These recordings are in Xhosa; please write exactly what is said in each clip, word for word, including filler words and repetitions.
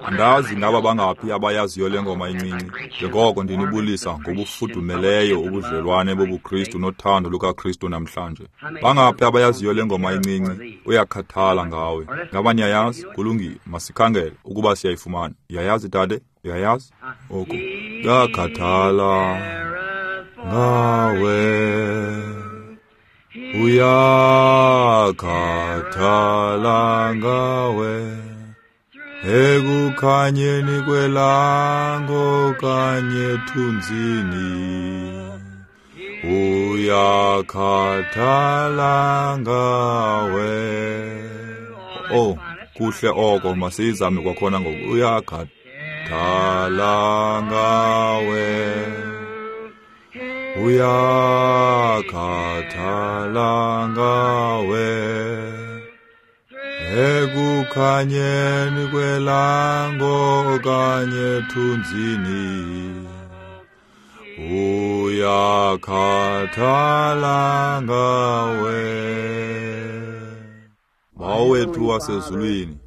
Andazi ngaba bangaphi abayaziyo le ngoma incinci, njengoko ndinibulisa ngobufudumeleyo ubudlelwane bobuKristu nothando lukaKristu namhlanje. Bangaphi abayaziyo le ngoma incinci? Uyakhathala ngawe. Ngaba niyayazi? Kulungile, masikhangele ukuba siyayifumana. Uyayazi, dade? Uyayazi? Oku. Uyakhathala ngawe. Uyakhathala ngawe. Ekukhanyeni kwelanga okanye ethunzini, uyakhathala ngawe. Oh, kuhle oko, masiyizame kwakhona ngoku. Uyakhathala ngawe, uyakhathala ngawe. Ekukhanyeni kwelanga okanye ethunzini, uyakhathala ngawe. Bawo wethu wasezulwini,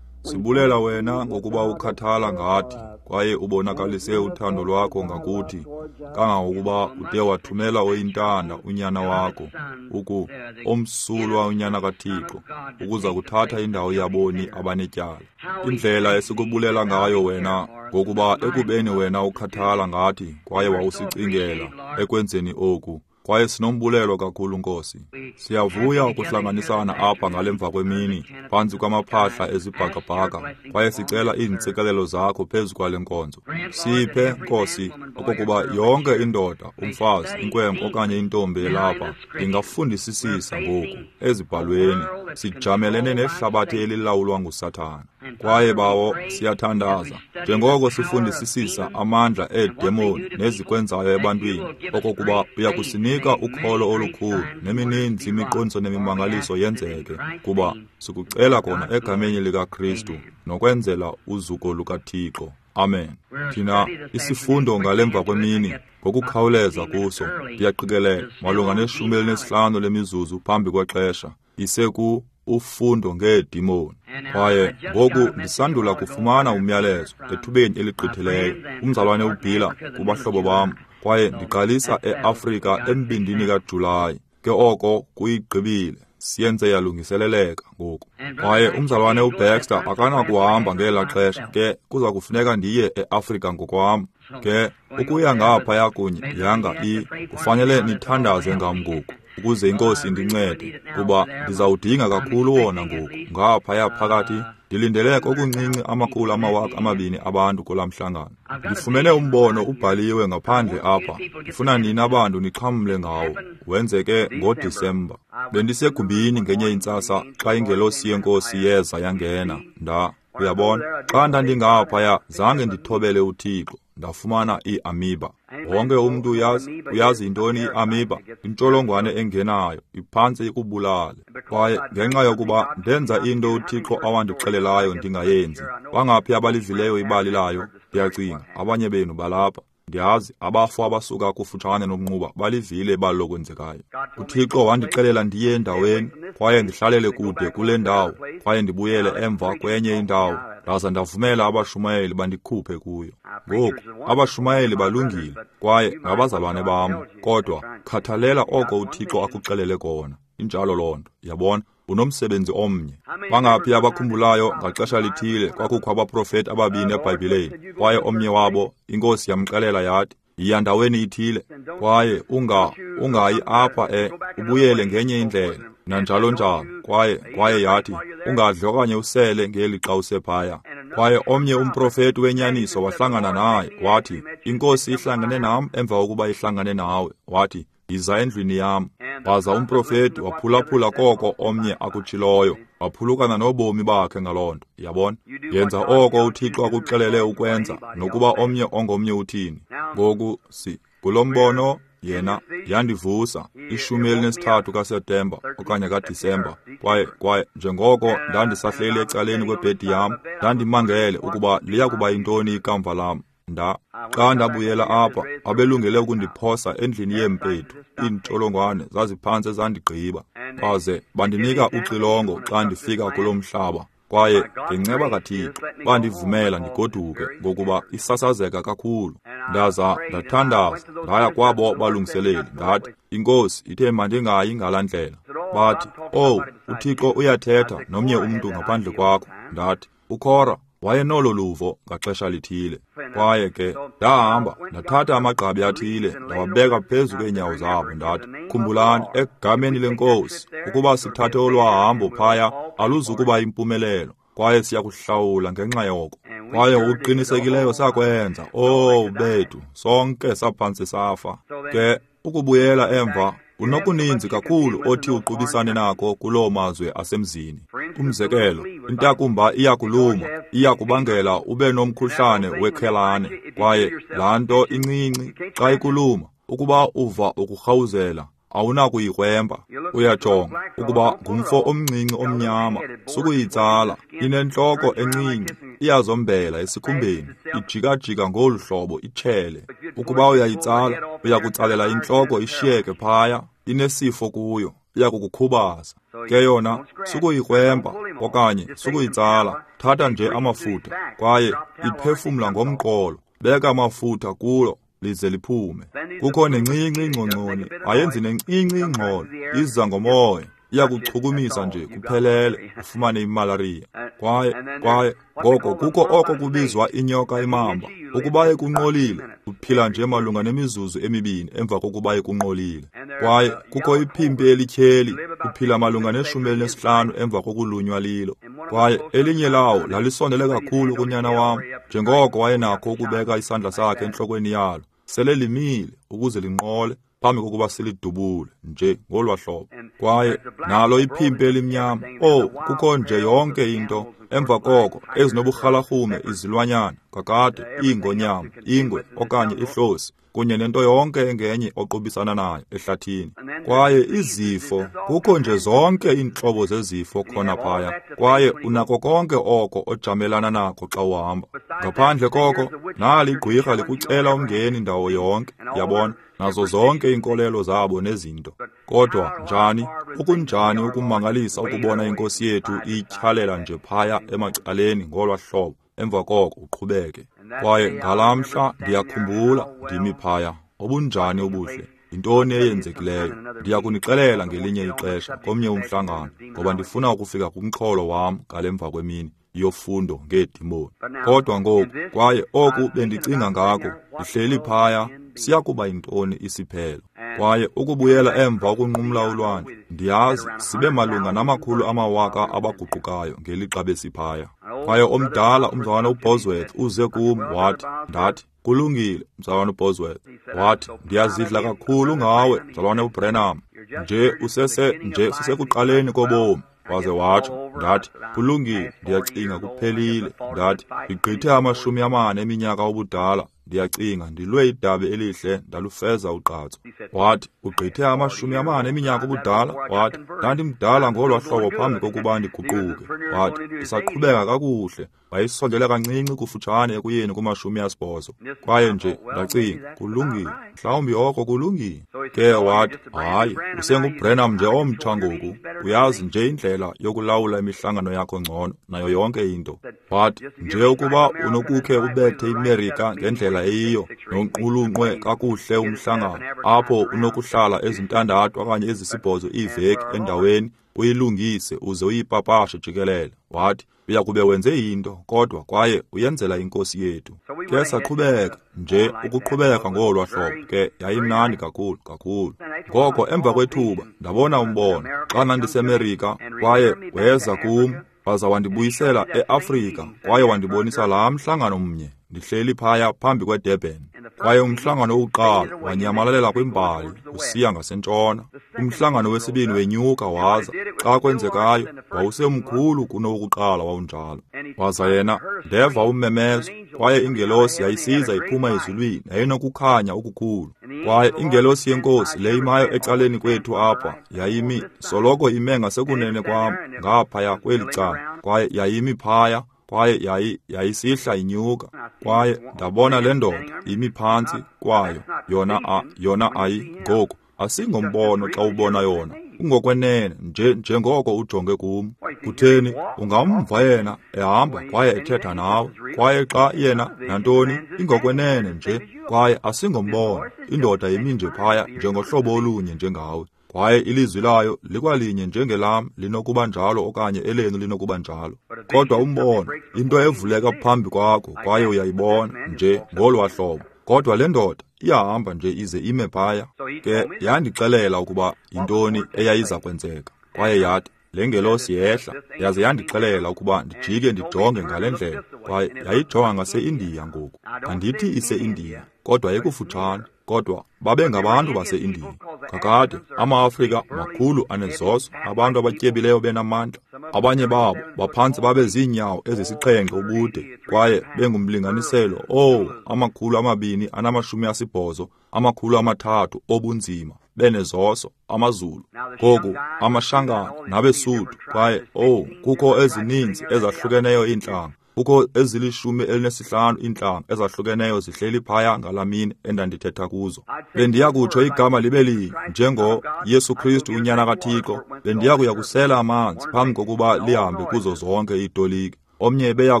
sibulela wena ngokuba ukhathala ngathi kwaye ubonakalise uthando lwakho ngakuthi, kangangokuba ude wathumela oyintanda unyana wakho, uku omsulwa unyana kaThixo, ukuza kuthatha indawo yaboni abanetyala. Indlela esikubulela ngayo wena, ngokuba ekubeni wena ukhathala ngathi kwaye wawusicingela ekwenzeni oku, kwaye sinombulelo kakhulu, Nkosi. Siyavuya ukuhlanganisana apha ngale mva kwemini phantsi kwamaphahla ezibhakabhaka, kwaye sicela iintsikelelo zakho phezu kwale nkonzo. Siphe, Nkosi, okokuba yonke indoda, umfazi, inkwenkwe okanye intombi elapha ingafundisisisa ngoku ezibhalweni. Sijamelene nehlabathi elilawulwa nguSathana. Kwaye Bawo, siyathandaza njengoko sifundisisisa amandla eedemoni nezikwenzayo ebantwini, okokuba uyakusinika ukholo olukhulu nemininzi imiqondiso nemimangaliso yenzeke, kuba sikucela kona egameni likaKristu nokwenzela uzuko lukaThixo. Amen. Thina isifundo ngalemva kwemini ngokukhawuleza kuso, ndiyaqikelela malunga neshumi elinesihlanu lemizuzu phambi kwexesha, iseku ufundo ngeedimoni. Kwaye ngoku ndisandula kufumana umyalezo ethubeni eligqithileyo, umzalwane uBhila kubahlobo bam, kwaye ndiqalisa eAfrika embindini kaJulayi. Ke oko kuyigqibile, siyenze yalungiseleleka ngoku. Kwaye umzalwane uBaxter akanakuhamba ngela xesha, ke kuza kufuneka ndiye eAfrika ngokwam. Ke ukuya ngaphaya kunye yanga i kufanele nithandaze ngam ngoku, ukuze iNkosi indincede, kuba ndizawudinga kakhulu wona ngoku. Ngaphaya phakathi ndilindele kokuncinci amakhulu amawaka amabini abantu kulaa mhlangano. Ndifumene umbono ubhaliwe ngaphandle apha, ndifuna nina bantu nixhamle ngawo. Wenzeke ngoDisemba. Bendisegumbini ngenye intsasa xa ingelosi yeNkosi yeza yangena. Nda, uyabona, xa ndandingaphaya zange ndithobele uThixo, ndafumana iamiba. Wonke umntu uyazi, uyazi intoni iamiba? Intsholongwane engenayo, iphantse ikubulale. Kwaye ngenxa yokuba ndenza into uThixo awandixelelayo ndingayenzi. Bangaphi abalivileyo ibali layo? Ndiyacinga abanye benu balapha. Ndiyazi abafo abasuka kufutshane nomnquba balivile ibali lokwenzekayo. UThixo wandixelela ndiye endaweni, kwaye ndihlalele kude kule ndawo, kwaye ndibuyele emva kwenye indawo, ndaza ndavumela abashumayeli bandikhuphe kuyo. Ngoku abashumayeli balungile kwaye ngabazalwane bam, kodwa khathalela oko uThixo akuxelele kona. Injalo loo nto, yabona? Unomsebenzi omnye. Bangaphi abakhumbulayo ngaxesha lithile kwakukho abaprofeti ababini eBhayibhileni, kwaye omnye wabo iNkosi yamxelela yathi, yiya ndaweni ithile, kwaye unga ungayi apha e ubuyele ngenye indlela, nanjalo njalo. Kwaye kwaye yathi, ungadli okanye usele ngeli xa usephaya. Kwaye omnye umprofeti wenyaniso wahlangana naye, wathi, iNkosi ihlangane nam emva kokuba ihlangane nawe. Wathi, yiza endlwini yam. Waza umprofeti waphulaphula koko omnye akutshiloyo, waphulukana nobomi bakhe ngaloo nto. Yabona? Yenza oko uThixo akuxelele ukwenza, nokuba omnye ongomnye uthini. Ngoku si kulo mbono yena yandivusa ishumi elinesithathu kaSeptemba okanye kaDisemba. Kwaye kwaye njengoko ndandisahleli ecaleni kwebhedi yam, ndandimangele ukuba liya kuba yintoni ikamva lam. Nda xa ndabuyela apha, abelungele ukundiphosa endlini yeempethu. Iintsholongwane zaziphantse zandigqiba, baze bandinika uxilongo xa ndifika kulo mhlaba. Kwaye ngenceba kaThixo bandivumela ndigoduke ngokuba isasazeka kakhulu. Ndaza ndathandaza, ndaya kwabo balungiseleli, ndathi, iNkosi ithe mandingayi ngalaa ndlela. Bathi, owu, uThixo uyathetha nomnye umntu ngaphandle kwakho. Ndathi, uKora wayenolo luvo ngaxesha lithile. Kwaye ke ndahamba ndathatha amagqabi athile ndawabeka phezu kweenyawo zabo. Ndathi, khumbulani, egameni leNkosi, ukuba sithathe olwahambo phaya aluzukuba impumelelo, kwaye siyakuhlawula ngenxa yoko. Kwaye ngokuqinisekileyo sakwenza. Oh bethu, sonke saphantsi safa. Ke ukubuyela emva, unokuninzi kakhulu othi uqubisane nako kuloo mazwe asemzini. Umzekelo, intakumba iyakuluma, iyakubangela ube nomkhuhlane wekhelane. Kwaye laa nto incinci xa ikuluma, ukuba uva ukurhawuzela, awunakuyikrwempa. Uyajonga ukuba ngumfo omncinci omnyama, sukuyitsala, inentloko encinci, iyazombela esikhumbeni, ijikajika ngolu hlobo itshele. Ukuba uyayitsala, uyakutsalela intloko ishiyeke phaya, inesifo kuyo, iyakukukhubaza. Ke yona sukuyikrwempa okanye sukuyitsala, thatha nje amafutha, kwaye iphefumla ngomqolo, beka amafutha kulo lize liphume. Kukho nencinci ingcongconi, ayenzi nencinci ingxolo, iza ngomoya, iyakuchukumisa nje kuphelele, ufumane imalariya. Kwaye kwaye ngoko kukho oko kubizwa inyoka imamba. Ukuba ikunqolile, uphila nje malunga nemizuzu emibini emva kokuba ikunqolile. Kwaye kukho iphimpi elityheli, uphila malunga neshumi elinesihlanu emva kokulunywa lilo. Kwaye elinye lawo lalisondele kakhulu kunyana wam, njengoko wayenakho ukubeka isandla sakhe entlokweni yalo, sele limile ukuze linqole phambi kokuba silidubule nje ngolwa hlobo. Kwaye nalo iphimpi elimnyama, oh, kukho nje yonke into emva koko ezinoburhalarhume izilwanyana, kakade iingonyama, ingwe okanye ihlosi, kunye nento yonke engenye oqubisana nayo ehlathini. Kwaye izifo, kukho nje zonke iintlobo zezifo khona phaya, kwaye unako konke oko ojamelana nako xa uhamba. Ngaphandle koko, nali igqwirha likucela umngeni ndawo yonke, yabona, nazo zonke iinkolelo zabo nezinto. Kodwa njani, okunjani ukumangalisa ukubona iNkosi yethu iyityhalela nje phaya emacaleni ngolwa hlobo, emva koko uqhubeke. Kwaye ngalaa mhla ndiyakhumbula ndimi phaya, obunjani ubuhle, yintoni eyenzekileyo. Ndiyakunixelela ngelinye ixesha komnye umhlangano, ngoba ndifuna ukufika kumxholo wam ngale mva kwemini yofundo ngeedimoni. Kodwa ngoku, kwaye oku bendicinga ngako, ndihleli phaya, siyakuba yintoni isiphelo. Kwaye ukubuyela emva ukunqumla ulwandle, ndiyazi sibe malunga namakhulu amawaka abaguqukayo ngelixa besiphaya. Kwaye omdala umzalwana uBosworth uze kum wathi, ndathi, kulungile mzalwana uBosworth. Wathi, ndiyazidla kakhulu ngawe mzalwana uBrenham, nje usese nje sisekuqaleni kobomi. Waze watsho. Ndathi, kulungile, ndiyacinga kuphelile. Ndathi, ndigqithe amashumi amane eminyaka ubudala, ndiyacinga ndilwe idabi elihle ndalufeza ugqatso. Wathi, ugqithe amashumi amane eminyaka ubudala? Wathi, ndandimdala ngolwa hlobo phambi kokuba ndiguquke. Wathi, ndisaqhubeka kakuhle. Wayesondele kancinci kufutshane ekuyeni kumashumi asibhozo. Kwaye nje ndacinga, kulungile, mhlawumbi oko kulungile. Ke wathi, hayi, usenguBrenham nje omtsha ngoku, uyazi nje indlela yokulawula imihlangano yakho ngcono nayo yonke into. Wathi, nje ukuba unokukhe ubethe iMerika ngendlela eyiyo nonqulunqwe kakuhle umhlangano, apho unokuhlala ezintandathu okanye ezisibhozo iiveki endaweni, uyilungise uze uyipapashe jikelele. Wathi, uyakube wenze into, kodwa kwaye uyenzela iNkosi yethu. Ke saqhubeka nje ukuqhubeka ngolwa hlobo, ke yayimnandi kakhulu kakhulu. Ngoko emva kwethuba ndabona umbono xa ndandiseMerika, kwaye weza kum waza wandibuyisela eAfrika, kwaye wandibonisa laa mhlangano mnye ndihleli phaya phambi kweDurban. Kwaye umhlangano wokuqala wanyamalalela kwimbali usiya ngasentshona. Umhlangano wesibini wenyuka waza, xa kwenzekayo, wawusemkhulu kunowokuqala wawunjalo. Waza yena, ndeva ummemezo, kwaye ingelosi yayisiza iphuma ezulwini, yayinokukhanya okukhulu. Kwaye ingelosi yeNkosi le imayo ecaleni kwethu apha, yayimi soloko ime ngasekunene kwam ngaphaya kweli cala, kwaye yayimi phaya, kwaye yayi yayisihla inyuka. Kwaye ndabona le ndoda imi phantsi kwayo, yona a, yona ayi ngoku asingombono xa ubona yona, Kungokwenene nje njengoko ujonge kum. Kutheni, ungamva yena ehamba kwaye ethetha nawe, kwaye xa yena nantoni, ingokwenene nje, kwaye asingombono. Indoda imi nje phaya njengohlobo olunye njengawe, kwaye ilizwi layo likwalinye njengelam linokuba njalo okanye elenu linokuba njalo. Kodwa umbono, into evuleka phambi kwakho kwaye uyayibona nje ngolwa hlobo. Kodwa le ndoda iyahamba nje ize ime phaya. Ke yandixelela ukuba yintoni eyayiza kwenzeka, kwaye yathi le ngelosi yehla yaze yandixelela ukuba ndijike ndijonge ngale ndlela, kwaye yayijonga ngase-Indiya ngoku. Andithi ise-Indiya, kodwa ikufutshane, kodwa babengabantu base-Indiya. Kakade, ama-Afrika makhulu anezoso, abantu abatyebileyo benamandla. Abanye babo baphantsi babe ziinyawo ezisixhenxe ubude, kwaye bengumlinganiselo owu amakhulu amabini anamashumi asibhozo, amakhulu amathathu obunzima, benezoso, amaZulu. Ngoku amaShangana nabeSuthu, kwaye owu kukho ezininzi ezahlukeneyo iintlanga. Kukho ezilishumi elinesihlanu iintlanga ezahlukeneyo zihleli phaya ngalamini endandithetha kuzo. Bendiya kutsho igama libe linye njengo Yesu Kristu unyana kaThixo. Bendiya kuya kusela amanzi phambi kokuba lihambe kuzo zonke iitoliki. Omnye ebeya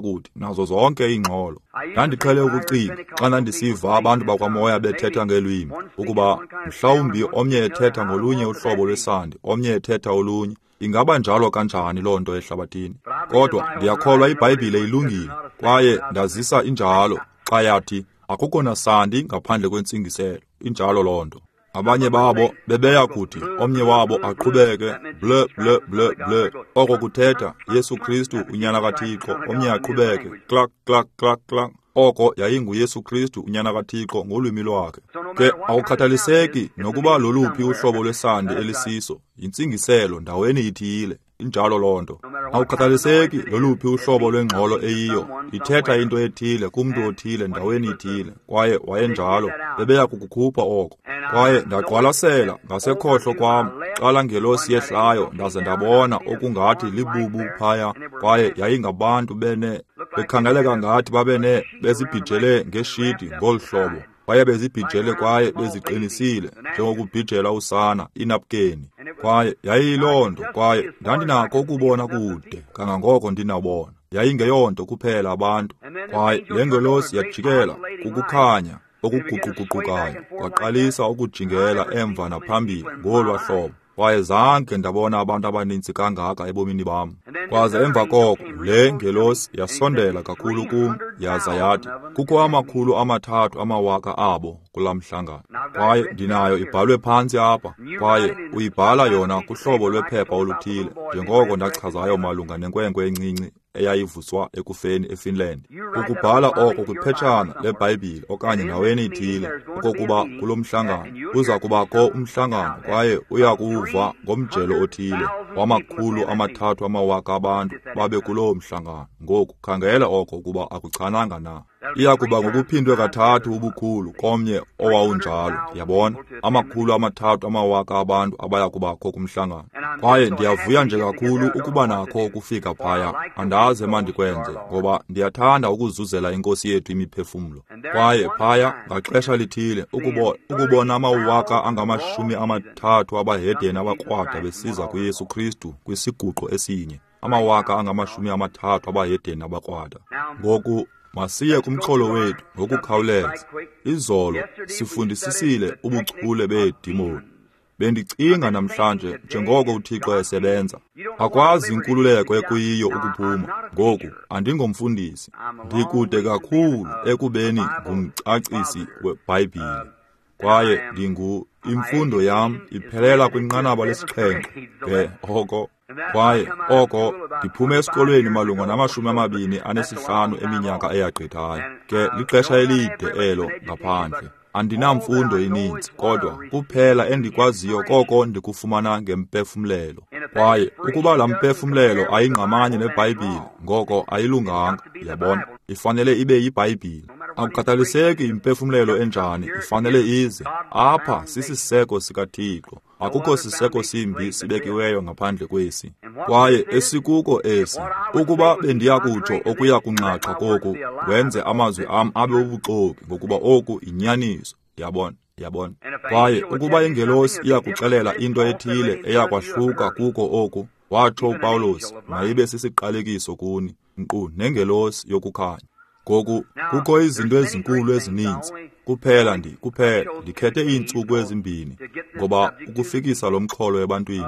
kuthi nazo zonke iingxolo. Ndandiqhele ukucinga xa ndandisiva abantu bakwamoya bethetha ngelwimi, ukuba mhlawumbi omnye ethetha ngolunye uhlobo lwesandi, omnye ethetha olunye. Ingaba njalo kanjani loo nto ehlabathini? Kodwa ndiyakholwa iBhayibhile ilungile, kwaye ndazisa injalo xa yathi akukho nasandi ngaphandle kwentsingiselo. Injalo loo nto. Abanye babo bebeya kuthi omnye wabo aqhubeke ble ble ble ble, oko kuthetha Yesu Kristu unyana kaThixo, omnye aqhubeke klak klak klak klak, oko yayinguYesu Kristu unyana kaThixo ngolwimi lwakhe. Ke awukhathaliseki nokuba loluphi uhlobo lwesandi elisiso, yintsingiselo ndaweni ithile. Injalo loo nto. Awukhathaliseki loluphi uhlobo lwengxolo eyiyo, ithetha into ethile kumntu othile ndaweni ithile, kwaye wayenjalo, bebeya kukukhupha oko. Kwaye ndaqwalasela ngasekhohlo kwam xa laa ngelosi yehlayo, ndaze ndabona okungathi libubu phaya, kwaye yayingabantu bene bekhangeleka ngathi babene bezibhijele ngeshidi ngolu hlobo. Kwaye bezibhijele kwaye beziqinisile njengokubhijela usana inapkeni. Kwaye yayiyiloo nto, kwaye ndandinako ukubona kude kangangoko ndinabona. Yayingeyonto kuphela abantu. Kwaye le ngelosi yajikela kukukhanya okuguquguqukayo, kwaqalisa ukujingela emva naphambili ngolwa hlobo. Kwaye zange ndabona abantu abaninzi kangaka ebomini bam. Kwaze emva koko le ngelosi yasondela kakhulu kum, yaza yathi kukho amakhulu amathathu amawaka abo kulaa mhlangano. Kwaye ndinayo ibhalwe phantsi apha, kwaye uyibhala yona kuhlobo lwephepha oluthile, njengoko ndachazayo malunga nenkwenkwe encinci eyayivuswa ekufeni eFinland. Ukubhala oko kwiphetshana leBhayibhile okanye ndaweni ithile, okokuba kulo mhlangano kuza kubakho umhlangano, kwaye uya kuwuva ngomjelo othile wamakhulu amathathu amawaka abantu babe kuloo mhlangano. Ngoku khangela oko ukuba akuchananga na. Iya kuba ngokuphindwe kathathu ubukhulu komnye owawunjalo, yabona, amakhulu amathathu amawaka abantu abaya kubakho kumhlangano. Kwaye ndiyavuya nje kakhulu ukuba nakho ukufika phaya. Andazi emandikwenze, ngoba ndiyathanda ukuzuzela iNkosi yethu imiphefumlo. Kwaye phaya ngaxesha lithile ukubo, ukubona amawaka angamashumi amathathu abahedeni abakrwada besiza kuYesu Kristu kwisiguqo esinye, amawaka angamashumi amathathu abahedeni abakrwada. Ngoku masiye kumxholo wethu ngokukhawuleza. Izolo sifundisisile ubuchule beedimoni. Bendicinga namhlanje njengoko uThixo esebenza. Akwazi inkululeko ekuyiyo ukuphuma. Ngoku andingomfundisi, ndikude kakhulu ekubeni ngumcacisi weBhayibhile. Kwaye ndingu imfundo yam iphelela kwinqanaba lesixhenxe. Ke oko kwaye oko ndiphume esikolweni malunga namashumi amabini anesihlanu eminyaka eyagqithayo. Ke lixesha elide elo ngaphandle. Andinamfundo ininzi, kodwa kuphela endikwaziyo koko ndikufumana ngempefumlelo. Kwaye ukuba laa mpefumlelo ayingqamanye neBhayibhile, ngoko ayilunganga, yabona. Ifanele ibe yiBhayibhile. Akukhathaliseki impefumlelo enjani, ifanele ize. Apha sisiseko sikaThixo. Akukho siseko simbi sibekiweyo ngaphandle kwesi. Kwaye esikuko esi, ukuba bendiya kutsho okuya kunxaxha koku, wenze amazwi am abe ubuxoki, ngokuba oku yinyaniso, yabona. Yabona? Kwaye ukuba ingelosi iyakuxelela into ethile eyakwahluka kuko oku, watsho uPawulos, mayibe sisiqalekiso kuni, nkqu nengelosi yokukhanya. Ngoku kukho izinto ezinkulu ezininzi. Kuphela ndi kuphela ndikhethe iintsuku ezimbini ngoba ukufikisa lo mxholo ebantwini,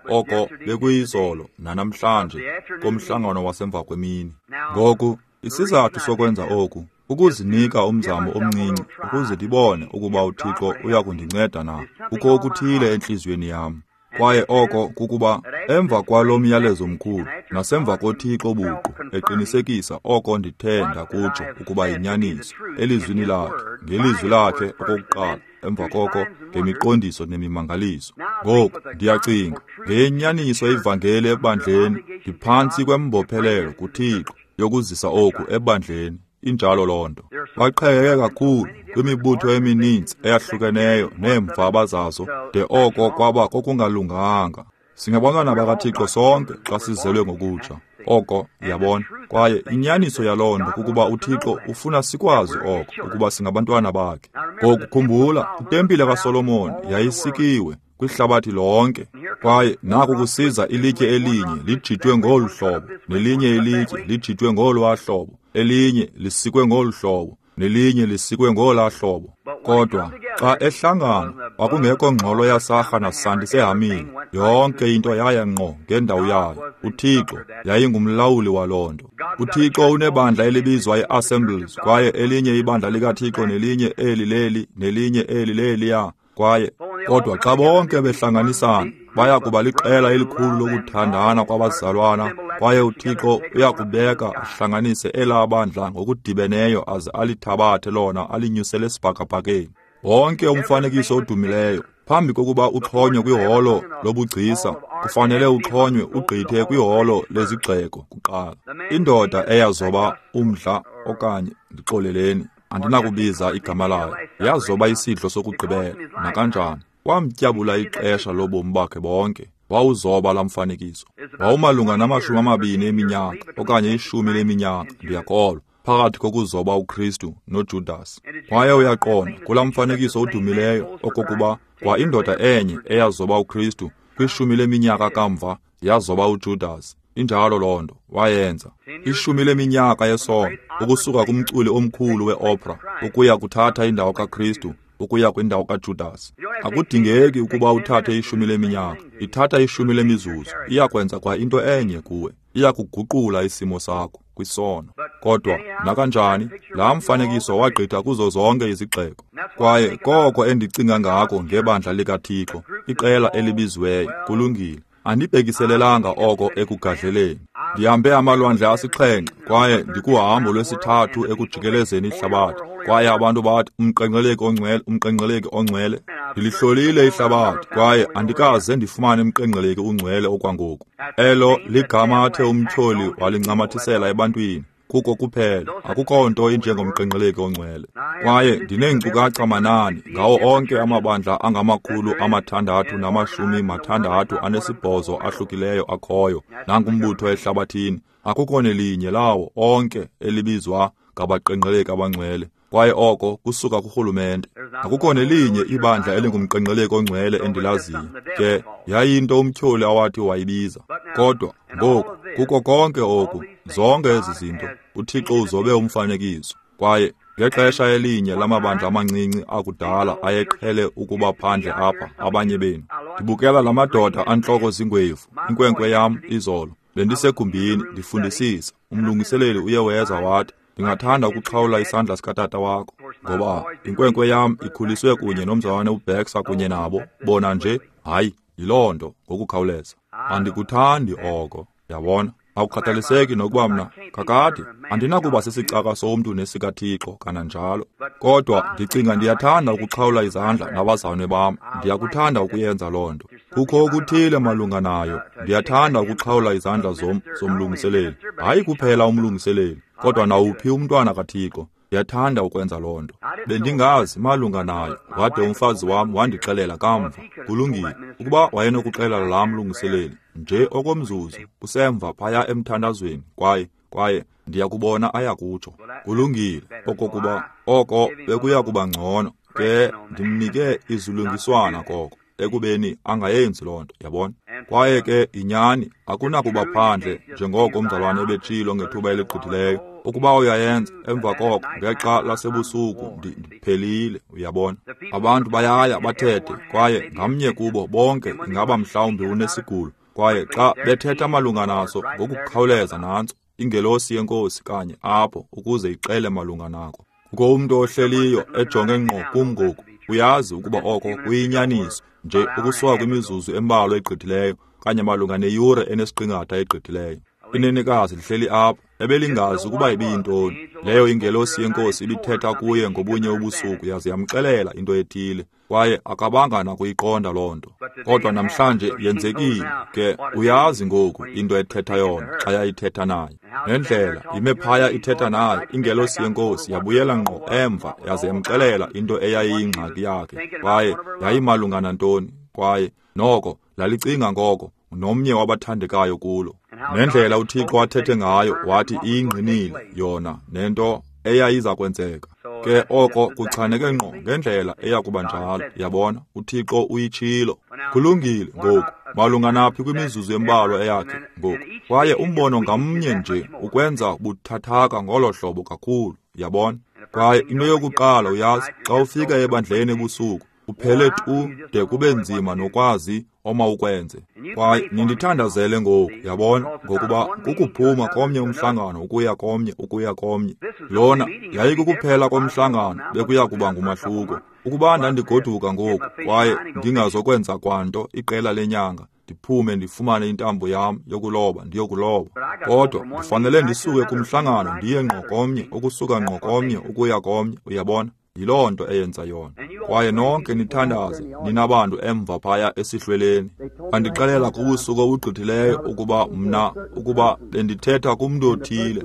oko bekuyizolo nanamhlanje komhlangano wasemva kwemini. Ngoku isizathu sokwenza oku ukuzinika umzamo omncinci ukuze ndibone ukuba uThixo uya kundinceda na. Kukho okuthile entliziyweni yam. Kwaye oko kukuba emva kwalo myalezo mkhulu nasemva koThixo buqu eqinisekisa oko ndithe ndakutsho ukuba yinyaniso elizwini lakhe, ngelizwi lakhe okokuqala, emva koko ngemiqondiso nemimangaliso. Ngoku ndiyacinga ngenyaniso ivangeli ebandleni, ndiphantsi kwembophelelo kuThixo yokuzisa oku ebandleni. Injalo loo nto. Baqhekeke kakhulu kwimibutho emininzi eyahlukeneyo neemvaba zazo de oko kwaba kokungalunganga. Singabantwana bakaThixo sonke xa sizelwe ngokutsha. Oko, yabona. Kwaye inyaniso yaloo nto kukuba uThixo ufuna sikwazi oko, ukuba singabantwana bakhe. Ngoku khumbula, itempile kaSolomon yayisikiwe kwihlabathi lonke. Kwaye naku kusiza ilitye elinye lijitwe ngolu hlobo, nelinye ilitye lijitwe ngolwaa hlobo, elinye lisikwe ngolu hlobo, nelinye lisikwe ngolaa hlobo. Kodwa xa ehlangana kwakungekho ngxolo yasarha nasandi sehamile. Yonke into yaya ngqo ngendawo yayo. UThixo yayingumlawuli waloo nto. UThixo unebandla elibizwa i-Assemblies, kwaye elinye ibandla likaThixo, nelinye eli leli, nelinye eli leliya. Kwaye kodwa xa bonke behlanganisana baya kuba liqela elikhulu lokuthandana kwabazalwana, kwaye uThixo uyakubeka ahlanganise elaa bandla ngokudibeneyo aze alithabathe lona alinyusele esibhakabhakeni. Wonke umfanekiso odumileyo phambi kokuba uxhonywe kwiholo lobugcisa kufanele uxhonywe ugqithe kwiholo lezigxeko kuqala. Indoda eyazoba umdla, okanye ndixoleleni, andinakubiza igama layo, yazoba isidlo sokugqibela nakanjani. Wamtyabula ixesha lobomi bakhe bonke. Wawuzoba laa mfanekiso. Wawumalunga namashumi amabini eminyaka okanye ishumi leminyaka, ndiyakholwa, phakathi kokuzoba uKristu noJudas. Kwaye uyaqonda kulaa mfanekiso odumileyo okokuba kwa indoda enye eyazoba uKristu kwishumi leminyaka kamva yazoba uJudas. Injalo loo nto wayenza. Ishumi leminyaka yesono, ukusuka kumculi omkhulu weopera ukuya kuthatha indawo kaKristu ukuya kwindawo kaJudas. Akudingeki ukuba uthathe ishumi leminyaka, ithatha ishumi lemizuzu. Iyakwenza kwa into enye kuwe, iyakuguqula isimo sakho kwisono. Kodwa nakanjani, laa mfanekiso wagqitha kuzo zonke izigxeko. Kwaye koko endicinga ngako ngebandla likaThixo, iqela elibiziweyo, kulungile. Andibhekiselelanga oko ekugadleleni. Ndihambe amalwandle asixhenxe kwaye ndikuhambo lwesithathu ekujikelezeni ihlabathi. Kwaye abantu bathi umqenqeleki ongcwele, umqenqeleki ongcwele. Ndilihlolile ihlabathi kwaye andikaze ndifumane umqenqeleki ungcwele okwangoku. Elo ligama athe umtyholi walincamathisela ebantwini. Kuko kuphela, akukho nto injengomqenqeleki ongcwele. Kwaye ndineenkcukacha manani ngawo onke amabandla angamakhulu amathandathu namashumi mathandathu anesibhozo ahlukileyo akhoyo nangumbutho ehlabathini. Akukho nelinye lawo onke elibizwa ngabaqenqeleki abangcwele. Kwaye oko kusuka kurhulumente. Akukho nelinye ibandla elingumqenqeleki ongcwele endilaziyo. Ke yayinto umtyholi awathi wayibiza. Kodwa ngoku kuko konke oku, zonke ezi zinto, uThixo uzobe umfanekiso. Kwaye ngexesha elinye lamabandla amancinci akudala ayeqhele ukuba phandle apha abanye benu. Ndibukela la madoda antloko zingwevu, inkwenkwe yam izolo. Bendisegumbini ndifundisisa. Umlungiseleli uye weza wathi, ndingathanda ukuxhawula isandla sikatata wakho, ngoba inkwenkwe yam ikhuliswe kunye nomzalwane uBaxter kunye nabo. Bona nje, hayi, yiloo nto ngokukhawuleza. Andikuthandi oko, yabona. Akukhathaliseki nokuba mna kakade andinakuba sisicaka somntu nesikaThixo kananjalo. Kodwa ndicinga ndiyathanda ukuxhawula izandla nabazalwane bam. Ndiyakuthanda ukuyenza loo nto. Kukho okuthile malunga nayo. Ndiyathanda ukuxhawula izandla zom zomlungiseleli. Hayi kuphela umlungiseleli, kodwa nawuphi umntwana kaThixo. Ndiyathanda ukwenza loo nto. Bendingazi malunga nayo, wade umfazi wam wandixelela kamva. Kulungile, ukuba wayenokuxelela laa mlungiseleli nje okomzuzu kusemva phaya emthandazweni, kwaye kwaye ndiyakubona ayakutsho. Kulungile, okokuba oko bekuya kuba ngcono. Ke ndimnike izilungiswana koko ekubeni angayenzi loo nto, yabona. Kwaye ke inyani akunakuba phandle njengoko umzalwane ebetshilo ngethuba eligqithileyo. Ukuba uyayenza emva koko ngexa lasebusuku ndiphelile, uyabona. Abantu bayaya bathethe kwaye ngamnye kubo bonke ingaba mhlawumbi unesigulo. Kwaye xa bethetha malunga naso ngokukhawuleza nantso ingelosi yenkosi kanye apho ukuze ixele malunga nako. Kukho umntu ohleliyo ejonge ngqo kum ngoku, uyazi ukuba oko kuyinyaniso nje ukusuka kwimizuzu embalwa egqithileyo kanye malunga neyure enesiqingatha egqithileyo. Inenekazi lihleli apho ebelingazi ukuba ibiyintoni leyo ingelosi yenkosi ibithetha kuye ngobunye ubusuku yaze yamxelela into ethile, kwaye akabanga nakuyiqonda loo nto. Kodwa namhlanje yenzekile ke, uyazi ngoku into ethetha yona xa yayithetha naye. Nendlela ime phaya ithetha naye, ingelosi yenkosi yabuyela ngqo emva yaze yamxelela into eyayiyingxaki yakhe, kwaye yayimalunga nantoni, kwaye noko lalicinga ngoko nomnye wabathandekayo kulo. Nendlela uThixo athethe ngayo wathi iyingqinile yona nento eyayiza kwenzeka. Ke oko kuchaneke ngqo ngendlela eyakuba njalo, yabona, uThixo uyitshilo. Kulungile ngoku, malunga naphi kwimizuzu embalwa eyakhe ngoku. Kwaye umbono ngamnye nje ukwenza buthathaka ngolo hlobo kakhulu, yabona. Kwaye into yokuqala uyazi, xa ufika ebandleni ebusuku, uphele tu de kube nzima nokwazi omawukwenze. Kwaye nindithandazele ngoku, yabona, ngokuba kukuphuma komnye umhlangano ukuya komnye ukuya komnye. Lona yayikukuphela komhlangano bekuya kuba ngumahluko. Ukuba ndandigoduka ngoku kwaye ndingazokwenza kwanto iqela lenyanga, ndiphume ndifumane intambo yam yokuloba ndiyokuloba. Kodwa ndifanele ndisuke kumhlangano ndiye ngqo komnye, ukusuka ngqo komnye ukuya komnye, uyabona. Yiloo nto eyenza yona. Kwaye nonke nithandaze ninabantu emva phaya esihlweleni. Bandixelela kubusuku obugqithileyo ukuba mna ukuba bendithetha kumntu othile,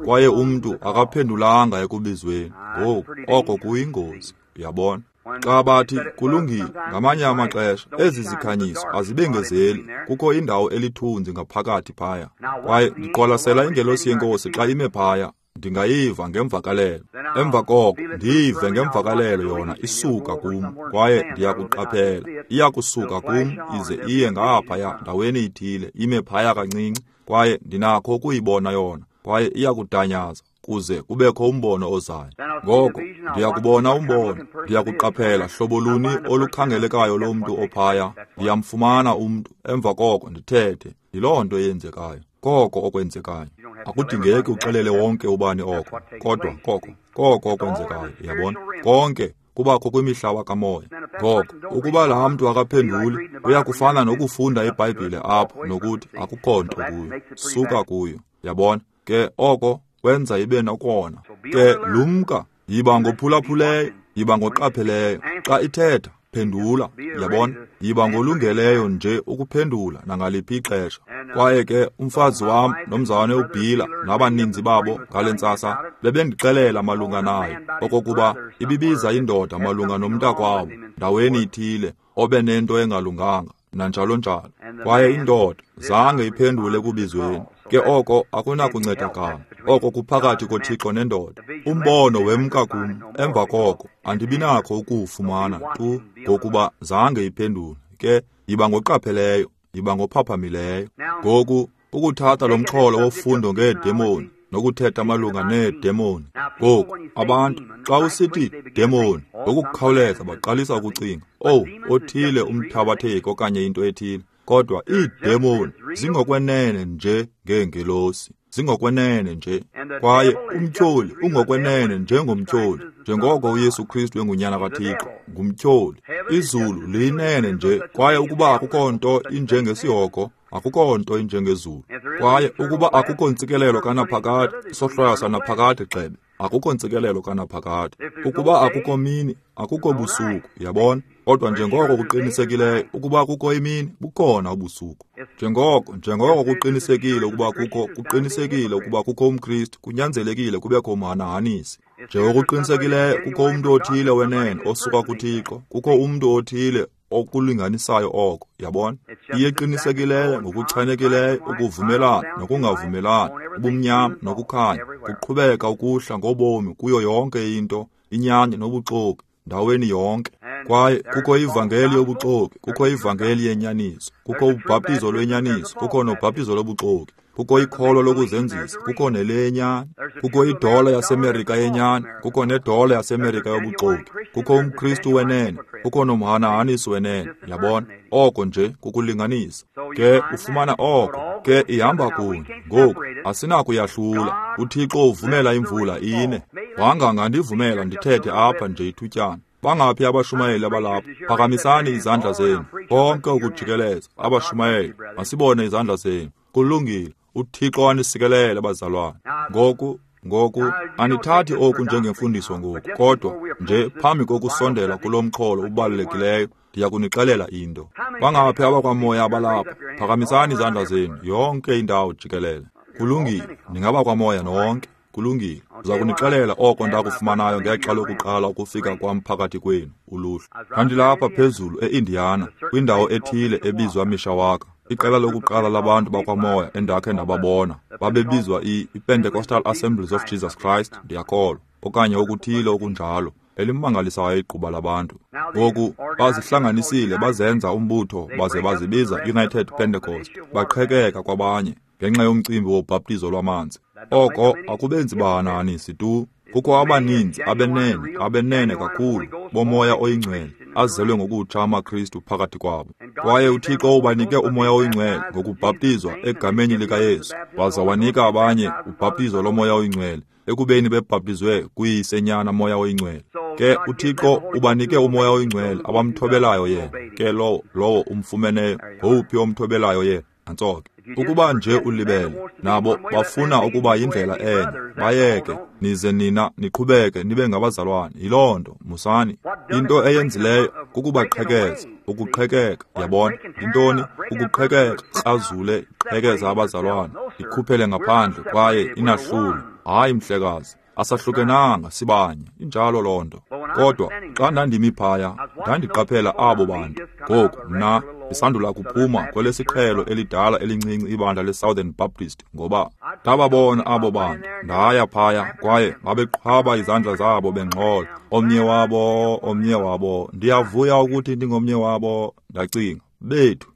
kwaye umntu akaphendulanga ekubizweni. Ngoku oko kuyingozi, uyabona. Xa bathi kulungile, ngamanye amaxesha ezi zikhanyiso azibengezeli, kukho indawo elithunzi ngaphakathi phaya. Kwaye ndiqwalasela ingelosi yenkosi xa ime phaya, ndingayiva ngemvakalelo. Emva koko ndiyive ngemvakalelo yona isuka kum, kwaye ndiyakuqaphela iyakusuka kum ize iye ngaphaya ndaweni ithile, ime phaya kancinci, kwaye ndinakho ukuyibona yona, kwaye iyakudanyaza kuze kubekho umbono ozayo. Ngoko ndiyakubona umbono, ndiyakuqaphela hlobo luni olukhangelekayo lomntu ophaya, ndiyamfumana umntu, emva koko ndithethe. Yiloo nto eyenzekayo, koko okwenzekayo. Akudingeki uxelele wonke ubani oko, kodwa koko koko okwenzekayo, uyabona. Konke kubakho kwimihlaba kamoya. Ngoko ukuba laa mntu akaphenduli, uyakufana nokufunda iBhayibhile apho nokuthi akukho nto kuyo, suka kuyo, yabona. Ke oko kwenza ibe nokona. Ke lumka, yiba ngophulaphuleyo, yiba ngoqapheleyo. Xa ithetha, phendula, yabona. Yiba ngolungeleyo nje ukuphendula nangaliphi ixesha. Kwaye ke umfazi wam nomzalwane uBhila nabaninzi babo ngale ntsasa bebendixelela malunga nayo okokuba ibibiza indoda malunga nomntakwabo ndaweni ithile obe nento engalunganga nanjalo njalo. Kwaye indoda zange iphendule ekubizweni. Ke oko akunakuncedakala, oko kuphakathi koThixo nendoda. Umbono wemka kum emva koko andibinakho ukuwufumana tu ngokuba zange iphendule. Ke yiba ngoqapheleyo, yiba ngophaphamileyo. Ngoku ukuthatha lo mxholo wofundo ngeedemoni nokuthetha malunga needemoni. Ngoku abantu xa usithi demoni ngokukhawuleza baqalisa ukucinga, oh, othile umthabatheki okanye into ethile. Kodwa iidemoni zingokwenene nje ngeengelosi, zingokwenene nje. Kwaye umtyholi ungokwenene njengomtyholi, njengoko uYesu Kristu engunyana kaThixo, ngumtyholi. Izulu liyinene nje, kwaye ukuba akukho nto injengesihogo, akukho nto injengezulu. Kwaye ukuba akukho ntsikelelo kanaphakade, isohlwayo sanaphakade gxebe, akukho ntsikelelo kanaphakade. Ukuba akukho mini, akukho busuku, yabona. Kodwa njengoko kuqinisekileyo ukuba kukho imini, bukhona ubusuku. Njengoko njengoko kuqinisekile ukuba kukho kuqinisekile ukuba kukho umKristu, kunyanzelekile kubekho umhanahanisi. Njengoko kuqinisekileyo kukho umntu othile wenene osuka kuThixo, kukho umntu othile okulinganisayo oko, yabona. Iye qinisekileyo ngokuchanekileyo ukuvumelana nokungavumelani, ubumnyama nokukhanya, kuqhubeka ukuhla ngobomi kuyo yonke into, inyani nobuxoki, ndaweni yonke. Kwaye kukho ivangeli yobuxoki, kukho ivangeli yenyaniso, kukho ubhaptizo lwenyaniso, kukho nobhaptizo lobuxoki, kukho ikholo lokuzenzisa, kukho nelenyani, kukho idola yaseMerika yenyani, kukho nedola yaseMerika yobuxoki, kukho umKristu wenene, kukho nomhanahaniso wenene. Yabona, oko nje kukulinganisa. Ke ufumana oko, ke ihamba kunye. Ngoku asinakuyahlula. UThixo uvumela imvula ine. Wangangandivumela ndithethe apha nje ithutyana. Bangaphi abashumayeli abalapha? Phakamisani izandla zenu. Konke ukujikeleza abashumayeli, masibone izandla zenu. Kulungile. UThixo anisikelele bazalwane. Ngoku ngoku anithathi oku njengemfundiso ngoku, kodwa nje phambi kokusondela kulo mxholo ubalulekileyo, ndiya kunixelela into. Bangaphi abakwamoya abalapha? Phakamisani izandla zenu yonke indawo jikelele. Kulungile, ningaba kwamoya nonke. Kulungile. Ndiza kunixelela oko ndakufumanayo ngexa lokuqala ukufika kwam phakathi kwenu, uluhlu. Ndandilapha phezulu e-Indiana, kwindawo ethile ebizwa Mishawaka. Iqela lokuqala labantu bakwamoya endakhe ndababona babebizwa i-Pentecostal Assemblies of Jesus Christ, ndiyakholwa, okanye okuthile okunjalo, elimangalisayo igquba labantu. Ngoku bazihlanganisile bazenza umbutho baze bazibiza United Pentecost, baqhekeka kwabanye ngenxa yomcimbi wobhaptizo lwamanzi. Oko akubenzi bahanahanisi tu. Kukho abaninzi abenene, abenene kakhulu bomoya oyingcwele, azelwe ngokutsha amaKristu phakathi kwabo. Kwaye uThixo ubanike umoya oyingcwele ngokubhaptizwa egameni likaYesu, waza wanika abanye ubhaptizo lomoya oyingcwele ekubeni bebhaptizwe kuyisenyana moya oyingcwele. Ke uThixo ubanike umoya oyingcwele abamthobelayo yena. Ke lowo lowo umfumeneyo, ngowuphi omthobelayo yena? Nantso ke. Ukuba nje ulibele, nabo bafuna ukuba yindlela enye, bayeke, nize nina niqhubeke nibe ngabazalwane. Yiloo nto, musani. Into eyenzileyo kukubaqhekeza, ukuqhekeka, yabona. Intoni? Ukuqhekeka, krazule, qhekeza abazalwane, ikhuphele ngaphandle kwaye inahlule. Hayi mhlekazi, asahlukenanga, sibanye. Injalo loo nto. Kodwa xa ndandimi phaya, ndandiqaphela abo bantu. Ngoku mna ndisandula kuphuma kwelesiqhelo elidala elincinci ibandla le-Southern Baptist, ngoba ndababona abo bantu. Ndaya phaya kwaye babeqhwaba izandla zabo bengxola. Omnye wabo, omnye wabo, ndiyavuya ukuthi ndingomnye wabo. Ndacinga, bethu,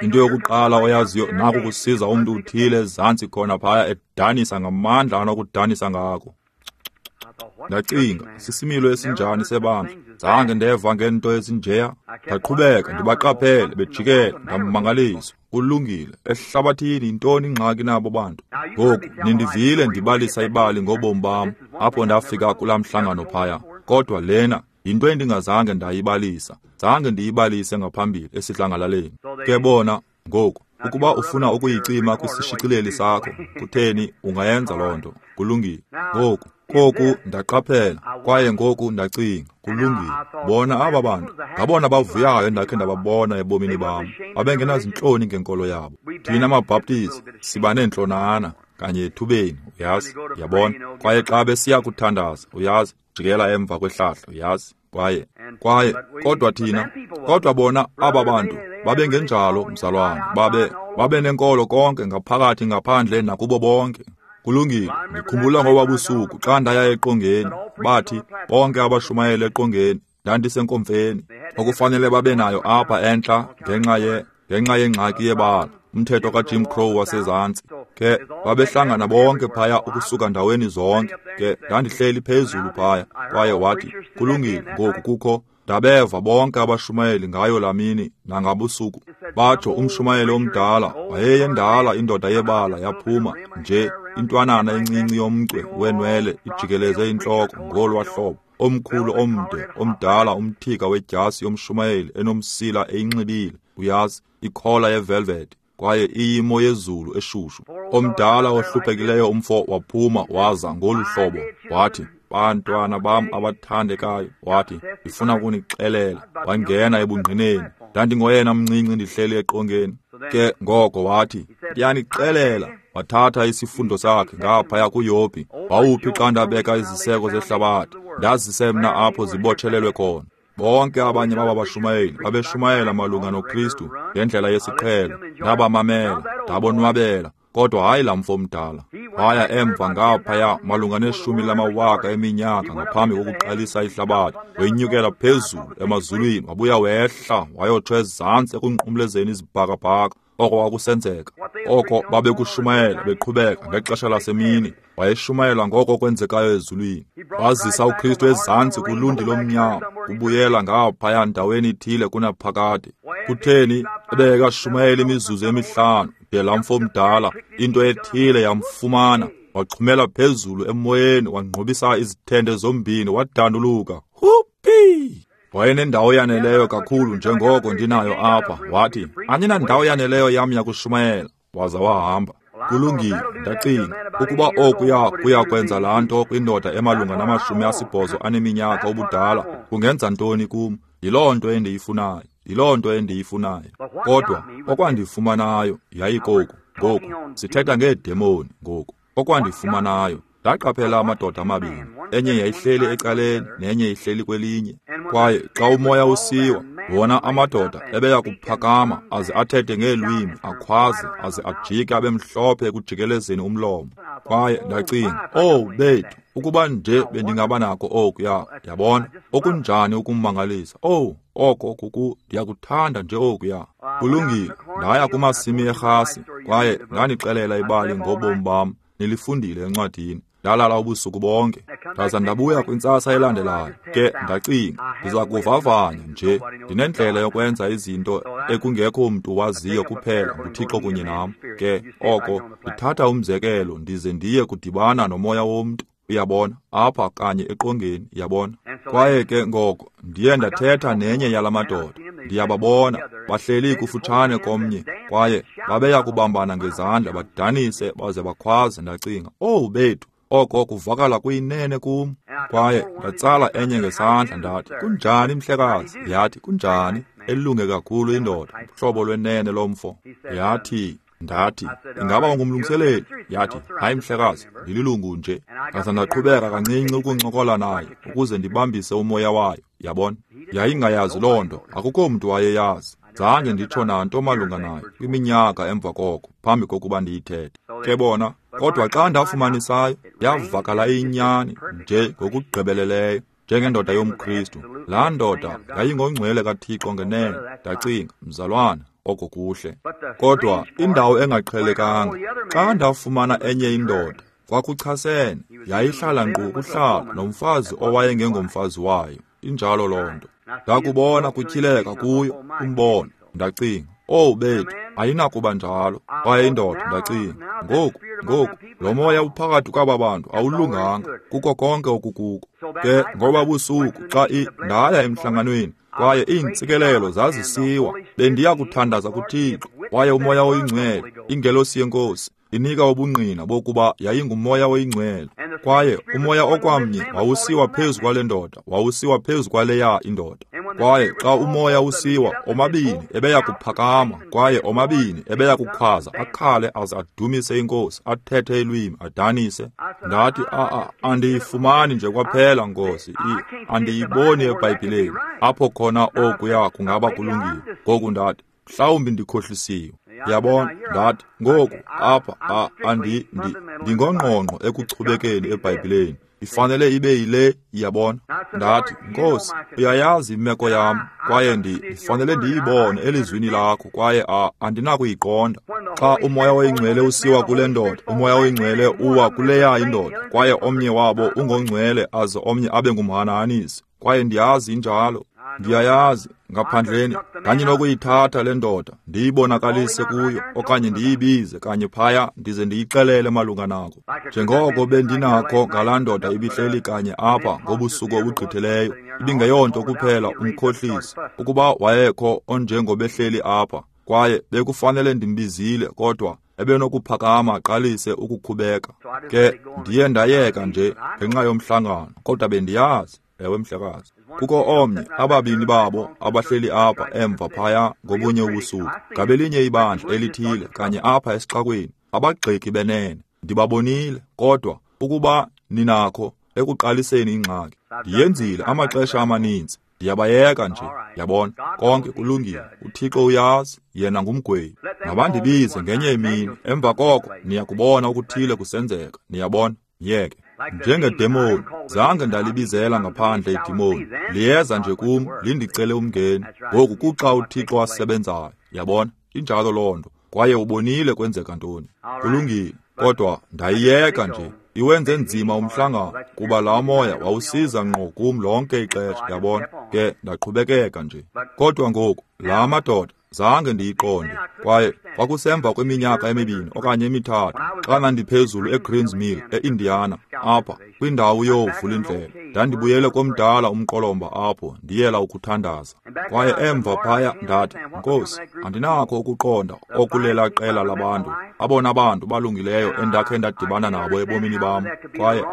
into yokuqala oyaziyo naku kusiza umntu uthile ezantsi khona phaya edanisa ngamandla anokudanisa ngako. Ndacinga, sisimilo esinjani sebandla? Zange ndeva ngento ezinjeya. Ndaqhubeka ndibaqaphele bejikela, ndamangaliswa. Kulungile, ehlabathini yintoni ingxaki nabo bantu? Ngoku nindivile ndibalisa ibali ngobomi bam apho ndafika kulaa mhlangano phaya, kodwa lena yinto endingazange ndayibalisa, zange ndiyibalise ngaphambili esidlangalaleni. Ke bona ngoku, ukuba ufuna ukuyicima kwisishicileli sakho, kutheni ungayenza loo nto. Kulungile. Ngoku koku ndaqaphela, kwaye ngoku ndacinga, kulungile. Bona aba bantu, ngabona bavuyayo endakhe ndababona ebomini bam. Babengenazintloni ngenkolo yabo. Thina maBhaptizi siba neentlonana kanye ethubeni, uyazi, yabona. Kwaye xa besiya kuthandaza, uyazi, jikela emva kwehlahla, uyazi. Kwaye kwaye kodwa thina, kodwa bona aba bantu babengenjalo, mzalwane. Babe babe nenkolo konke ngaphakathi ngaphandle nakubo bonke. Kulungile, ndikhumbula ngoba busuku xa ndaya eqongeni, bathi bonke abashumayeli eqongeni, ndandisenkomfeni okufanele babe nayo apha entla ngenxa ye ngenxa yengxaki yebala, umthetho kaJim Crow wasezantsi. Ke babehlangana bonke phaya ukusuka ndaweni zonke. Ke ndandihleli phezulu phaya, kwaye wathi, kulungile, ngoku kukho ndabeva bonke abashumayeli ngayo lamini nangabusuku. Batsho umshumayeli omdala, wayeyendala indoda yebala yaphuma nje intwanana encinci yomcwe wenwele ijikeleze intloko ngolwa hlobo, omkhulu omde omdala umthika wedyasi yomshumayeli enomsila eyinxibile, uyazi, ikhola yevelvet, kwaye iyimo yezulu eshushu. Omdala ohluphekileyo umfo waphuma waza ngolu hlobo, wathi, bantwana bam abathandekayo, wathi, ndifuna ukunixelela. Wangena ebungqineni. Ndandingoyena mncinci ndihleli eqongeni. Ke ngoko wathi, ndiyanixelela. Wathatha isifundo sakhe ngaphaya kuYobhi. Wawuphi xa ndabeka iziseko zehlabathi, ndazise mna apho zibotshelelwe khona. Bonke abanye baba bashumayeli babeshumayela malunga noKristu ngendlela yesiqhelo. Ndabamamela, ndabonwabela. Kodwa hayi laa mfo mdala. Waya emva ngaphaya malunga neshumi lamawaka eminyaka ngaphambi kokuqalisa ihlabathi. Wenyukela phezulu emazulwini, wabuya wehla wayotsho ezantsi ekunqumlezeni izibhakabhaka. Oko kwakusenzeka. Oko babekushumayela beqhubeka ngexesha lasemini. Wayeshumayela ngoko kwenzekayo ezulwini. Wazisa uKristu ezantsi kulundi lomnyama, kubuyela ngaphaya ndaweni ithile kunaphakade. Kutheni ebekashumayela imizuzu emihlanu de laa mfo mdala into ethile yamfumana, waxhumela phezulu emoyeni, wangqubisa izithende zombini, wadanduluka, "Hupi!" Wayenendawo yaneleyo kakhulu njengoko ndinayo apha. Wathi, "Andinandawo yaneleyo yam yakushumayela." Waza wahamba. Kulungile, ndacinga, ukuba okuya kuya kwenza laa nto kwindoda emalunga namashumi asibhozo aneminyaka ubudala, kungenza ntoni kum? Yiloo nto endiyifunayo, yiloo nto endiyifunayo. Kodwa okwandifumanayo yayikoku. Ngoku sithetha ngeedemoni ngoku. Okwandifumanayo, ndaqaphela amadoda amabini, enye yayihleli ecaleni nenye ihleli kwelinye. Kwaye xa umoya usiwa, wona amadoda ebeya kuphakama aze athethe ngeelwimi, akhwaze aze ajike abe mhlophe ekujikelezeni umlomo. Kwaye ndacinga, "Oh bethu, ukuba nje bendingaba nako okuya." Yabona, okunjani ukummangalisa. Oh, oko kuku ndiyakuthanda nje okuya. Kulungile, ndaya kumasimi erhasi kwaye ndandixelela ibali ngobomi bam. Nilifundile encwadini. Ndalala ubusuku bonke, ndaza ndabuya kwintsasa elandelayo. Ke ndacinga, ndiza kuvavanya nje. Ndinendlela yokwenza izinto ekungekho mntu waziyo kuphela nguThixo kunye nam. Ke oko ndithatha umzekelo ndize ndiye kudibana nomoya womntu, uyabona, apha kanye eqongeni, yabona. Kwaye ke ngoko ndiye ndathetha nenye yala madoda. Ndiyababona bahleli kufutshane komnye, kwaye babeya kubambana ngezandla badanise baze bakhwaze. Ndacinga, "Oh bethu, oko kuvakala kuyinene kum." Kwaye ndatsala enye ngesandla ndathi, "Kunjani mhlekazi?" Yathi, "Kunjani?" Elunge kakhulu indoda, uhlobo lwenene lomfo. Yathi, ndathi, "Ingaba ungumlungiseleli?" Yathi, "Hayi mhlekazi, ndililungu nje." Ndaza ndaqhubeka kancinci ukuncokola naye ukuze ndibambise umoya wayo, yabona. Yayingayazi loo nto, akukho mntu wayeyazi. Zange nditsho nanto malunga nayo kwiminyaka emva koko, phambi kokuba ndiyithethe. Ke bona, kodwa xa ndafumanisayo, yavakala iyinyani nje ngokugqibeleleyo, njengendoda yomKristu. Laa ndoda yayingongcwele kaThixo ngenene. Ndacinga, mzalwana, oko kuhle. Kodwa indawo engaqhelekanga, xa ndafumana enye indoda, kwakuchasene, yayihlala nkqu kuhlala nomfazi owayengengomfazi wayo. Injalo loo nto. Ndakubona kutyhileka kuyo umbono. Ndacinga, "Oh bethu, ayinakuba njalo." Kwaye indoda, ndacinga, ngoku, ngoku, lo moya uphakathi kwaba bantu awulunganga, kuko konke okukuko. Ke ngoba busuku xa ndaya emhlanganweni, kwaye iintsikelelo zazisiwa, bendiya kuthandaza kuThixo, kwaye umoya oyingcwele, ingelosi yenkosi, inika ubungqina bokuba yayingumoya oyingcwele. Kwaye umoya okwamnye wawusiwa phezu kwale ndoda, wawusiwa phezu kwaleya indoda. Kwaye xa umoya usiwa, omabini ebeya kuphakama, kwaye omabini ebeya kukhwaza, akhale aze adumise inkosi, athethe ilwimi, adanise. Ndathi, a andiyifumani nje kwaphela, Nkosi, andiyiboni eBhayibhileni apho khona okuya kungaba kulungile. Ngoku ndathi, mhlawumbi ndikhohlisiwe. Yabona, ndathi, ngoku apha andi ndingongqongqo ekuchubekeni eBhayibhileni. Ifanele ibe yile, yabona. Ndathi, Nkosi, uyayazi imeko yam, kwaye ndifanele ndiyibone elizwini lakho, kwaye andinakuyiqonda. Xa umoya oyingcwele usiwa kule ndoda, umoya oyingcwele uwa kuleya indoda, kwaye omnye wabo ungongcwele aze omnye abe ngumhanahanisi. Kwaye ndiyazi injalo. Ndiyayazi, ngaphandleni, ndandinokuyithatha le ndoda, ndiyibonakalise kuyo, okanye ndiyibize kanye phaya ndize ndiyixelele malunga nako. Njengoko bendinakho ngalaa ndoda ibihleli kanye apha ngobusuku obugqithileyo, ibingeyonto kuphela umkhohlisi, ukuba wayekho onjengobehleli apha, kwaye bekufanele ndimbizile, kodwa ebenokuphakama aqalise ukukhubeka. Ke ndiye ndayeka nje ngenxa yomhlangano, kodwa bendiyazi. Ewe mhlekazi, kukho omnye, ababini babo abahleli apha emva phaya ngobunye ubusuku, ngabelinye ibandla elithile kanye apha esixakweni, abagxeki benene. Ndibabonile, kodwa ukuba ninakho ekuqaliseni ingxaki. Ndiyenzile amaxesha amaninzi. Ndiyabayeka nje, yabona, konke kulungile. UThixo uyazi, yena ngumgwebi. Mabandibize ngenye imini, emva koko niyakubona okuthile kusenzeka, niyabona, yeke. Njengedemoni, zange ndalibizela ngaphandle idemoni. Liyeza nje kum, lindicele umngeni. Ngoku kuxa uThixo asebenzayo, yabona, injalo loo nto. Kwaye ubonile kwenzeka ntoni. Kulungile, kodwa ndayiyeka nje. Iwenze nzima umhlangano kuba laa moya wawusiza ngqo kum lonke ixesha, yabona, ke ndaqhubekeka nje. Kodwa ngoku laa madoda zange ndiyiqonde, kwaye kwakusemva kweminyaka emibini okanye emithathu xa ndandiphezulu eGreens Mill eIndiana, apha kwindawo yoovulindlela. Ndandibuyele komdala umqolomba apho ndiyela ukuthandaza. Kwaye emva phaya ndathi, Nkosi, andinakho ukuqonda okulela qela labantu, abona bantu balungileyo endakhe ndadibana nabo ebomini bam, kwaye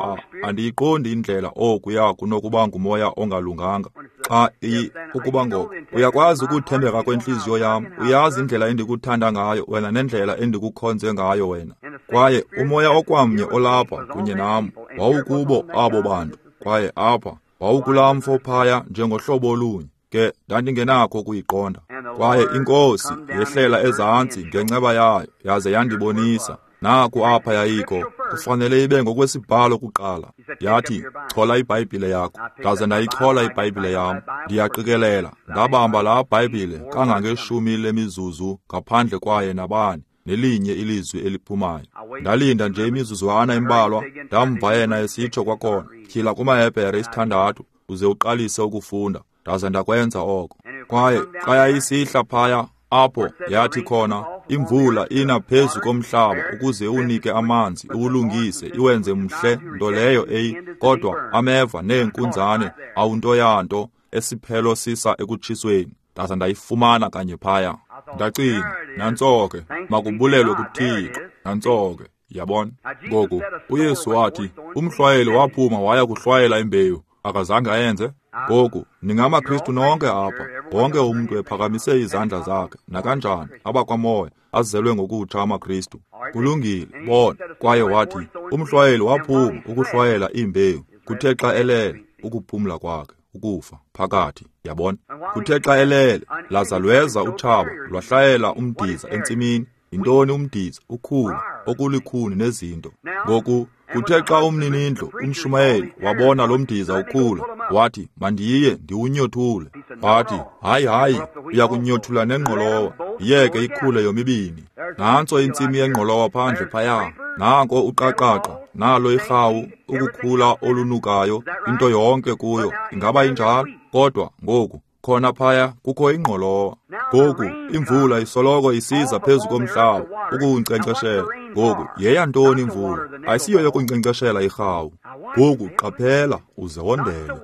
andiyiqondi indlela okuya kunokuba ngumoya ongalunganga. Xa i ukuba ngoko uyakwazi ukuthembeka kwentliziyo yam, uyazi indlela endikuthanda ngayo wena nendlela endikukhonze ngayo wena. Kwaye umoya okwamnye olapha kunye nam wawukubo abo bantu, kwaye apha wawukulaa mfo phaya njengohlobo olunye. Ke ndandingenakho ukuyiqonda. Kwaye iNkosi yehlela ezantsi ngenceba yayo yaze yandibonisa. Naku apha yayikho, kufanele ibe ngokwesibhalo kuqala. Yathi, chola iBhayibhile yakho. Ndaze ndayichola iBhayibhile yam. Ndiyaqikelela, ndabamba laa Bhayibhile kangangeshumi lemizuzu ngaphandle kwaye nabani, nelinye ilizwi eliphumayo. Ndalinda nje imizuzwana embalwa, ndamva yena esitsho kwakhona, tyhila kumaHebhere isithandathu, uze uqalise ukufunda. Ndaze ndakwenza oko. Kwaye xa yayisihla phaya, apho yathi khona, imvula ina phezu komhlaba ukuze unike amanzi, iwulungise, iwenze mhle, nto leyo eyi, kodwa ameva neenkunzane awunto yanto, esiphelo sisa ekutshisweni. Ndaza ndayifumana kanye phaya. Ndacinga, nantso ke, makubulelwe kuThixo, nantso ke, yabona. Ngoku uYesu wathi, umhlwayeli waphuma waya kuhlwayela imbewu, akazange ayenze. Ngoku ningamaKristu nonke apha, wonke umntu ephakamise izandla zakhe, nakanjani, abakwamoya, azelwe ngokutsha amaKristu. Kulungile, bona. Kwaye wathi, umhlwayeli waphuma ukuhlwayela imbewu, kuthe xa elele, ukuphumla kwakhe, ukufa, phakathi, yabona. Kuthe xa elele, laza lweza utshaba, lwahlayela umdiza entsimini. Yintoni umdiza? Ukhula, okulikhuni nezinto. Ngoku kuthe xa umninindlu, umshumayeli, wabona lo mdiza ukhula, wathi, mandiye ndiwunyothule. Wathi, hayi, hayi, uyakunyothula nengqolowa, yiyeke ikhule yomibini. Nantso intsimi yengqolowa phandle phaya, nanko uqaqaqa, nalo irhawu, ukukhula olunukayo, into yonke kuyo, ingaba injalo? Kodwa ngoku khona phaya kukho ingqolowa. Ngoku imvula isoloko isiza phezu komhlaba ukuwunkcenkceshela. Ngoku yeyantoni imvula? Ayisiyo yokunkcenkceshela irhawu. Ngoku qaphela uze wondele.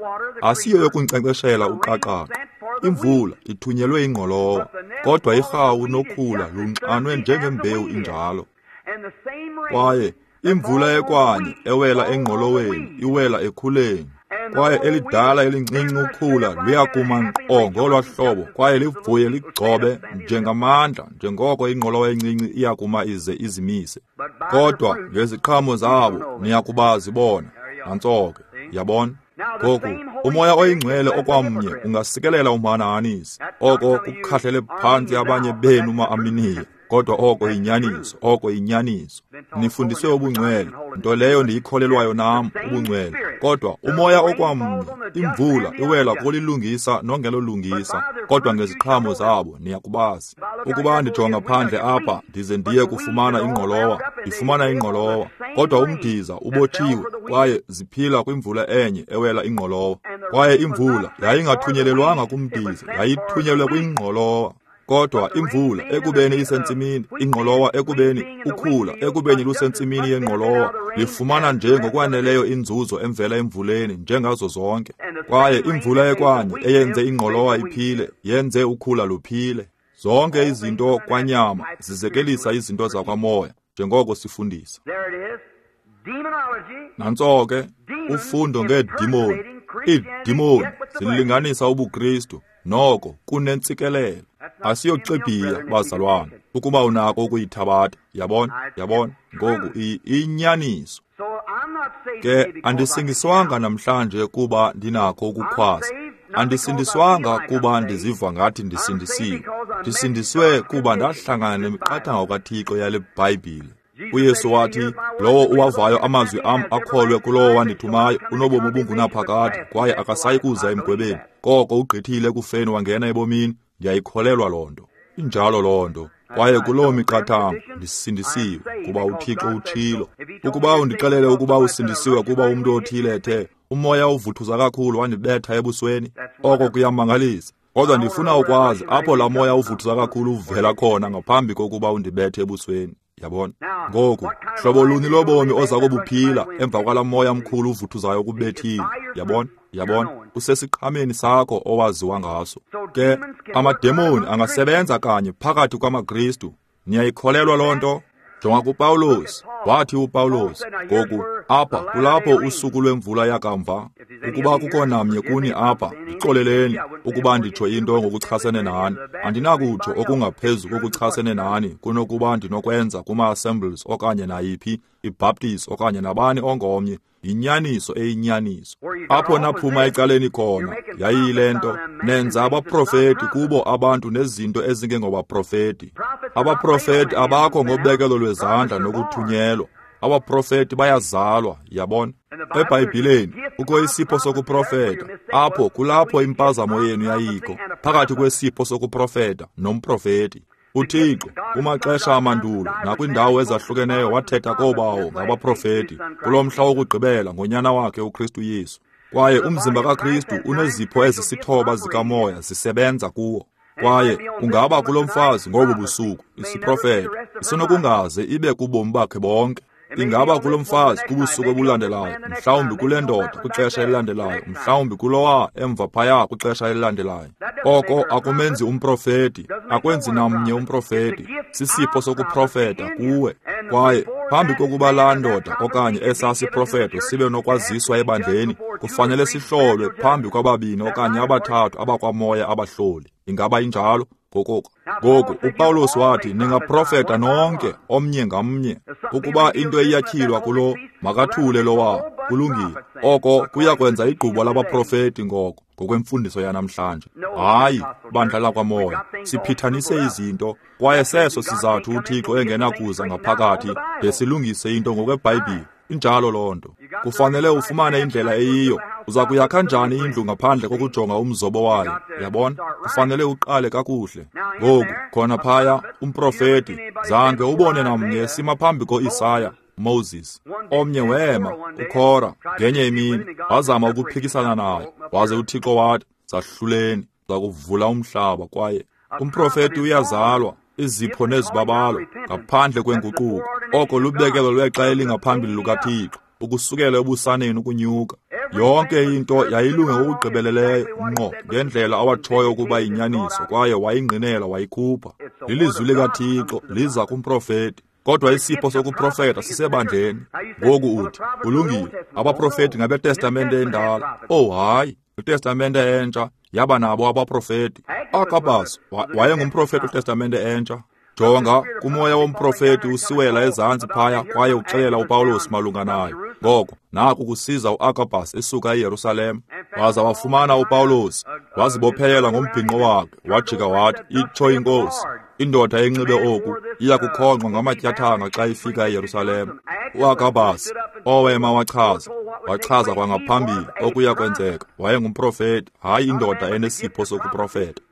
Asiyo yokunkcenkceshela uqaqaqa. Imvula ithunyelwe ingqolowa, kodwa irhawu nokhula lunxanwe njengembewu injalo. Kwaye imvula ekwanye ewela engqoloweni iwela ekhuleni. Kwaye elidala elincinci ukhula luyakuma nkqo ngolwa hlobo, kwaye livuye ligcobe njengamandla, njengoko ingqolowa encinci iyakuma ize izimise. Kodwa ngeziqhamo zabo niyakubazi bona. Nantso ke, yabona. Ngoku umoya oyingcwele okwamnye ungasikelela umhanahanisi, oko kukhahlele phantsi abanye benu ma-Aminiya. Kodwa oko yinyaniso, oko yinyaniso. Nifundiswe ubungcwele, nto leyo ndiyikholelwayo nam, ubungcwele. Kodwa umoya okwamnye, imvula iwela kolilungisa nongelolungisa, kodwa ngeziqhamo zabo niyakubazi. Ukuba ndijonga phandle apha ndize ndiye kufumana ingqolowa, ndifumana ingqolowa, kodwa umdiza ubotshiwe, kwaye ziphila kwimvula enye ewela ingqolowa. Kwaye imvula yayingathunyelelwanga kumdiza, yayithunyelwe kwingqolowa. Kodwa imvula ekubeni isentsimini, ingqolowa ekubeni ukhula ekubeni lusentsimini yengqolowa, lifumana nje ngokwaneleyo inzuzo emvela emvuleni njengazo zonke. Kwaye imvula ekwanye eyenze ingqolowa iphile, yenze ukhula luphile. Zonke izinto kwanyama zizekelisa izinto zakwamoya, njengoko sifundisa. Nantso ke ufundo ngeedimoni. Iidimoni zilinganisa ubuKristu, noko kunentsikelelo. Asiyoxibhiya, bazalwana, ukuba unako ukuyithabatha. Yabona, yabona. Ngoku iyinyaniso. Ke andisingiswanga namhlanje kuba ndinakho ukukhwaza. Andisindiswanga kuba ndiziva ngathi ndisindisiwe. Ndisindiswe kuba ndahlangana nemiqathango kaThixo yale Bhayibhile. UYesu wathi, lowo uwavayo amazwi am akholwe kulowo wandithumayo unobomi obungunaphakade kwaye akasayi kuza emgwebeni. Koko ugqithile ekufeni wangena ebomini. Ndiyayikholelwa loo nto. Injalo loo nto. Kwaye kuloo miqathango ndisindisiwe kuba uThixo utshilo. Ukuba undixelele ukuba usindisiwe kuba umntu othile ethe umoya uvuthuza kakhulu wandibetha ebusweni, oko kuyamangalisa. Kodwa ndifuna ukwazi apho laa moya uvuthuza kakhulu uvela khona ngaphambi kokuba undibethe ebusweni. Yabona? Ngoku, hlobo luni lobomi oza kubuphila emva kwalaa moya mkhulu uvuthuzayo ukubethile. Yabona? Yabona? Usesiqhameni sakho owaziwa ngaso. Ke amademoni angasebenza kanye phakathi kwamaKristu. Niyayikholelwa loo nto? Jonga kuPawulos. Wathi uPawulos, ngoku apha kulapho usuku lwemvula yakamva. Ukuba kukho namnye kuni apha, ndixoleleni ukuba nditsho into ngokuchasene nani. Andinakutsho okungaphezu kokuchasene nani kunokuba ndinokwenza kuma-assemblies okanye nayiphi iBaptist okanye nabani ongomnye. Yinyaniso eyinyaniso. Apho naphuma ecaleni khona yayiyile nto, nenza abaprofeti kubo abantu nezinto ezingengobaprofeti. Abaprofeti abakho ngobekelo lwezandla nokuthunyelwa. Abaprofeti bayazalwa, yabona. EBhayibhileni kukho isipho sokuprofeta. Apho kulapho impazamo yenu yayikho, phakathi kwesipho sokuprofeta nomprofeti. UThixo kumaxesha amandulo nakwindawo ezahlukeneyo wathetha koobawo ngabaprofeti kulo mhla wokugqibela ngonyana wakhe uKristu Yesu. Kwaye umzimba kaKristu unezipho ezisithoba zikamoya zisebenza kuwo. Kwaye ungaba kulo mfazi ngobu busuku isiprofeto isenokungaze ibe kubomi bakhe bonke. Ingaba kulo mfazi kubusuku obulandelayo, mhlawumbi kule ndoda kwixesha elilandelayo, mhlawumbi kulowa emva phaya kwixesha elilandelayo. Oko akumenzi umprofeti, akwenzi namnye umprofeti. Sisipho sokuprofeta kuwe. Kwaye phambi kokuba laa ndoda okanye esaa siprofeto sibe nokwaziswa ebandleni, kufanele sihlolwe phambi kwababini okanye abathathu abakwamoya abahloli. Ingaba injalo? Ngoko ngoku uPawulos wathi, ningaprofeta nonke omnye ngamnye. Ukuba into iyatyhilwa kulo, makathule lowa. Kulungile. Oko kuya kwenza igqubo labaprofeti ngoko ngokwemfundiso yanamhlanje. Hayi, bandla lakwamoya, siphithanise izinto, kwaye seso sizathu uThixo engenakuza ngaphakathi de silungise into ngokweBhayibhile. Injalo loo nto. Kufanele ufumane indlela eyiyo. Uza kuyakha njani indlu ngaphandle kokujonga umzobo wayo? Yabona? Kufanele uqale kakuhle. Ngoku, khona phaya, umprofeti, zange ubone namnye sima phambi koIsaya, Moses. Omnye wema, uKora, ngenye imini, wazama ukuphikisana naye. Waze uThixo wathi, zahluleni, zakuvula umhlaba. Kwaye umprofeti uyazalwa, izipho nezibabalo, ngaphandle kwenguquko. Oko lubekelo lwexa elingaphambili lukaThixo, ukusukela ebusaneni ukunyuka. Yonke into yayilunge ngokugqibeleleyo ngqo ngendlela awatshoyo ukuba yinyaniso, kwaye wayingqinela wayikhupha. Lilizwi likaThixo liza kumprofeti. Kodwa isipho sokuprofeta sisebandleni. Ngoku uthi, kulungile, abaprofeti ngabeTestamente endala. Oh hayi, iTestamente entsha yaba nabo abaprofeti. Agabus wayengumprofeti weTestamente entsha. Jonga, kumoya womprofeti usiwela ezantsi phaya kwaye uxelela uPawulos malunga nayo. Ngoko naku kusiza uAgabus esuka eYerusalem, waza wafumana uPawulos, wazibophelela ngombhinqo wakhe, wajika wathi, itsho inkosi, indoda enxibe oku iya kukhonqwa ngamatyathanga xa ifika eYerusalem. UAgabus owema wachaza, wachaza kwangaphambili okuya kwenzeka. Wayengumprofeti, hayi indoda enesipho sokuprofeta.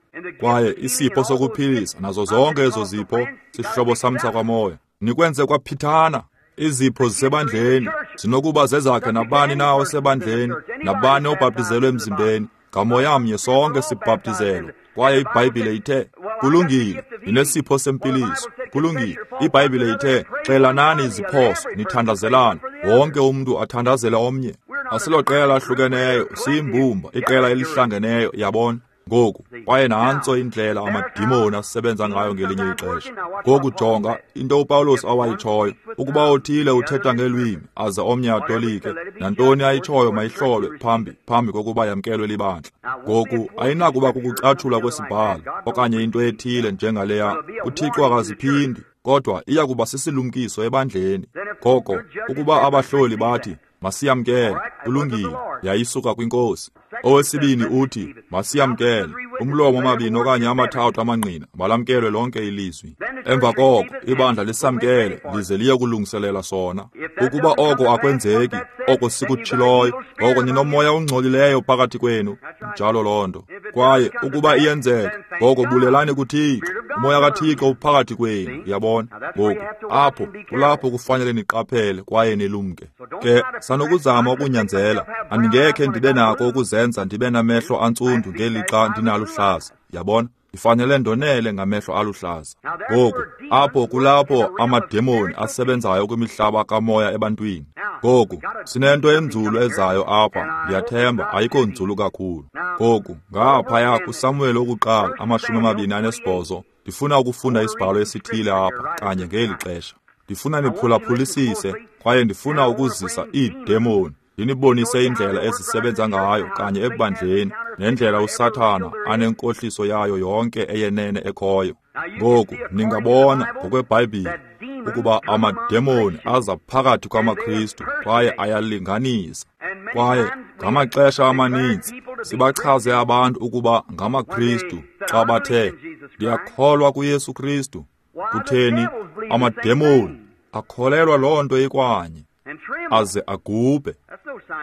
Kwaye isipho sokuphilisa nazo zonke ezo zipho sihlobo sam sakwamoya. Nikwenze kwaphithana. Izipho zisebandleni zinokuba zezakhe nabani na osebandleni, nabani obhaptizelwe emzimbeni. Ngamoya mnye sonke sibhaptizelwe. Kwaye iBhayibhile ithe, kulungile, ndinesipho sempiliso. Kulungile, iBhayibhile ithe, xelanani iziphoso, nithandazelane. Wonke umntu athandazele omnye. Asiloqela lahlukeneyo, siyimbumba, iqela elihlangeneyo, yabona. Ngoku, kwaye nantso indlela amadimoni asebenza ngayo ngelinye ixesha. Ngoku jonga into uPawulos awayitshoyo, ukuba othile uthetha ngelwimi aze omnye atolike, nantoni ayitshoyo mayihlolwe phambi phambi kokuba yamkelwe libandla. Ngoku ayinakuba kukucatshulwa kwesibhalo okanye into ethile njengaleya. UThixo akaziphindi, kodwa iya kuba sisilumkiso ebandleni. Ngoko ukuba abahloli bathi masiyamkele, kulungile, yayisuka kwinkosi. Owesibini uthi, masiyamkele. Umlomo amabini okanye amathathu amangqina, malamkelwe lonke ilizwi. Emva koko, ibandla lisamkele, lize liye kulungiselela sona. Ukuba oko akwenzeki, oko sikutshiloyo, ngoko ninomoya ongcolileyo phakathi kwenu. Njalo loo nto. Kwaye ukuba iyenzeka, ngoko bulelani kuThixo. Umoya kaThixo uphakathi kwenu, uyabona. Ngoku, apho kulapho kufanele niqaphele kwaye nilumke. Ke sanokuzama ukunyanzela, andingekhe ndibe nako ukuzenza ndibe namehlo antsundu ngelixa ndinaluhlaza, yabona. Ndifanele ndonele ngamehlo aluhlaza. Ngoku, apho kulapho amademoni asebenzayo kwimihlaba kamoya ebantwini. Ngoku, sinento enzulu ezayo apha, ndiyathemba ayikho nzulu kakhulu. Ngoku, ngaphaya kuSamuel owokuqala amashumi amabini anesibhozo, ndifuna ukufunda isibhalo esithile apha kanye ngeli xesha. Ndifuna niphulaphulisise kwaye ndifuna ukuzisa iidemoni, ndinibonise indlela ezisebenza ngayo kanye ebandleni nendlela uSathana anenkohliso yayo yonke eyenene ekhoyo. Ngoku ningabona ngokweBhayibhile ukuba amademoni aza phakathi kwamaKristu kwaye ayalinganisa. Kwaye ngamaxesha amaninzi sibachaze abantu ukuba ngamaKristu xa bathe, ndiyakholwa kuYesu Kristu. Kutheni? Amademoni akholelwa loo nto ikwanye, aze agubhe.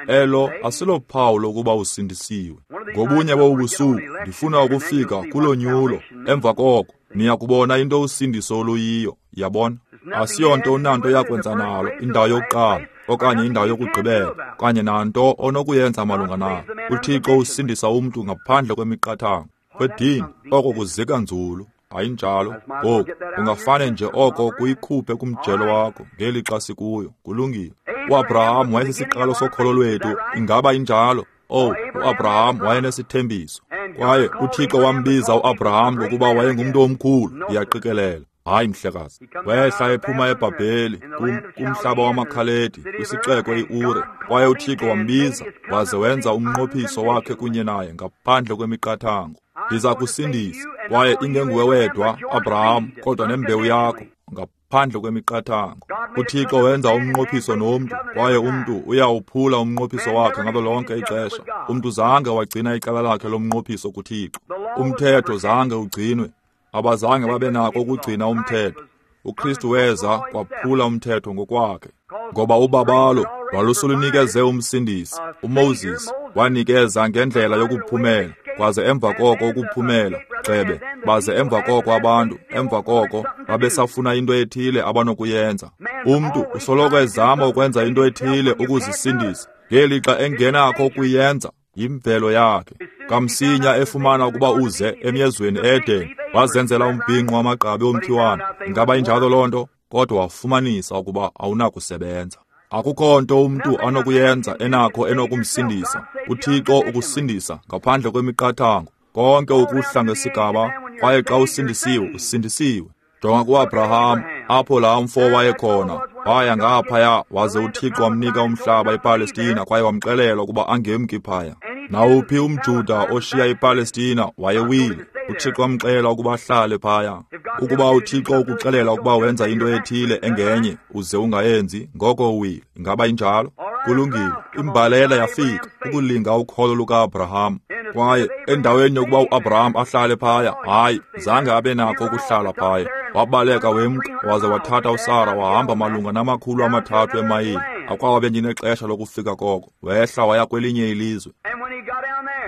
Elo asilophawu lokuba usindisiwe. Ngobunye bobusuku ndifuna ukufika kulonyulo. Emva koko niya kubona into usindiso oluyiyo, yabona. Asiyonto unanto yakwenza nalo, indawo yokuqala okanye indawo yokugqibela, okanye nanto onokuyenza malunga nalo. UThixo usindisa umntu ngaphandle kwemiqathango. Kwedini, oko kuzika nzulu. Ayinjalo. Ngoku ungafane nje oko kuyikhuphe kumjelo wakho ngelixa sikuyo. Kulungile. UAbraham wayesisiqalo sokholo lwethu. Ingaba injalo? Oh, uAbraham wayenesithembiso. Kwaye uThixo wambiza uAbraham ngokuba wayengumntu omkhulu, ndiyaqikelela. Hayi mhlekazi. Wehla ephuma eBhabheli, kum, kumhlaba wamaKhaledi, kwisixeko iUre. Kwaye uThixo wambiza, waze wenza umnqophiso wakhe kunye naye ngaphandle kwemiqathango. Ndiza kusindisa, kwaye ingenguwe wedwa, Abraham, kodwa nembewu yakho, ngaphandle kwemiqathango. UThixo wenza umnqophiso nomntu, kwaye umntu uyawuphula umnqophiso wakhe ngalo lonke ixesha. Umntu zange wagcina icala lakhe lomnqophiso kuThixo. Umthetho zange ugcinwe. Abazange babe nako ukugcina umthetho. uKristu weza kwaphula umthetho ngokwakhe. Ngoba ubabalo lwalusulunikeze umsindisi. uMoses wanikeza ngendlela yokuphumela, kwaze emva koko ukuphumela, gxebe, baze emva koko abantu, emva koko babesafuna into ethile abanokuyenza. Umntu usoloko ezama ukwenza into ethile ukuzisindisa, ngelixa engenakho ukuyenza, yimvelo yakhe. Kamsinya efumana ukuba uze emyezweni eEden, wazenzela umbhinqo wamagqabi omkhiwane. Ingaba injalo loo nto? Kodwa wafumanisa ukuba awunakusebenza. Akukho nto umntu anokuyenza enakho enokumsindisa. UThixo ukusindisa ngaphandle kwemiqathango, konke ukuhla ngesigaba, kwaye xa usindisiwe, usindisiwe. Jonga kuAbraham, apho laa mfo wayekhona, waya ngaphaya, waze uThixo wamnika umhlaba ePalestina kwaye wamxelela ukuba angemki phaya. Nawuphi umJuda oshiya iPalestina wayewile. uThixo wamxelela ukuba ahlale phaya. Ukuba uThixo ukuxelela ukuba wenza into ethile engenye uze ungayenzi, ngoko uwile. Ingaba injalo? Kulungile. Imbalela yafika ukulinga ukholo lukaAbraham. Kwaye endaweni yokuba uAbraham ahlale phaya, hayi, zange abe nako ukuhlala phaya. Wabaleka wemka, waze wathatha uSara wahamba malunga namakhulu amathathu emayile. Akwabe ndinexesha lokufika koko. Wehla waya kwelinye ilizwe.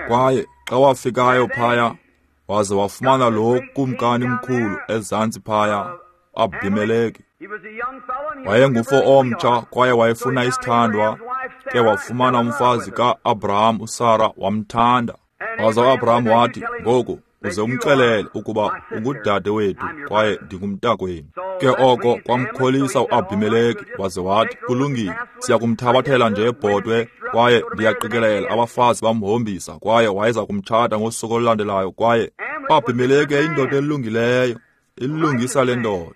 Kwaye xa wafikayo phaya, waze wafumana lo kumkani mkhulu ezantsi phaya, Abimeleki. Wayengufo omtsha kwaye wayefuna isithandwa, ke wafumana umfazi ka-Abraham uSara, wamthanda. Waza uAbraham wathi, ngoku uze umxelele ukuba ungudade wethu kwaye ndingumntakwenu. Ke oko kwamkholisa uAbimeleki, waze wathi, kulungile, siya kumthabathela nje ebhotwe, kwaye ndiyaqikelela abafazi bamhombisa, kwaye wayeza kumtshata ngosuku olulandelayo. Kwaye uAbimeleki eyindoda elungileyo, ilungisa le ndoda.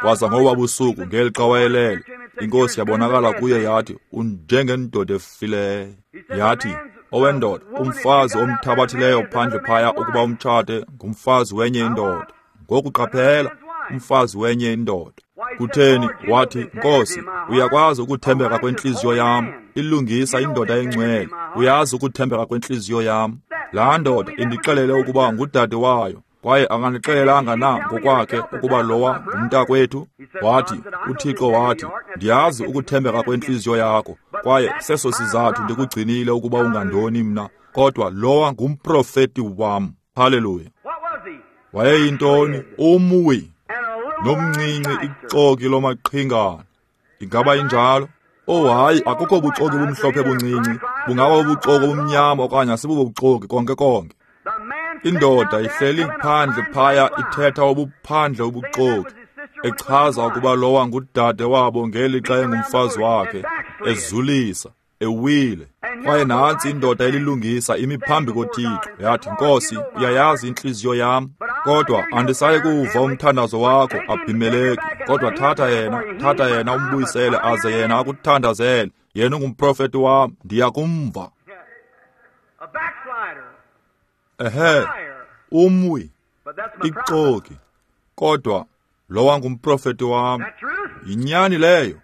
Kwaza ngoba busuku ngelixa wayelele, inkosi yabonakala kuye yathi, unjengendoda efileyo. Yathi, owendoda, umfazi omthabathileyo phandle phaya ukuba umtshate ngumfazi wenye indoda. Ngoku qaphela, umfazi wenye indoda. Kutheni? Wathi, Nkosi, uyakwazi ukuthembeka kwentliziyo yam. Ilungisa, indoda engcwele, uyazi ukuthembeka kwentliziyo yam. Laa ndoda indixelele ukuba ngudade wayo, kwaye akandixelelanga na ngokwakhe ukuba lowa ngumntakwethu? Wathi, uThixo wathi, ndiyazi ukuthembeka kwentliziyo yakho, kwaye seso sizathu ndikugcinile ukuba ungandoni mna, kodwa lowa ngumprofeti wam. Haleluya. Wayeyintoni? Umwi nomncinci ixoki lomaqhingana. Ingaba injalo? Oh hayi, akukho buxoki bumhlophe buncinci, bungaba ubuxoki obumnyama okanye asibubuxoki konke konke. Indoda ihleli phandle phaya ithetha obuphandle ubuxoki, echaza ukuba lowa ngudade wabo ngelixa engumfazi wakhe, ezulisa, ewile. Kwaye nantsi indoda elilungisa imi phambi koThixo, yathi, Nkosi, uyayazi intliziyo yam, kodwa andisayi kuwuva umthandazo wakho, Abhimeleki, kodwa thatha yena, thatha yena umbuyisele, aze yena akuthandazele. Yena ungumprofeti wam, ndiya kumva. Ehe, umwi, ixoki, kodwa lowa ngumprofeti wam. Yinyani leyo,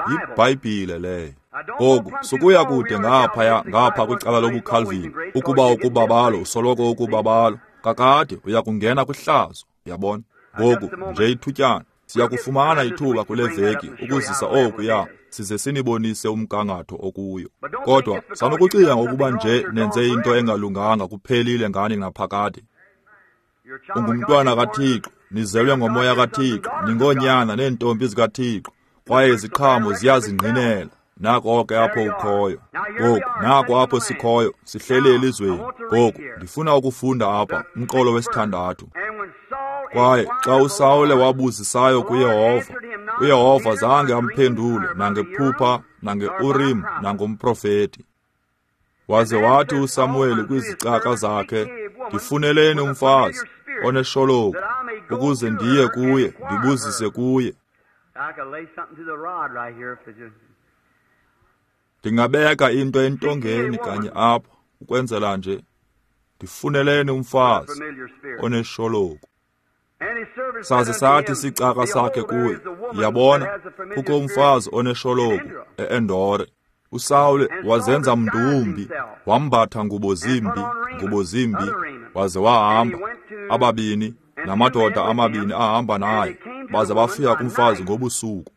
yiBhayibhile leyo. Ngoku sukuya kude ngaphaya ngapha kwicala lobuCalvin, ukuba ukubabalo usoloko ukubabalo, kakade uya kungena kwihlazo, uyabona. Ngoku nje ithutyana, siya kufumana ithuba kule veki ukuzisa okuya, size sinibonise umgangatho okuyo. Kodwa sanukucinga ngokuba nje nenze into engalunganga kuphelile ngani naphakade. Ungumntwana kaThixo, nizelwe ngomoya kaThixo, ningoonyana neentombi zikaThixo, kwaye iziqhamo ziyazingqinela. Nako ke apho ukhoyo. Ngoku nako apho sikhoyo, sihleli elizweni. Ngoku ndifuna ukufunda apha umqolo wesithandathu. Kwaye xa uSawule wabuzisayo kuYehova, uYehova zange amphendule nangephupha, nangeUrim, nangomprofeti. Waze wathi uSamuweli kwizicaka zakhe, ndifuneleni umfazi oneshologu, ukuze ndiye kuye, ndibuzise kuye. Ndingabeka into entongeni kanye apha, ukwenzela nje, ndifuneleni umfazi oneshologu. Saze sathi isicaka sakhe kuye, yabona, kukho umfazi oneshologu e-Endore. uSawule wazenza mntu wumbi, wambatha ngubo zimbi, ngubo zimbi, waze wahamba. Ababini namadoda amabini ahamba naye, baze bafika kumfazi ngobusuku.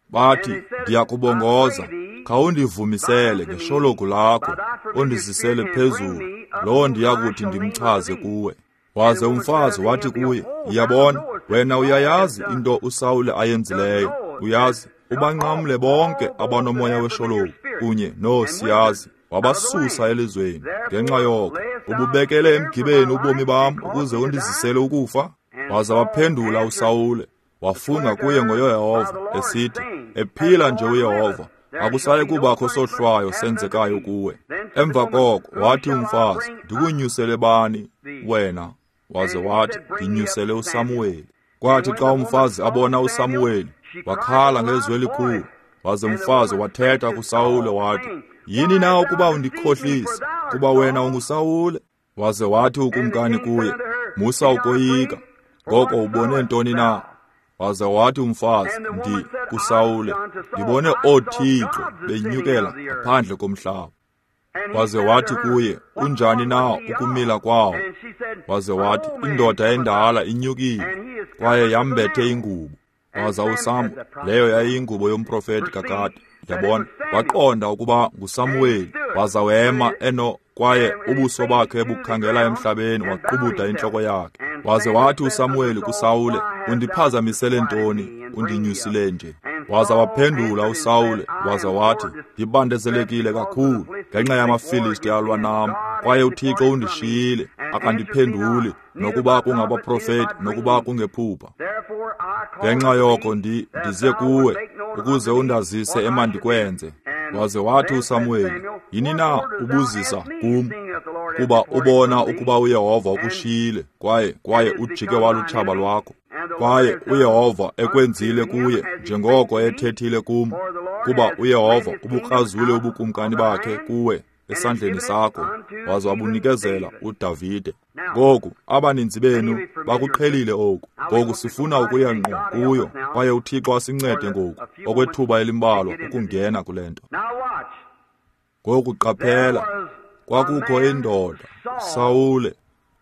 Bathi, ndiyakubongoza, khawundivumisele ngeshologu lakho, undizisele phezulu, lowo ndiyakuthi ndimchaze kuwe. Waze umfazi wathi kuye, yabona, wena uyayazi into uSawule ayenzileyo, uyazi, ubanqamle bonke abanomoya weshologu kunye noosiyazi, wabasusa elizweni. Ngenxa yoko ububekele emgibeni ubomi bam ukuze undizisele ukufa. Waza waphendula uSawule, wafunga kuye ngoYehova, esithi, ephila nje uYehova, akusayi kubakho sohlwayo senzekayo kuwe. Emva koko wathi umfazi, ndikunyusele bani wena? Waze wathi, ndinyusele uSamuweli. Kwathi xa umfazi abona uSamuweli, wakhala ngezwi elikhulu. Waze umfazi wathetha kuSawule wathi, yini na ukuba undikhohlise, kuba wena unguSawule? Waze wathi ukumkani kuye, musa ukoyika, ngoko ubone ntoni na? Waze wathi umfazi, ndi kuSawule, ndibone oothixo benyukela ngaphandle komhlaba. Waze wathi kuye, unjani na ukumila kwawo? Waze wathi, indoda endala inyukile, kwaye yambethe ingubo. Waza uSamu, leyo yayiyingubo yomprofeti kakade, yabona, waqonda ukuba nguSamuweli. Waza wema eno, kwaye ubuso bakhe bukhangela emhlabeni, waqubuda intloko yakhe. Waze wathi uSamuweli kuSawule, undiphazamisele ntoni, undinyusile nje? Waza waphendula uSawule, waza wathi, ndibandezelekile kakhulu ngenxa yamaFilisti alwa nam, kwaye uThixo undishiyile, akandiphenduli, nokuba kungabaprofeti, nokuba kungephupha. Ngenxa yoko ndi ndize kuwe, ukuze undazise emandikwenze. Waze wathi uSamuweli, yini na ubuzisa kum, kuba ubona ukuba uYehova ukushiyile, kwaye kwaye ujike walutshaba lwakho. Kwaye uYehova ekwenzile kuye njengoko ethethile kum, kuba uYehova ubukrazule ubukumkani bakhe kuwe esandleni sakho, waze wabunikezela uDavide. Ngoku abaninzi benu bakuqhelile oku. Ngoku sifuna ukuya ngqo kuyo, kwaye uThixo asincede ngoku okwethuba elimbalwa ukungena kule nto. Ngoku qaphela, kwakukho indoda, Sawule,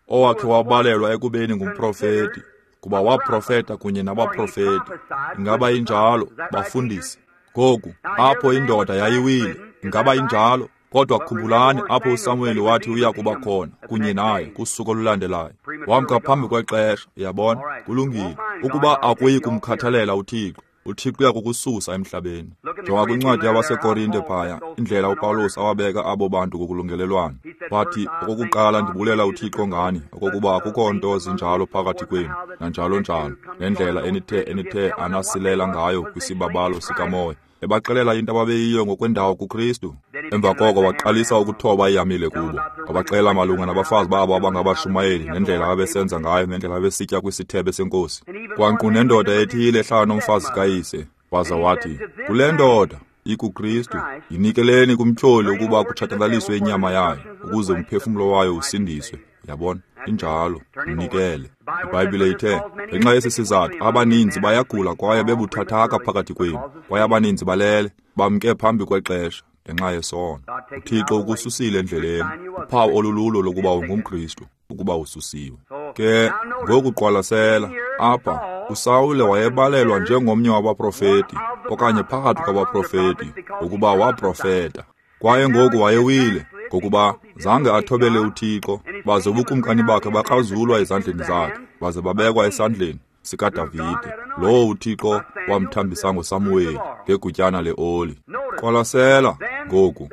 owakhe wabalelwa ekubeni ngumprofeti, kuba waprofeta kunye nabaprofeti. Ingaba injalo, bafundisi? Ngoku, apho indoda yayiwile, ingaba injalo? Kodwa khumbulani apho uSamuel wathi uya kuba khona kunye naye kusuku olulandelayo. Wamka phambi kwexesha, uyabona? Kulungile. Ukuba akuyi kumkhathalela uThixo, uThixo uya kukususa emhlabeni. Jonga kwincwadi yabaseKorinte phaya, indlela uPawulos awabeka abo bantu ngokulungelelwana. Wathi, okokuqala ndibulela uThixo ngani, okokuba akukho nto zinjalo phakathi kwenu, nanjalo njalo, nendlela enithe enithe anasilela ngayo kwisibabalo sikamoya. Ebaxelela into ababeyiyo ngokwendawo kuKristu. Emva koko waqalisa ukuthoba ihamile kubo. Wabaxelela malunga nabafazi babo abangabashumayeli, nendlela ababesenza ngayo, nendlela ababesitya kwisithebe senkosi. Kwankqu nendoda ethile ehlala nomfazi kayise. Waza wathi, kule ndoda ikuKristu, yinikeleni kumtyholi ukuba kutshatyalaliswe inyama yayo, ukuze umphefumlo wayo usindiswe. Yabona, injalo, mnikele. IBhayibhile ithe, ngenxa yesi sizathu abaninzi bayagula kwaye bebuthathaka phakathi kwenu, kwaye abaninzi balele, bamke phambi kwexesha ngenxa yesono. UThixo ukususile endleleni, uphawu olululo lokuba ungumKristu, ukuba ususiwe. Ke ngokuqwalasela apha, uSawule wayebalelwa njengomnye wabaprofeti, okanye phakathi kwabaprofeti, ukuba waprofeta. Kwaye ngoku wayewile, ngokuba zange athobele uThixo, baze ubukumkani bakhe bakrazulwa ezandleni zakhe, baze babekwa esandleni sikaDavide, lowo uThixo wamthambisa ngoSamuweli ngegutyana leoli. Qwalasela ngoku,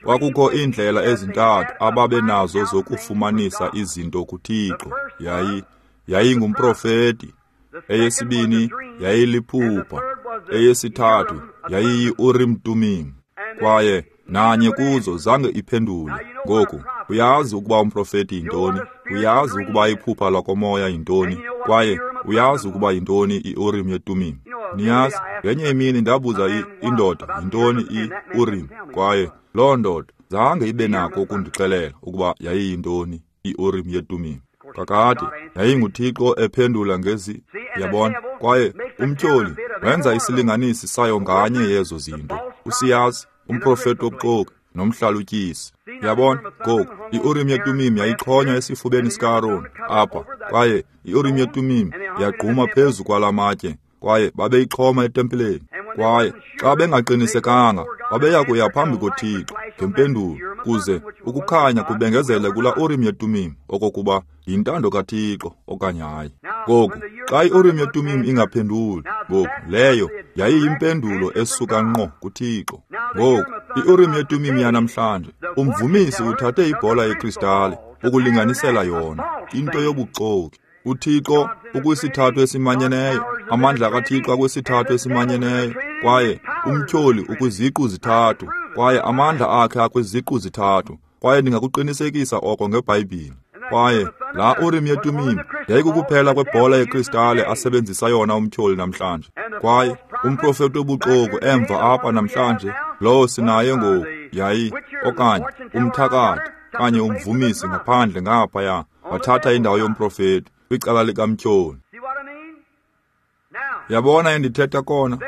kwakukho iindlela ezintathu ababenazo zokufumanisa izinto kuThixo. Yayi yayingumprofeti, eyesibini yayiliphupha, eyesithathu yayiyi-Urim Tumim. Kwaye nanye kuzo zange iphendule. Ngoku uyazi ukuba umprofeti yintoni, uyazi ukuba iphupha lakomoya yintoni, kwaye uyazi ukuba yintoni i-Urim yeTumim. Niyazi, ngenye imini ndabuza indoda yintoni i-Urim, kwaye loo ndoda zange ibe nako ukundixelela ukuba yayiyintoni i-Urim yeTumim. Kakade yayinguThixo ephendula ngezi, yabona. Kwaye umtyholi wenza isilinganisi sayo nganye yezo zinto. Usiyazi, umprofeti wobuxoki nomhlalutyisi. Yabona, ngoku i-Urim yeTumim yayixhonywa esifubeni sikaAron apha, kwaye i-Urim yeTumim yagquma phezu kwala matye, kwaye babeyixhoma etempileni. Kwaye xa bengaqinisekanga, babeya kuya phambi koThixo ngempendulo, kuze ukukhanya kubengezele kula Urim yeTumim okokuba yintando kaThixo okanye hayi. Ngoku xa i-Urim yeTumim ingaphenduli, ngoku leyo yayiyimpendulo esuka ngqo kuThixo. Ngoku i-Urim yeTumim yanamhlanje, umvumisi uthathe ibhola yekristale ukulinganisela yona, into yobuxoki. UThixo ukwisithathu esimanyeneyo, amandla kaThixo akwisithathu esimanyeneyo, kwaye umtyholi ukwiziqu zithathu, kwaye amandla akhe akwiziqu zithathu, kwaye ndingakuqinisekisa oko ngeBhayibhile. Kwaye laa Urim yeTumim yayikukuphela kwebhola yekristale asebenzisa yona umtyholi namhlanje. Kwaye umprofeti wobuxoki emva apha namhlanje, lowo sinaye ngoku, yayi okanye umthakathi okanye umvumisi ngaphandle ngaphaya, wathatha indawo yomprofeti kwicala likamtyholi. Yabona endithetha kona?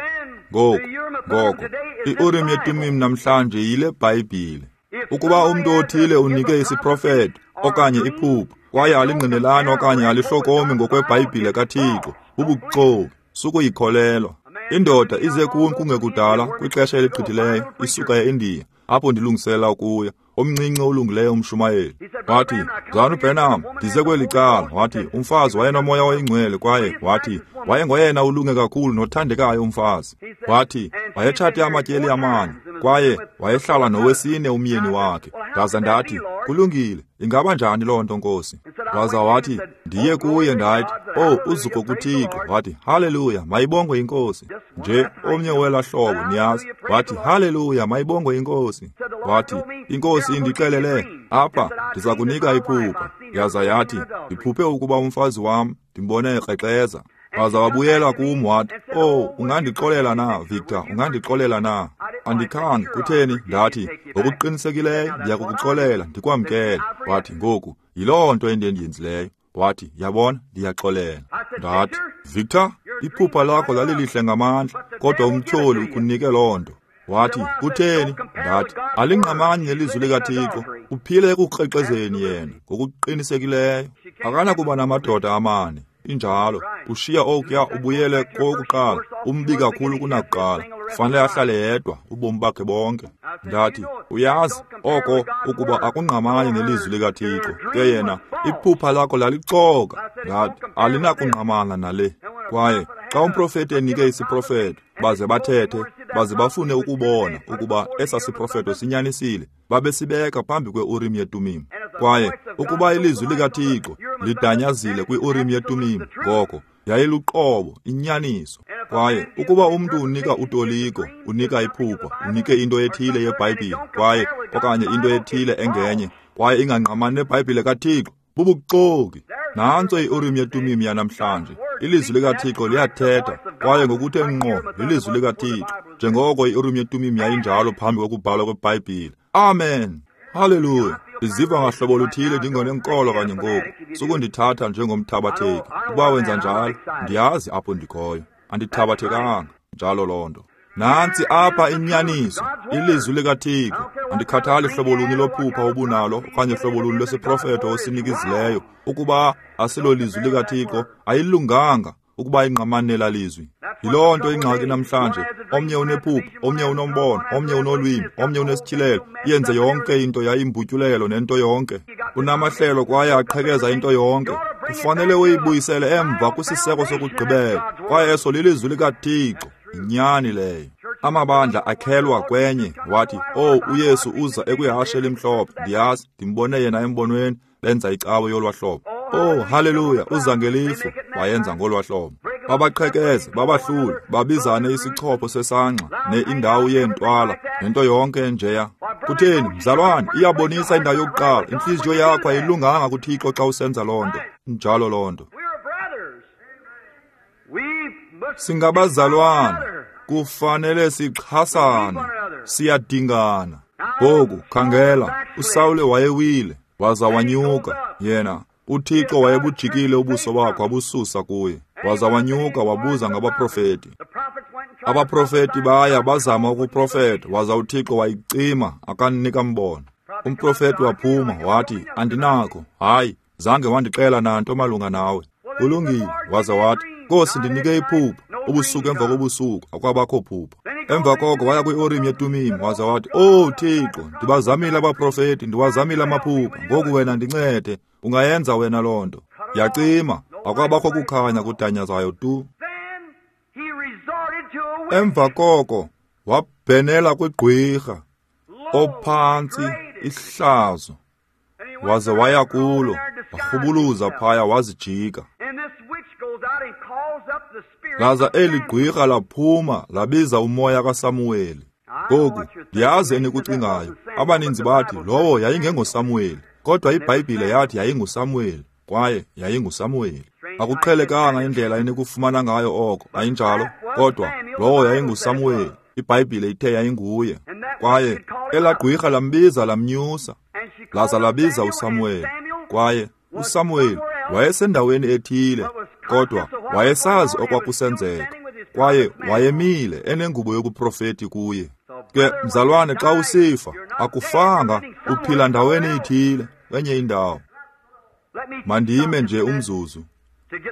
Ngoku, ngoko, i-Urim yeTumim namhlanje yile Bhayibhile. Ukuba umntu othile unike isiprofeto okanye iphupha, kwaye alingqinelani okanye alihlokomi ngokweBhayibhile kaThixo, bubuxoki, sukuyikholelwa. Indoda ize kum kungekudala kwixesha eligqithileyo, isuka eIndiya, apho ndilungisela ukuya, omncinci olungileyo umshumayeli. Wathi, Mzalwana uBranham, ndize kweli cala. Wathi, umfazi wayenomoya oyingcwele, kwaye wathi wayengoyena ulunge kakhulu nothandekayo umfazi. Wathi wayetshate amatyeli amane, kwaye wayehlala nowesine umyeni wakhe. Ndaza ndathi, kulungile, ingaba njani loo nto, Nkosi? Waza wathi, ndiye kuye ndathi, oh, uzuko kuThixo. Wathi, haleluya, mayibongwe iNkosi. Nje omnye wela hlobo, niyazi. Wathi, haleluya, mayibongwe iNkosi. Wathi, iNkosi indixelele, apha ndiza kunika iphupha. Yaza yathi, ndiphuphe ukuba umfazi wam ndimbone ekrexeza. Waza wabuyela kum wathi, oh, ungandixolela na, Victor, ungandixolela na? Andikhange, kutheni? Ndathi, ngokuqinisekileyo ndiyakukuxolela, ndikwamkele. Wathi, ngoku yiloo nto endiyenzileyo. Wathi, yabona, ndiyaxolela. Ndathi, Victor, iphupha lakho lalilihle ngamandla, kodwa umtyholi ukunike loo nto. Wathi, kutheni? Ndathi, alingqamani nelizwi likaThixo. Uphile ekukrexezeni yena ngokuqinisekileyo. Akanakuba namadoda amane. Injalo. Ushiya okuya ubuyele kokuqala, umbi kakhulu kunakuqala. Fanele ahlale yedwa ubomi bakhe bonke. Ndathi, uyazi oko ukuba akungqamani nelizwi likaThixo. Ke yena, iphupha lakho lalixoka. Ndathi, alinakungqamana nale. Kwaye xa umprofeti enike isiprofeto, baze bathethe, baze bafune ukubona ukuba esa siprofeto sinyanisile, babesibeka phambi kwe-Urim yeTumim. Kwaye ukuba ilizwi likaThixo lidanyazile kwi-Urim yeTumim, ngoko yayiluqobo, inyaniso. Kwaye ukuba umntu unika utoliko, unika iphupha, unike into ethile yeBhayibhile, kwaye okanye into ethile engenye, kwaye ingangqamani neBhayibhile kaThixo, bubuxoki. Nantso i-Urim yeTumim yanamhlanje. Ilizwi likaThixo liyathetha, kwaye ngokuthe ngqo lilizwi likaThixo, njengoko i-Urim yeTumim yayinjalo phambi kokubhalwa kweBhayibhile. Amen. Haleluya. Ndiziva ngahlobo luthile ndingonenkolo kanye ngoku. Sukundithatha njengomthabatheki. Ukuba wenza njalo, ndiyazi apho ndikhoyo. Andithabathekanga njalo loo nto. Nantsi apha inyaniso, ilizwi likaThixo. Andikhathali hlobo luni lophupha obunalo okanye hlobo luni lwesiprofeto osinikizileyo. Ukuba asilolizwi likaThixo, ayilunganga ukuba ingqamane lalizwi. Yiloo nto ingxaki namhlanje. Omnye unephupha, omnye unombono, omnye unolwimi, omnye unesityhilelo. Yenze yonke into yayimbutyulelo nento yonke. Unamahlelo kwaye aqhekeza into yonke. Kufanele uyibuyisele emva kwisiseko sokugqibela, kwaye eso lilizwi likaThixo. Inyani leyo. Amabandla akhelwa kwenye. Wathi, oh, uYesu uza ekwihashe elimhlophe. Ndiyazi, ndimbone yena embonweni, benza icawe yolwahlobo. Oh, haleluya, uza ngelifu. Wayenza ngolwahlobo. Babaqhekeze, babahlule, babizane isichopho sesangqa ne indawo yeentwala nento yonke enjeya. Kutheni, mzalwane, iyabonisa indawo yokuqala. Intliziyo yakho ayilunganga kuThixo xa usenza loo nto. Njalo loo nto. Singabazalwana, kufanele sixhasane, siyadingana. Ngoku khangela, uSawule wayewile, waza wanyuka. Yena, uThixo wayebujikile ubuso bakhe wabususa kuye. Waza wanyuka wabuza ngabaprofeti. Abaprofeti baya bazama ukuprofeta, waza uThixo wayicima akanika mbono. Umprofeti waphuma wathi, andinakho, hayi, zange wandixela nanto malunga nawe. Kulungile, waza wathi, Nkosi, ndinike iphupha. Ubusuku emva kobusuku akwabakho phupha. Emva koko waya kwi-Urim yeTumim, waza wathi, oh Thixo, ndibazamile abaprofeti, ndiwazamile amaphupha, ngoku wena ndincede, ungayenza wena loo nto. Yacima, akwabakho kukhanya kudanyazayo tu. Emva koko wabhenela kwigqwirha ophantsi ihlazo, waze waya kulo, warhubuluza phaya wazijika. Laza eli gqwirha laphuma labiza umoya kaSamuweli. Ngoku ndiyazi enikucingayo. Abaninzi bathi lowo yayingengoSamuweli, kodwa iBhayibhile yathi yayinguSamuweli, kwaye yayinguSamuweli. Akuqhelekanga indlela enikufumana ngayo oko, ayinjalo? Kodwa lowo yayinguSamuweli, iBhayibhile ithe yayinguye. Kwaye elaa gqwirha lambiza lamnyusa, laza labiza uSamuweli. Kwaye uSamuweli wayesendaweni ethile, kodwa wayesazi okwakusenzeka, kwaye wayemile enengubo yobuprofeti kuye. Ke mzalwane, xa usifa akufanga, uphila ndaweni ithile, kwenye indawo. Mandime nje umzuzu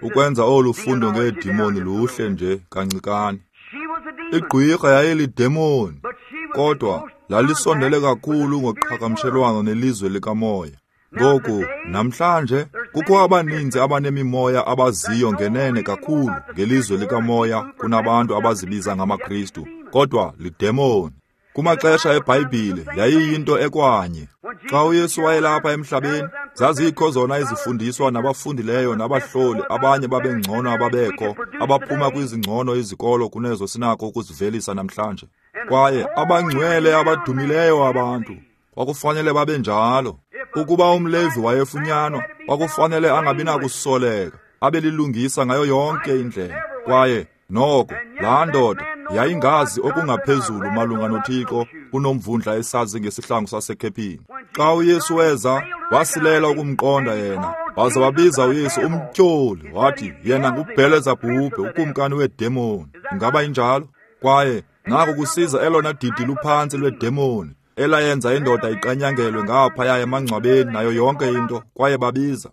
ukwenza olu fundo ngeedimoni luhle nje kancikane. Igqwirha yayilidemoni, kodwa lalisondele kakhulu ngoqhagamshelwano nelizwe likamoya. Ngoku namhlanje kukho abaninzi abanemimoya abaziyo ngenene kakhulu ngelizwe likamoya kunabantu abazibiza ngamaKristu, kodwa lidemoni. Kumaxesha eBhayibhile yayiyinto ekwanye. Xa uYesu wayelapha emhlabeni, zazikho zona izifundiswa nabafundileyo nabahloli, abanye babengcono ababekho, abaphuma kwizingcono izikolo kunezo sinako ukuzivelisa namhlanje. Kwaye abangcwele abadumileyo abantu kwakufanele babe njalo. Ukuba umLevi wayefunyanwa, kwakufanele angabi nakusoleka, abe lilungisa ngayo yonke indlela. Kwaye noko laa ndoda yayingazi okungaphezulu malunga noThixo kunomvundla esazi ngesihlangu sasekhephini. Xa uYesu weza, wasilela ukumqonda yena, waza wabiza uYesu umtyholi, wathi yena nguBhelezebhubhe, ukumkani weedemoni. Ingaba injalo? Kwaye Naku kusiza elona didi luphantsi lwedemoni elayenza indoda iqanyangelwe ngaphaya emangcwabeni nayo yonke into, kwaye babiza.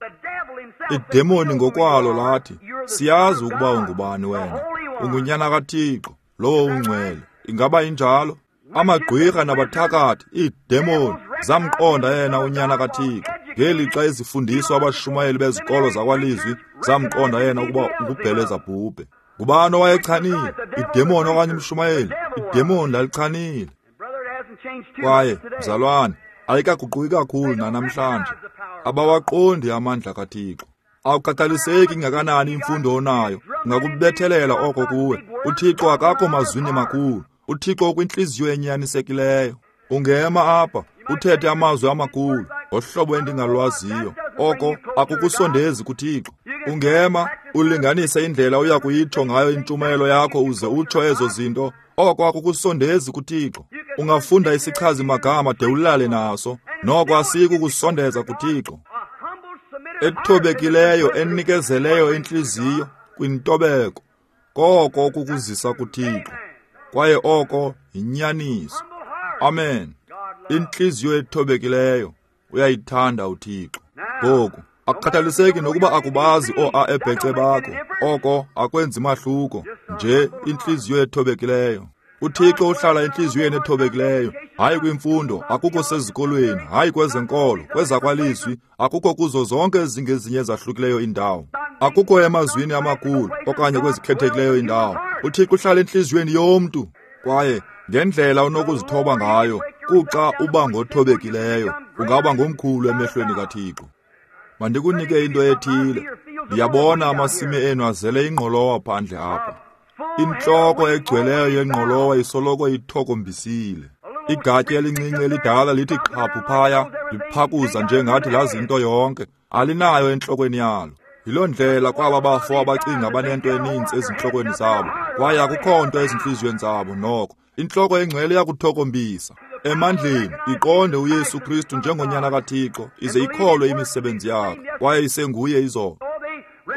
Idemoni ngokwalo lathi, siyazi ukuba ungubani wena. Ungunyana kaThixo, lowo ungcwele. Ingaba injalo? Amagqwirha nabathakathi, iidemoni, zamqonda yena unyana kaThixo. Ngelixa ezifundiswa abashumayeli bezikolo zakwalizwi, zamqonda yena ukuba ungubhelezabhubhe. Ngubani owayechanile? Idemoni okanye umshumayeli? Idemoni lalichanile. Kwaye, mzalwane, ayikaguquki kakhulu nanamhlanje. Abawaqondi amandla kaThixo. Awukhathaliseki ingakanani imfundo onayo, ungakubethelela oko kuwe. UThixo akakho mazwini makhulu. UThixo ukwintliziyo enyanisekileyo. Ungema apha uthethe amazwi amakhulu ngohlobo endingalwaziyo, oko akukusondezi kuThixo. Ungema ulinganise indlela oya kuyitsho ngayo intshumayelo yakho uze utsho ezo zinto, oko akukusondezi kuThixo. Ungafunda isichazi magama de ulale naso, noko asikukusondeza kuThixo. Ethobekileyo enikezeleyo intliziyo kwintobeko, koko kukuzisa kuThixo, kwaye oko yinyaniso. Amen. Intliziyo ethobekileyo uyayithanda uThixo. Ngoku akukhathaliseki nokuba akubazi oo-a ebhece bakho, oko akwenzi mahluko, nje intliziyo ethobekileyo. UThixo uhlala entliziyweni ethobekileyo, hayi kwimfundo, akukho sezikolweni, hayi kwezenkolo, kwezakwalizwi, akukho kuzo zonke ezingezinye ezahlukileyo indawo, akukho emazwini amakhulu okanye kwezikhethekileyo indawo. UThixo uhlala entliziyweni yomntu, kwaye ngendlela onokuzithoba ngayo, kuxa uba ngothobekileyo, ungaba ngomkhulu emehlweni kaThixo. Mandikunike into ethile. Ndiyabona amasimi enu azele ingqolowa phandle apha. Intloko egcweleyo yengqolowa isoloko ithokombisile. Igatya elincinci elidala lithi qhaphu phaya, liphakuza njengathi lazi into yonke, alinayo entlokweni yalo. Yiloo ndlela kwaba bafo abacinga banento eninzi ezintlokweni zabo, kwaye akukho nto ezintliziyweni zabo noko. Intloko engcwele iyakuthokombisa emandleni, iqonde uYesu Kristu njengonyana kaThixo, ize ikholwe imisebenzi yakhe, kwaye isenguye izolo.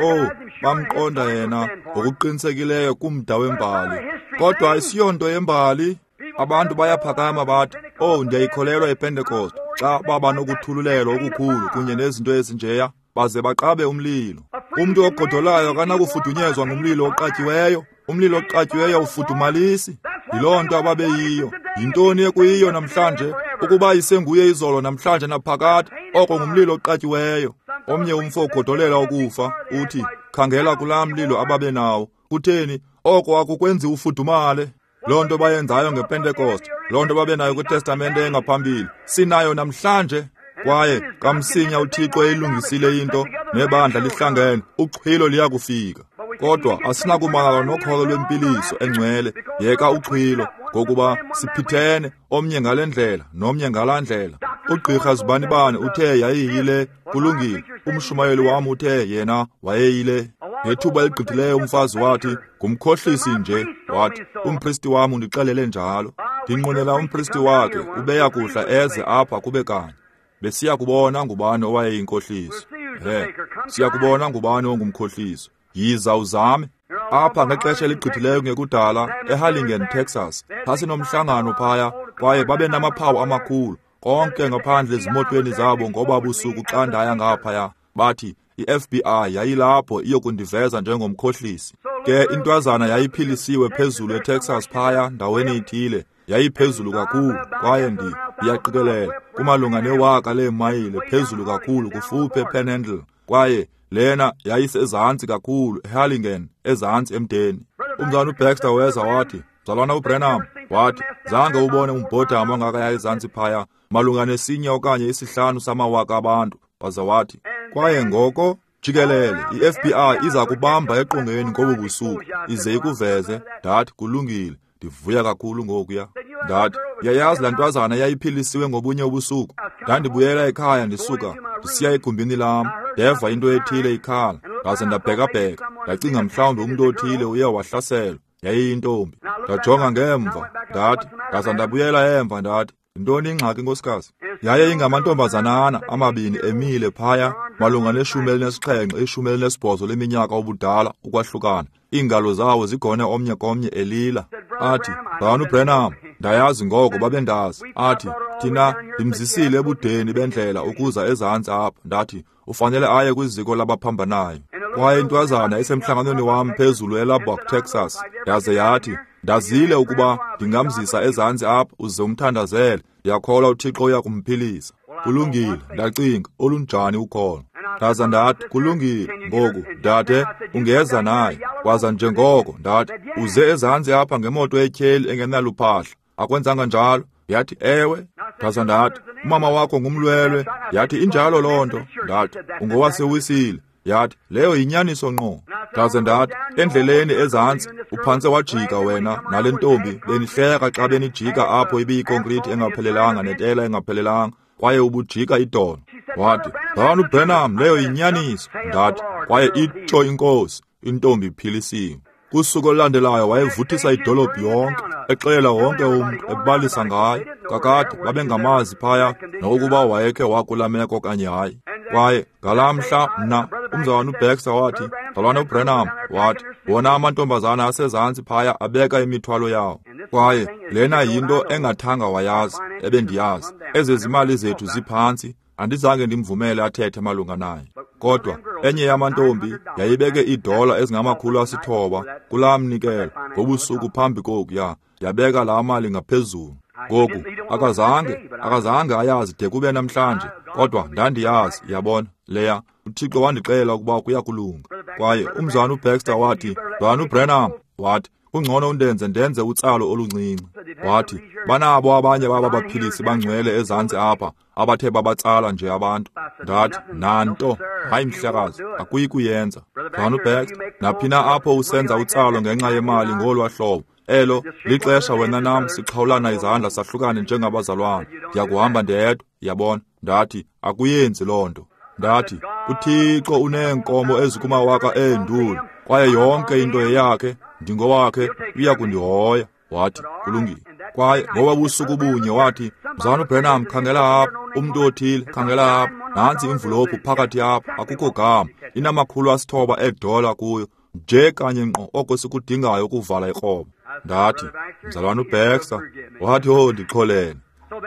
Oh, bamqonda yena ngokuqinisekileyo kumda wembali, kodwa ayisiyonto yembali. Abantu bayaphakama bathi, oh, ndiyayikholelwa iPentecost, xa baba nokuthululelwa okukhulu kunye nezinto ezinjeya, baze baqabe umlilo. Umntu ogodolayo akanakufudunyezwa ngumlilo oqatyiweyo. Umlilo oqatyiweyo ufudumalisi. Yiloo nto ababeyiyo. Yintoni ekuyiyo namhlanje? Ukuba isenguye izolo namhlanje naphakade, oko ngumlilo oqatyiweyo. Omnye umfo ugodolela ukufa, uthi, khangela kulaa mlilo ababenawo. Kutheni? Oko akukwenzi ufudumale. Loo nto bayenzayo ngePentecost, loo nto babenayo kwiTestamente engaphambili, sinayo namhlanje. Kwaye kamsinya uThixo eyilungisile into, nebandla lihlangene, uxhwilo liyakufika. Kodwa asinakumangala nokholo lwempiliso engcwele, yeka uxhwilo, ngokuba siphithene, omnye ngale ndlela nomnye ngalaa ndlela. Ugqirha zibanibani uthe yayiyile, kulungile. Umshumayeli wam uthe yena wayeyile. Ngethuba eligqithileyo umfazi wathi, ngumkhohlisi nje, wathi, umpristi wam undixelele njalo. Ndinqwenela umpristi wakhe ubeya kuhla eze apha kube kanye. Besiya kubona ngubani owayeyinkohliso. He, siya kubona ngubani ongumkhohliso. Yiza uzame. Apha ngexesha eligqithileyo ngekudala, eHarlingen, Texas, phasinomhlangano phaya, kwaye babe namaphawu amakhulu, konke ngaphandle ezimotweni zabo ngoba busuku xa ndaya ngaphaya. Bathi i-F B I yayilapho iyokundiveza njengomkhohlisi. Ke intwazana yayiphilisiwe phezulu eTexas phaya ndaweni ithile, yayiphezulu kakhulu, kwaye ndi ndiyaqikelela kumalunga newaka leemayile phezulu kakhulu kufuphi ePanhandle, kwaye lena yayisezantsi kakhulu eHarlingen, ezantsi emdeni. Umzalwana uBaxter weza wathi, mzalwana uBrenham, wathi, zange ubone umbhodamo ongakaya ezantsi phaya, malunga nesinye okanye isihlanu samawaka abantu. Waza wathi, kwaye ngoko jikelele i-F B I iza kubamba eqongeni ngobu busuku ize ikuveze. Ndathi, kulungile, ndivuya kakhulu ngokuya. Ndathi, yayazi laa ntwazana yayiphilisiwe ngobunye ubusuku. Ndandibuyela ekhaya ndisuka ndisiya egumbini lam, ndeva into ethile ikhala, ndaze ndabhekabheka, ndacinga mhlawumbi umntu othile uye wahlaselwa. Yayiyintombi. Ndajonga ngemva, ndathi, ndaza ndabuyela emva, ndathi, yintoni ingxaki nkosikazi? Yaye ingamantombazanana amabini emile phaya, malunga neshumi elinesixhenxe, ishumi elinesibhozo leminyaka ubudala ukwahlukana, iingalo zawo zigone omnye komnye elila. Athi, Mzalwana uBranham, ndayazi ngoko babendazi. Athi, thina ndimzisile ebudeni bendlela ukuza ezantsi apha. Ndathi, ufanele aye kwiziko labaphambanayo. Kwaye intwazana esemhlanganweni wam phezulu eLubbock, Texas, yaze yathi, ndazile ukuba ndingamzisa ezantsi apha uze umthandazele. Ndiyakholwa uThixo uya kumphilisa. Kulungile, ndacinga, olunjani ukholo. Ndaza ndathi, kulungile, ngoku, dade, ungeza naye. Waza njengoko, ndathi, uze ezantsi apha ngemoto etyheli engenaluphahla. Akwenzanga njalo? Yathi, ewe. Ndaza ndathi, umama wakho ngumlwelwe. Yathi, injalo loo nto. Ndathi, ungowasewisile. Yathi, leyo yinyaniso ngqo. Ndaze ndathi, endleleni ezantsi, uphantse wajika wena nale ntombi, benihleka xa benijika apho ibiyikonkrithi engaphelelanga netela engaphelelanga, kwaye ubujika idolo. Wathi, Mzalwana uBranham, leyo yinyaniso. Ndathi, kwaye itsho inkosi, intombi iphilisiwe. Kusuku olulandelayo wayevuthisa idolophu yonke, exelela wonke umntu, ebalisa ngaye. Kakade babengamazi phaya nokuba wayekhe wakula meko okanye hayi. Kwaye ngalaa mhla mna, umzalwana uBaxter wathi, Mzalwana uBranham, wathi, wona amantombazana asezantsi phaya abeka imithwalo yawo. Kwaye lena yinto engathanga wayazi, ebendiyazi. Ezi zimali zethu ziphantsi, andizange ndimvumele athethe malunga naye. Kodwa enye yamantombi yayibeke iidola ezingamakhulu asithoba kulaa mnikelo ngobusuku phambi kokuya, yabeka laa mali ngaphezulu. Ngoku akazange akazange ayazi de kube namhlanje, kodwa ndandiyazi, yabona leya. uThixo wandixelela ukuba kuya kulunga. Kwaye umzalwana uBaxter wathi, Mzalwana uBranham, wathi, kungcono undenze ndenze utsalo oluncinci. Wathi, banabo abanye baba baphilisi bangcwele ezantsi apha abathe babatsala nje abantu. Ndathi, nanto, hayi mhlekazi, akuyi kuyenza. Mzalwana uBaxter, naphina apho usenza utsalo ngenxa yemali ngolwa hlobo, elo lixesha wena nam sixhawulana izandla sahlukane njengabazalwana. Ndiyakuhamba ndedwa, yabona. Ndathi, akuyenzi loo nto. Ndathi, uThixo uneenkomo ezikumawaka eenduli, kwaye yonke into yeyakhe, ndingowakhe, uya kundihoya. Wathi, kulungile. Kwaye ngoba busuku bunye wathi, Mzalwana uBranham, khangela apha, umntu othile, khangela apha, nantsi imvulophu phakathi apha, akukho gama, inamakhulu asithoba eedola kuyo, nje kanye ngqo oko sikudingayo ukuvala ikroba. Ndathi, Mzalwana uBaxter, wathi, oh, ndixolele.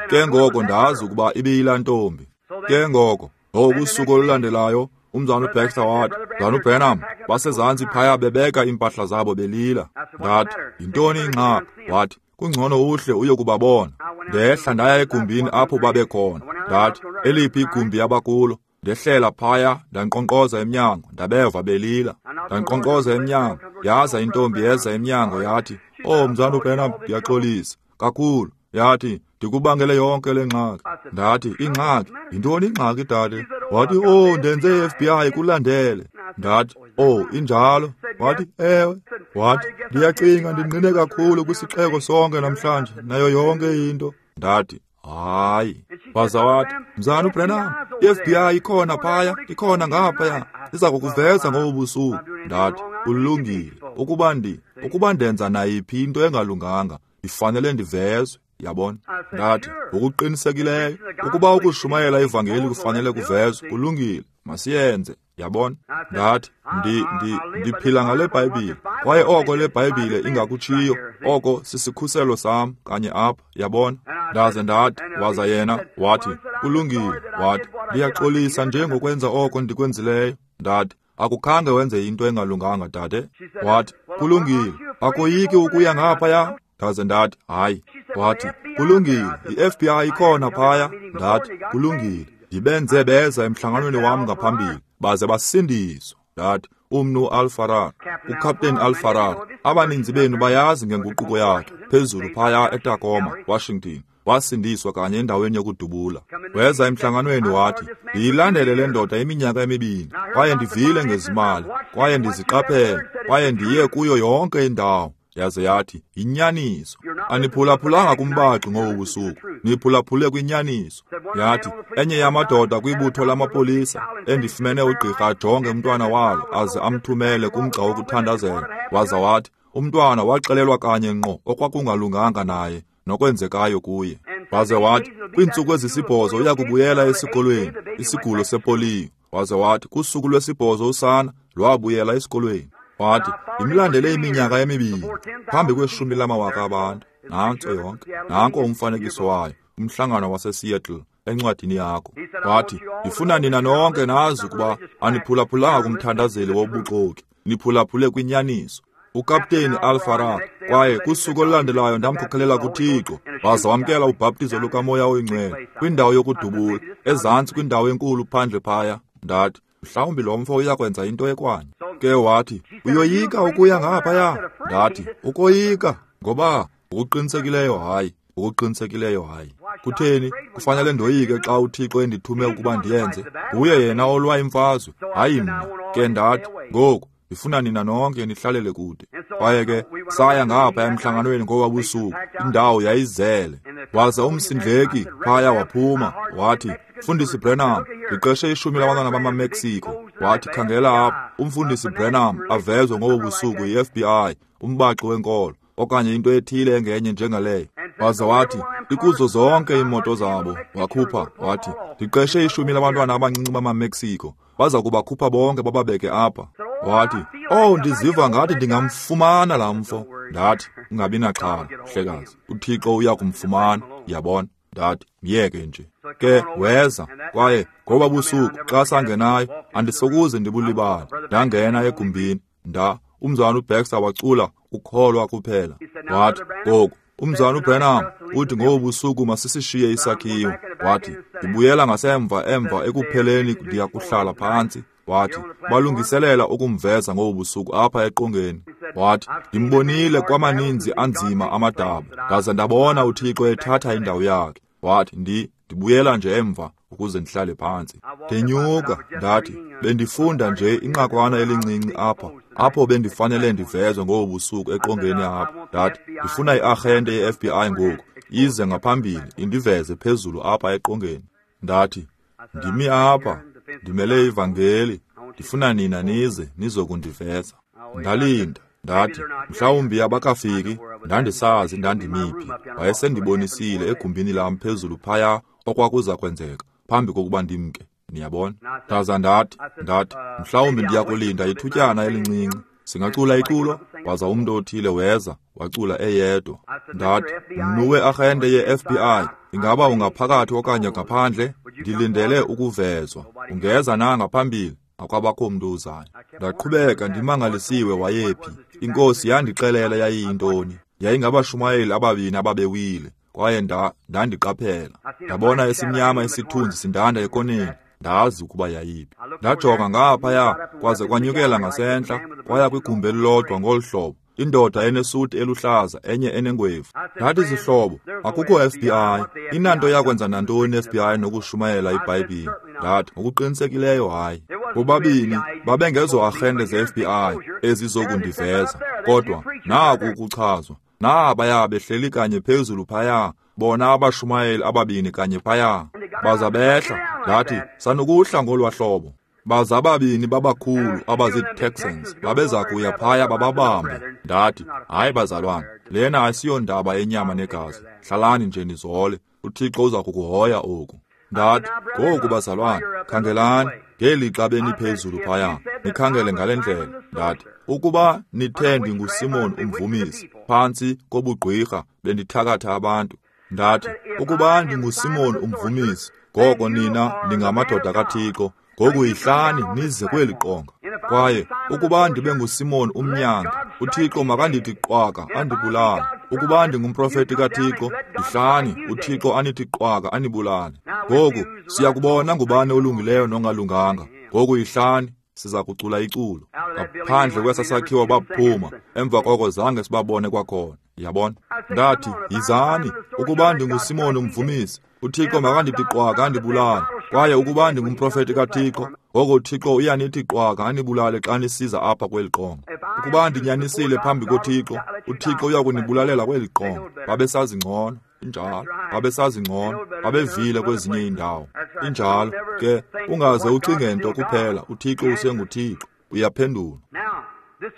Ke ngoko ndazi ukuba ibiyilaa ntombi. Ke ngoko, ngokusuku olulandelayo, umzalwana uBaxter wathi, Mzalwana uBranham, basezantsi phaya bebeka iimpahla zabo belila. Ndathi, yintoni ingxaki? Wathi, kungcono uhle uyokubabona. Ndehla ndaya egumbini apho babekhona. Ndathi, eliphi igumbi abakulo? Ndehlela phaya, ndankqonkqoza emnyango, ndabeva belila. Ndankqonkqoza emnyango, yaza intombi yeza emnyango yathi, oh, Mzalwana uBranham, ndiyaxolisa kakhulu. Yathi, ndikubangele yonke le ngxaki. Ndathi, ingxaki? Yintoni ingxaki, dade? Wathi, oh, ndenze i-F B I kulandele. Ndathi, oh, injalo? Wathi, ewe. Wathi, ndiyacinga ndingqine kakhulu kwisixeko sonke namhlanje, nayo yonke into. Ndathi, hayi. Waza wathi, Mzalwana uBranham, i-F B I ikhona phaya, ikhona ngaphaya, iza kukuveza ngobu busuku. Ndathi, kulungile. Ukuba ndi, ukuba ndenza nayiphi into engalunganga, ndifanele ndivezwe. Yabona? Ndathi, ngokuqinisekileyo, ukuba ukushumayela ivangeli kufanele kuvezwe, kulungile, masiyenze. Yabona? Ndathi, ndi, ndi, ndiphila ngale Bhayibhile, kwaye oko le Bhayibhile ingakutshiyo, oko sisikhuselo sam kanye apha. Yabona? Ndaze ndathi, waza yena wathi, kulungile. Wathi, ndiyaxolisa nje ngokwenza oko ndikwenzileyo. Ndathi, akukhange wenze into engalunganga, dade. Wathi, kulungile, akoyiki ukuya ngaphaya? Ndaze ndathi, hayi. Wathi, kulungile, i-F B I ikhona phaya. Ndathi, kulungile, ndibenze beza emhlanganweni wam ngaphambili, baze basindiswa. Ndathi, umnu Alfarar, uCaptain Alfarar, abaninzi benu bayazi ngenguquko yakhe, phezulu phaya eTacoma, Washington. Wasindiswa kanye endaweni yokudubula. Weza emhlanganweni wathi, ndiyilandele le ndoda iminyaka emibini, kwaye ndivile ngezimali, kwaye ndiziqaphele, kwaye ndiye kuyo yonke indawo. Yaze yathi, yinyaniso. Aniphulaphulanga kumbaxi ngobu busuku, niphulaphule kwinyaniso. Yathi, enye yamadoda kwibutho lamapolisa endifumene ugqirha ajonge umntwana walo aze amthumele kumgca wokuthandazela. Waza wathi, umntwana waxelelwa kanye ngqo okwakungalunganga naye nokwenzekayo kuye. Waze wathi, kwiintsuku ezisibhozo uya kubuyela esikolweni, isigulo sepoliyo. Waze wathi, kusuku lwesibhozo usana lwabuyela esikolweni. Wathi, ndimlandele iminyaka emibini phambi kweshumi lamawaka abantu. Nantso yonke, nanko umfanekiso wayo, umhlangano waseSeattle encwadini yakho. Wathi, ndifuna nina nonke nazi ukuba aniphulaphulanga kumthandazeli wobuxoki, niphulaphule kwinyaniso. Ukapteni Alfarad, kwaye kusuku olulandelayo ndamkhokhelela kuThixo, waza wamkela ubhaptizo lukaMoya oyiNgcwele kwindawo yokudubula, ezantsi kwindawo enkulu phandle phaya. Ndathi, mhlawumbi lo mfo uyakwenza into ekwanye. Ke wathi, uyoyika ukuya ngaphaya? Ndathi, ukoyika? Ngoba ngokuqinisekileyo hayi, ngokuqinisekileyo hayi. Kutheni kufanele ndoyike xa uThixo endithume ukuba ndiyenze? Nguye yena olwa imfazwe, hayi mna. Ke ndathi, ngoku ndifuna nina nonke nihlalele kude. Kwaye ke saya ngapha emhlanganweni ngoba busuku, indawo yayizele. Waza umsindleki phaya waphuma, wathi, Mfundisi Branham, ndiqeshe ishumi labantwana bamaMexico. Wathi, khangela apha, umfundisi Branham avezwe ngobo busuku yi-F B I, umbaxi wenkolo, okanye into ethile engenye njengaleyo. Waza wathi, ikuzo zonke iimoto zabo. Wakhupha, wathi, ndiqeshe ishumi labantwana abancinci bamaMexico, baza kubakhupha bonke bababeke apha. Wathi, oh, ndiziva ngathi ndingamfumana laa mfo. Ndathi, ungabi naxhala, mhlekazi, uThixo uya kumfumana, yabona. Ndathi, myeke nje. Ke weza, kwaye ngoba busuku xa sangenayo, andisokuze ndibulibale. Ndangena egumbini, nda umzana uBaxter wacula ukholwa kuphela. Wathi, ngoku umzana uBranham uthi ngobu busuku masisishiye isakhiwo. Wathi, ndibuyela ngasemva emva ekupheleni ndiya kuhlala phantsi. Wathi, balungiselela ukumveza ngobu busuku apha eqongeni. Wathi, ndimbonile kwamaninzi anzima amadaba, ndaze ndabona uThixo ethatha indawo yakhe. Wathi, ndi ndibuyela nje emva ukuze ndihlale phantsi. Ndenyuka, ndathi, bendifunda nje inqakwana elincinci apha, apho bendifanele ndivezwe ngobu busuku eqongeni apha. Ndathi, ndifuna iarhente ye-F B I ngoku, ize ngaphambili indiveze phezulu apha eqongeni. Ndathi, ndimi apha, ndimele ivangeli, ndifuna nina nize nizokundiveza. Ndalinda, ndathi, mhlawumbi abakafiki, ndandisazi ndandimiphi. Wayesendibonisile egumbini lam phezulu phaya okwakuza kwenzeka phambi kokuba ndimke, niyabona. Ndaza ndathi, ndathi, mhlawumbi ndiyakulinda ithutyana elincinci. Singacula iculo? Waza umntu othile weza, wacula eyedwa. Ndathi, mnuwe arhente ye-F B I, ingaba ungaphakathi okanye ngaphandle? Ndilindele ukuvezwa. Ungeza na ngaphambili? Akwabakho mntu uzayo. Ndaqhubeka ndimangalisiwe wayephi. Inkosi yandixelela yayiyintoni. Yayingabashumayeli ababini ababewile, kwaye nda ndandiqaphela. Ndabona esimnyama isithunzi sindanda ekoneni. Ndazi ukuba yayiphi. Ndajonga ngaphaya, kwaze kwanyukela ngasentla, kwaya kwigumbi elilodwa ngolu hlobo. Indoda enesuti eluhlaza, enye enengwevu. Ndathi, zihlobo, akukho F B I. Inanto yakwenza nantoni F B I nokushumayela iBhayibhile? Ndathi, ngokuqinisekileyo hayi. Bobabini babengezo arhente ze-F B I ezizokundiveza, kodwa naku ukuchazwa. Nabaya behleli kanye phezulu phaya, bona abashumayeli ababini kanye phaya. Baza behla, ndathi, sanukuhla ngolwa hlobo. Baza ababini babakhulu abazii-Texans babeza kuya phaya bababambe. Ndathi, hayi bazalwane, lena asiyondaba yenyama negazi. Hlalani nje nizole, uThixo uza kukuhoya oku. Ndathi, ngoku bazalwane, khangelani, ngelixa beniphezulu phaya, nikhangele ngale ndlela. Ndathi, ukuba nithe ndinguSimon umvumisi, phantsi kobugqwirha bendithakatha abantu. Ndathi, ukuba ndinguSimon umvumisi, ngoko nina ningamadoda kaThixo, ngoku yihlani nize kweli qonga. Kwaye ukuba ndibe nguSimon umnyanga, uThixo makandithi qwaka andibulale. Ukuba ndingumprofeti kaThixo, yihlani uThixo anithi qwaka anibulale. Ngoku siyakubona ngubani olungileyo nongalunganga. Ngoku yihlani, siza kucula iculo. Ngaphandle kwesa sakhiwo baphuma, emva koko zange sibabone kwakhona. Yabona? Ndathi, yizani, ukuba ndinguSimon umvumisi, uThixo makandithi qwaka andibulale. Kwaye ukuba ndingumprofeti kaThixo, ngoko uThixo uyanithi qwaka anibulale xa nisiza apha kweli qonga. Ukuba ndinyanisile phambi koThixo, uThixo uya kunibulalela kweli qonga. Babesazi ngcono, injalo. Babesazi ngcono, babevile kwezinye iindawo. Injalo ke, ungaze ucinge nto kuphela, uThixo usenguThixo, uyaphendula.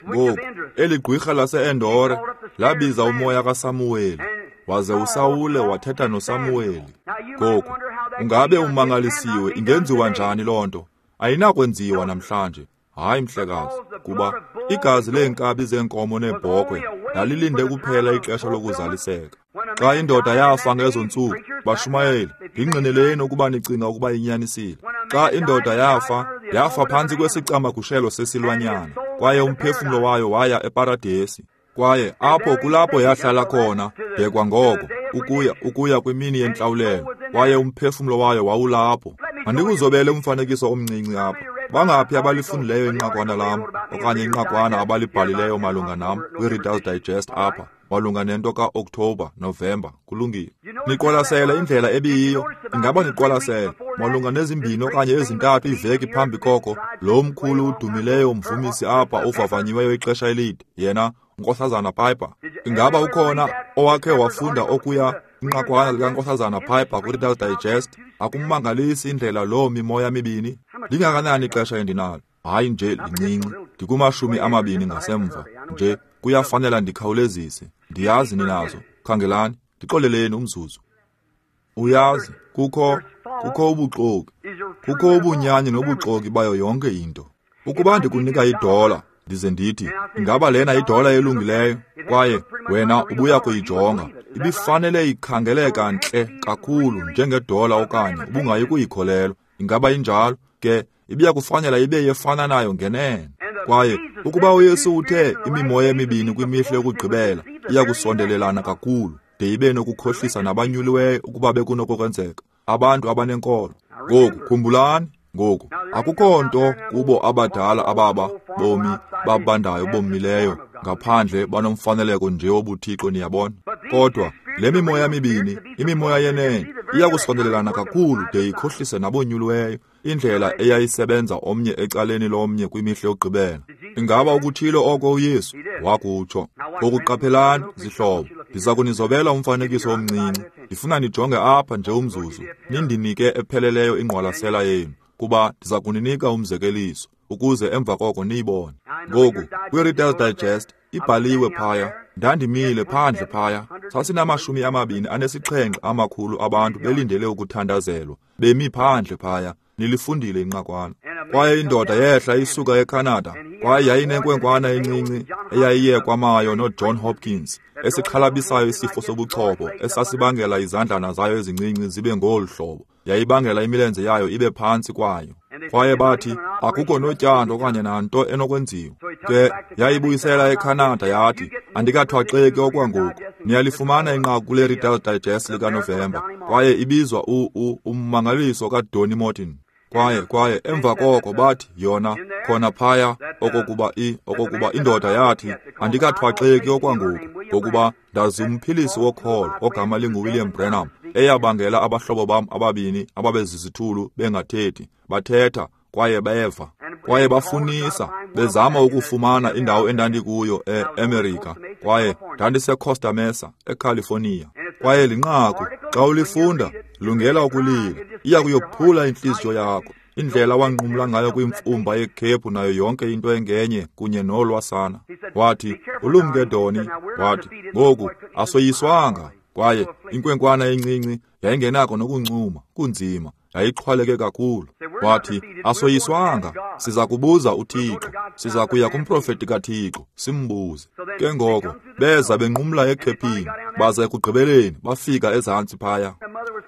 Ngoku, eli gqwirha lase-Endore labiza umoya kaSamuweli, waze uSawule wathetha noSamuweli. Ngoku, ungabe umangalisiwe, ingenziwa njani loo nto? Ayinakwenziwa namhlanje. Hayi mhlekazi, kuba igazi leenkabi zeenkomo neebhokhwe lalilinde kuphela ixesha lokuzaliseka. Xa indoda yafa ngezo ntsuku, bashumayeli, ndingqineleni ukuba nicinga ukuba inyanisile. Xa indoda yafa, yafa phantsi kwesicamagushelo sesilwanyana, kwaye umphefumlo wayo waya eparadesi. Kwaye apho kulapho yahlala khona de kwangoko ukuya ukuya kwimini yentlawulelo, kwaye umphefumlo wayo wawulapho. Mandikuzobele umfanekiso omncinci apha. Bangaphi abalifundileyo inqakwana lam okanye inqakwana abalibhalileyo malunga nam kwi-Reader's Digest apha malunga nento ka-Oktoba, Novemba? Kulungile. Niqwalasele indlela ebiyiyo. Ingaba niqwalasele malunga nezimbini okanye ezintathu iiveki phambi koko lo mkhulu udumileyo umvumisi apha uvavanyiweyo ixesha elide, yena uNkosazana Piper? Ingaba ukhona owakhe wafunda okuya inqakwana likaNkosazana Piper kwi-Reader's Digest? Akumangalisi indlela loo mimoya mibini? Lingakanani ixesha endinalo? Hayi nje lincinci, ndikumashumi amabini ngasemva nje. Kuyafanela ndikhawulezise. Ndiyazi ninazo. Khangelani, ndixoleleni umzuzu. Uyazi, kukho kukho ubuxoki, kukho ubunyani nobuxoki bayo yonke into. Ukuba ndikunika idola ndize ndithi, ingaba lena idola elungileyo, kwaye wena ubuya kuyijonga, ibifanele ikhangeleka ntle kakhulu njengedola okanye ubungayi kuyikholelwa. Ingaba injalo? Ke ibiya kufanela ibe yefana nayo ngenene. Kwaye ukuba uYesu uthe imimoya emibini kwimihla yokugqibela iya kusondelelana kakhulu de ibe nokukhohlisa nabanyuliweyo ukuba bekunokwenzeka, abantu abanenkolo. Ngoku khumbulani, ngoku akukho nto kubo abadala ababa bomi babandayo bomileyo ngaphandle banomfaneleko nje wobuthixo, niyabona. Kodwa le mimoya mibini, imimoya yenene, iya kusondelelana kakhulu de ikhohlise nabonyuliweyo, indlela eyayisebenza omnye ecaleni lomnye kwimihla yokugqibela. Ingaba ukutshilo oko uYesu? Wakutsho. Ngoku qaphelani, zihlobo, ndiza kunizobela umfanekiso omncinci. Ndifuna nijonge apha nje umzuzu, nindinike epheleleyo ingqwalasela yenu, kuba ndiza kuninika umzekeliso ukuze emva koko niyibone. Ngoku kwi-Reader's Digest ibhaliwe phaya. Ndandimile phandle phaya, sasinamashumi amabini anesixhenxe amakhulu abantu belindele ukuthandazelwa, bemi phandle phaya. Nilifundile inqakwana. Kwaye indoda yehla isuka eCanada, kwaye yayinenkwenkwana encinci eyayiye kwamayo noJohn Hopkins, esixhalabisayo isifo sobuchopho esasibangela izandlana zayo ezincinci zibe ngolu hlobo, yayibangela imilenze yayo ibe phantsi kwayo. Kwaye bathi akukho notyando okanye nanto enokwenziwa. Ke yayibuyisela eCanada yathi, andikathwaxeki okwangoku. Niyalifumana inqaku kule Reader's Digest likaNovemba, kwaye ibizwa u u ummangaliso kaDonny Morton. Kwaye kwaye emva koko bathi yona khona phaya okokuba i okokuba indoda yathi, andikathwaxeki okwangoku, ngokuba ndazi umphilisi wokholo ogama linguWilliam Branham, eyabangela abahlobo bam ababini ababezizithulu bengathethi, bathetha kwaye beva. Kwaye bafunisa bezama ukufumana indawo endandikuyo e-Amerika, kwaye ndandiseCosta Mesa eCalifornia. Kwaye linqaku xa ulifunda lungela ukulila, iya kuyophula intliziyo yakho, indlela wanqumla ngayo kwimfumba yekhephu nayo yonke into engenye kunye nolwasana. Wathi, ulumke Doni. Wathi, ngoku asoyiswanga. Kwaye inkwenkwana encinci yayingenako nokuncuma, kunzima, yayixhwaleke kakhulu. Wathi, asoyiswanga, siza kubuza uThixo, siza kuya kumprofeti kaThixo simbuze. Ke ngoko beza benqumla ekhephini, baza ekugqibeleni bafika ezantsi phaya.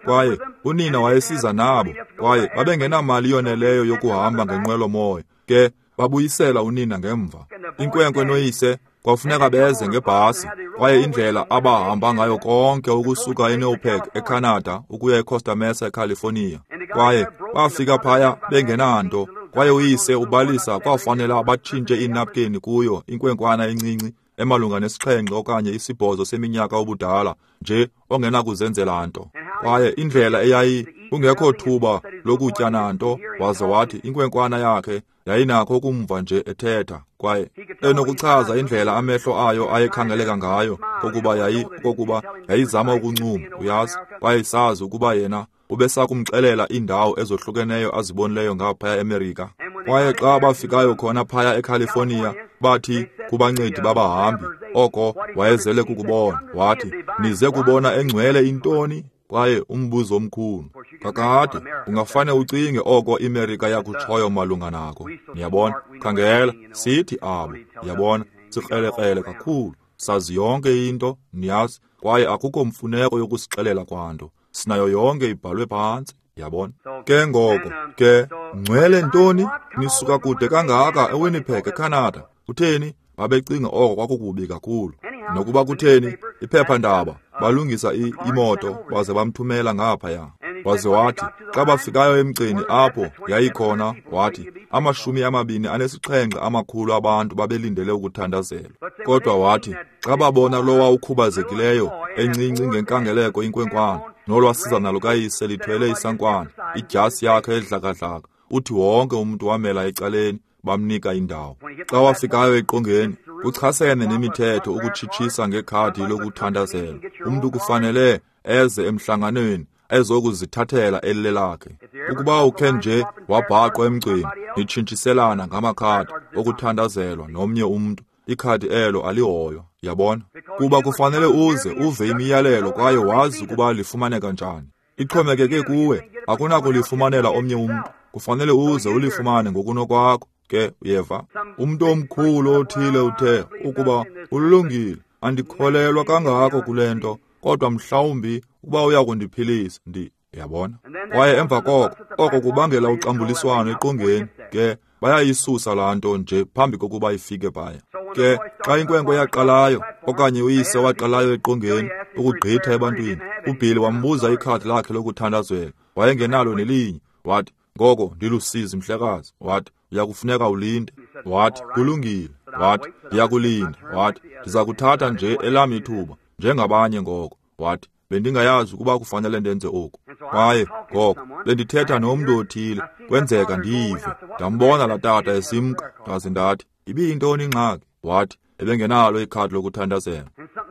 Kwaye unina wayesiza nabo, kwaye babengenamali yoneleyo yokuhamba ngenqwelo-moya. Ke babuyisela unina ngemva. Inkwenkwe noyise kwafuneka beze ngebhasi, kwaye indlela abahamba ngayo konke ukusuka eNewpeg eCanada ukuya eCosta Mesa eCalifornia. Kwaye bafika phaya bengenanto, kwaye uyise ubalisa kwafanela batshintshe iinapkeni kuyo inkwenkwana encinci emalunga nesixhenxe okanye isibhozo seminyaka obudala nje ongenakuzenzela nto. Kwaye indlela eyayi kungekho thuba lokutya nanto, waze wathi inkwenkwana yakhe yayinakho ukumva nje ethetha, kwaye enokuchaza indlela amehlo ayo ayekhangeleka ngayo kokuba yayi kokuba yayizama ukuncuma, uyazi, kwaye isazi ukuba yena ubesakumxelela iindawo ezohlukeneyo azibonileyo ngaphaya eMerika. Kwaye xa bafikayo khona phaya eCalifornia, bathi kubancedi babahambi oko wayezele kukubona. Wathi, nize kubona engcwele intoni? Kwaye umbuzo omkhulu. Kakade, ungafane ucinge oko iMerika yakutshoyo malunga nako. Niyabona? Khangela, sithi abo. Yabona, sikrelekrele kakhulu. Sazi yonke into, niyazi, kwaye akukho mfuneko yokusixelela kwanto. Sinayo yonke ibhalwe phantsi. Yabona? Ke ngoko, ke, ngcwele ntoni? Nisuka kude kangaka eWinnipeg, eCanada. Kutheni? Babecinga oko kwakukubi kakhulu. Nokuba kutheni, iphephandaba, balungisa imoto baze bamthumela ngaphaya. Waze wathi, xa bafikayo emgceni apho yayikhona, wathi, amashumi amabini anesixhenxe amakhulu abantu babelindele ukuthandazelwa. Kodwa wathi, xa babona lowa ukhubazekileyo, encinci ngenkangeleko inkwenkwana, nolwasizana lukayise lithwele isankwana, idyasi yakhe edlakadlaka, uthi wonke umntu wamela ecaleni, bamnika indawo. Xa wafikayo eqongeni, kuchasene nemithetho ukutshitshisa ngekhadi lokuthandazela. Umntu kufanele eze emhlanganweni ezokuzithathela elilelakhe. Ukuba ukhe nje wabhaqwa emgceni, nitshintshiselana ngamakhadi okuthandazelwa nomnye umntu, ikhadi elo alihoywa. Yabona? Kuba kufanele uze uve imiyalelo kwaye wazi ukuba lifumaneka njani. Ixhomekeke kuwe, akunakulifumanela omnye umntu. Kufanele uze ulifumane ngokunokwakho. Ke uyeva, umntu omkhulu othile uthe ukuba ulungile, andikholelwa kangako kule nto, kodwa mhlawumbi ukuba uya kundiphilisa, ndi yabona. Kwaye emva koko, oko kubangela uxambuliswano eqongeni. Ke bayayisusa laa nto nje phambi kokuba ifike phaya. Ke xa inkwenkwe yaqalayo okanye uyise waqalayo eqongeni ukugqitha ebantwini, uBilly wambuza ikhadi lakhe lokuthandazela, wayengenalo nelinye. Wathi, ngoko ndilusizi mhlekazi. Wathi, uyakufuneka ulinde. Wathi, kulungile. Wathi, ndiyakulinda. Wathi, ndiza kuthatha nje elam ithuba njengabanye ngoko. Wathi, bendingayazi ukuba kufanele ndenze oku. Kwaye ngoko bendithetha nomntu othile, kwenzeka ndiyive. Ndambona laa tata esimka, ndaze ndathi, ibiyintoni ingxaki? Wathi, ebengenalo ikhadi lokuthandazela.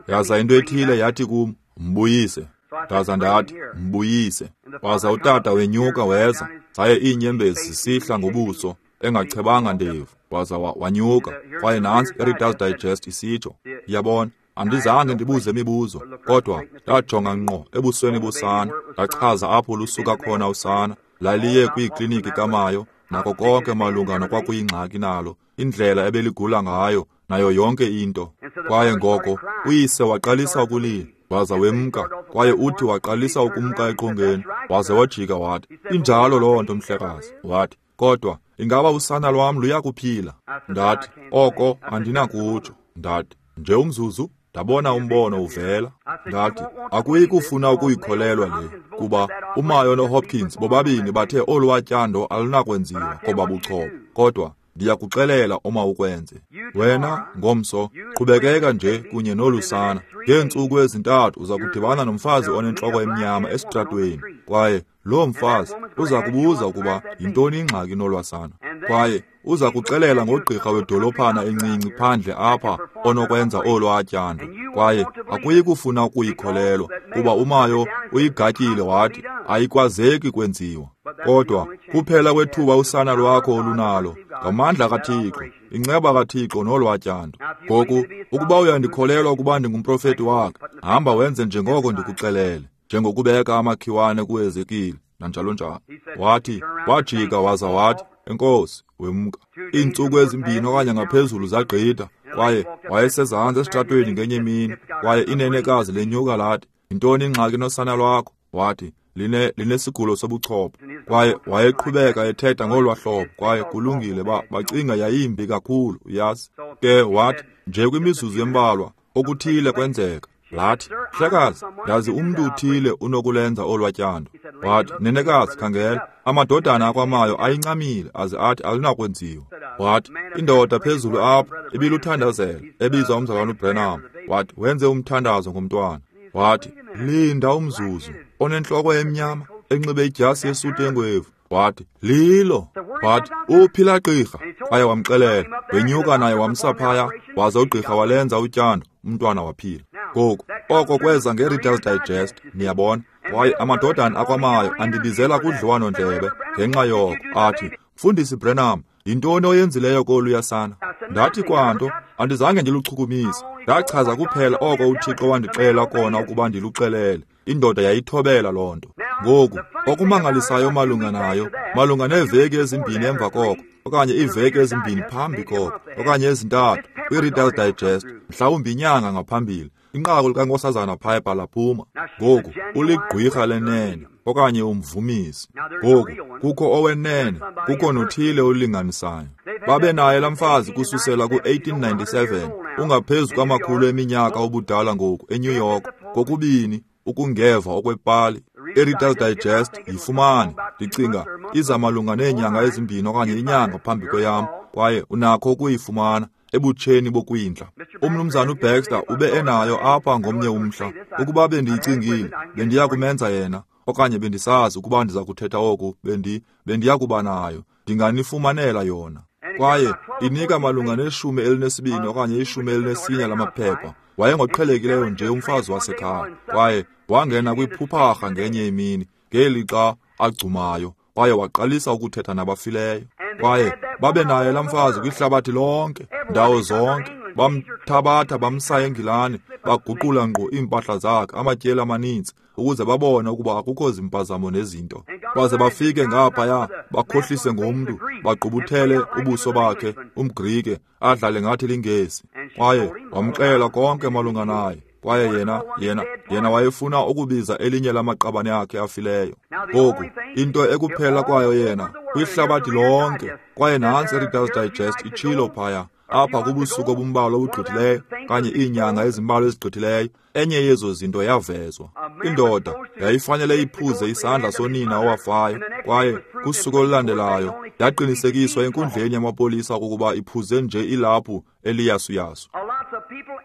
Yaza into ethile yathi kum, mbuyise. Ndaza ndathi, mbuyise. Waza utata wenyuka weza, zaye iinyembezi zisihla ngobuso, engachebanga ndevu. Waza wanyuka, kwaye nantsi iReader's Digest isitsho. Yabona, andizange ndibuze imibuzo, kodwa ndajonga ngqo ebusweni bosana, ndachaza apho lusuka khona usana, laliye kwiikliniki kaMayo, nako konke malunga nokwakuyingxaki nalo, indlela ebeligula ngayo, nayo yonke into. Kwaye ngoko, uyise waqalisa ukulila, waza wemka, kwaye uthi waqalisa ukumka eqongeni, waze wajika wathi, injalo loo nto mhlekazi. Wathi, kodwa ingaba usana lwam luyakuphila? Ndathi, oko andinakutsho. Ndathi, nje umzuzu, ndabona umbono uvela. Ndathi, akuyi kufuna ukuyikholelwa le, kuba uMayo noHopkins bobabini bathe olwatyando alunakwenziwa koba buchopho, kodwa ndiyakuxelela uma ukwenze. Wena ngomso qhubekeka nje kunye nolusana. Ngeentsuku ezintathu uza kudibana nomfazi onentloko emnyama esitratweni, kwaye loo mfazi uza kubuza ukuba yintoni ingxaki nolwasana, kwaye uza kuxelela ngogqirha wedolophana encinci phandle apha onokwenza olwatyando, kwaye akuyi kufuna ukuyikholelwa, kuba uMayo uyigatyile wathi ayikwazeki kwenziwa. Kodwa kuphela kwethuba usana lwakho olunalo ngamandla kaThixo, inceba kaThixo nolwatyando. Ngoku, ukuba uyandikholelwa ukuba ndingumprofeti wakhe, hamba wenze njengoko ndikuxelele, njengokubeka amakhiwane kuEzekile nanjalo njalo. Wathi, wajika waza wathi, enkosi, wemka. Iintsuku ezimbini okanye ngaphezulu zagqitha, kwaye wayesezantsi esitratweni ngenye imini, kwaye inenekazi lenyuka lathi, yintoni ingxaki nosana lwakho? Wathi, line linesigulo sobuchopho. Kwaye wayeqhubeka ethetha ngolwa hlobo, kwaye kulungile, ba bacinga yayimbi kakhulu, uyazi. Ke wathi, nje kwimizuzu embalwa, okuthile kwenzeka. Lathi, mhlekazi, ndazi umntu uthile unokulenza olwatyando. Wathi, nenekazi, khangela, amadodana akwaMayo ayincamile aze athi alunakwenziwa. Wathi, indoda phezulu apho ibiluthandazela, ebizwa umzalwana uBrenham. Wathi, wenze umthandazo ngomntwana. Wathi, linda umzuzu, onentloko emnyama, enxibe idyasi yesuti engwevu. Wathi, lilo. Wathi, uphi laa gqirha? Kwaye wamxelela, wenyuka naye wamsa phaya, waza ugqirha walenza utyando, umntwana waphila. Ngoku, oko kweza ngeReader's Digest, niyabona. Kwaye amadodana akwaMayo andibizela kudliwano-ndlebe ngenxa yoko, athi, Mfundisi Branham, yintoni oyenzileyo koluya sana? Ndathi kwanto, andizange ndiluchukumise. Ndachaza kuphela oko uThixo wandixelela kona ukuba ndiluxelele. Indoda yayithobela loo nto. Ngoku, okumangalisayo malunga nayo, malunga neeveki ezimbini emva koko, okanye iiveki ezimbini phambi koko, okanye ezintathu, kwi-Reader's Digest, mhlawumbi inyanga ngaphambili, inqaku likaNkosazana Piper laphuma. Ngoku, uligqwirha lenene, okanye umvumisi. Ngoku, kukho owenene, kukho nothile olinganisayo. Babe naye laa mfazi kususela ku-eighteen ninety-seven, ungaphezu kwamakhulu eminyaka obudala ngoku eNew York, kokubini ukungeva okwepali. I-Reader's Digest yifumane, ndicinga, iza malunga neenyanga ezimbini okanye inyanga phambi kweyam, kwaye unakho ukuyifumana ebutsheni bokwindla. Umnumzana uBaxter ube enayo apha ngomnye umhla. Ukuba bendiyicingile, bendiya kumenza yena, okanye bendisazi ukuba ndiza kuthetha oku, bendi bendiya kuba nayo, ndinganifumanela yona. Kwaye inika malunga neshumi elinesibini okanye ishumi elinesine lamaphepha. Wayengoqhelekileyo nje umfazi wasekhaya, kwaye wangena kwiphupharha ngenye imini ngelixa agcumayo, kwaye waqalisa ukuthetha nabafileyo. Kwaye babe naye laa mfazi kwihlabathi lonke, ndawo zonke. Bamthabatha bamsa eNgilani, baguqula ngqo iimpahla zakhe amatyeli amaninzi ukuze babone ukuba akukho zimpazamo nezinto. Baze bafike ngaphaya bakhohlise ngomntu, bagqubuthele ubuso bakhe, umGrike, adlale ngathi liNgesi. Kwaye wamxela konke malunga naye. Kwaye yena, yena, yena wayefuna ukubiza elinye lamaqabane akhe afileyo. Ngoku, into ekuphela kwayo yena, kwihlabathi lonke, kwaye nantsi iReader's Digest itshilo phaya, apha kubusuku obumbalwa obugqithileyo, kanye iinyanga ezimbalwa ezigqithileyo, enye yezo zinto yavezwa. Indoda yayifanele iphuze isandla sonina owafayo, kwaye kusuku olulandelayo yaqinisekiswa enkundleni yamapolisa ukuba iphuze nje ilaphu eliyasuyasu.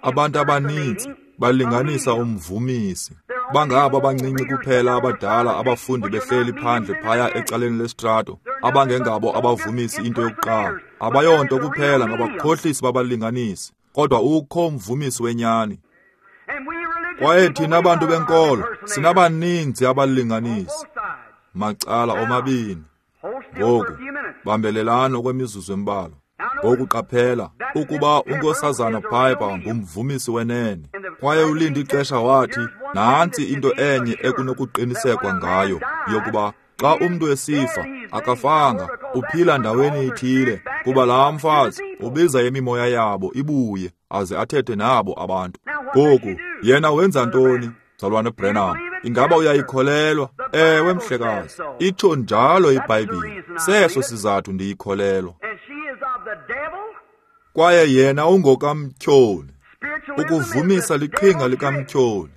Abantu abaninzi balinganisa umvumisi. Bangabo abancinci kuphela abadala abafundi behleli phandle phaya ecaleni lesitrato, abangengabo abavumisi into yokuqala. Abayonto kuphela ngabakhohlisi babalinganisi, kodwa ukho umvumisi wenyani. Kwaye thina abantu benkolo sinabaninzi abalinganisi macala omabini. Ngoku bambelelani okwemizuzu embalwa. Ngoku qaphela ukuba uNkosazana Piper ngumvumisi wenene, kwaye ulinde ixesha wathi nantsi into enye ekunokuqinisekwa ngayo yokuba xa umntu esifa akafanga, uphila ndaweni ithile, kuba laa mfazi ubiza imimoya yabo ibuye aze athethe nabo abantu. Ngoku yena wenza ntoni, mzalwane Branham? Ingaba uyayikholelwa? Ewe, mhlekazi, itsho njalo iBhayibhile. Seso sizathu ndiyikholelwa. Kwaye yena ungokamtyholi. Ukuvumisa liqhinga likamtyholi.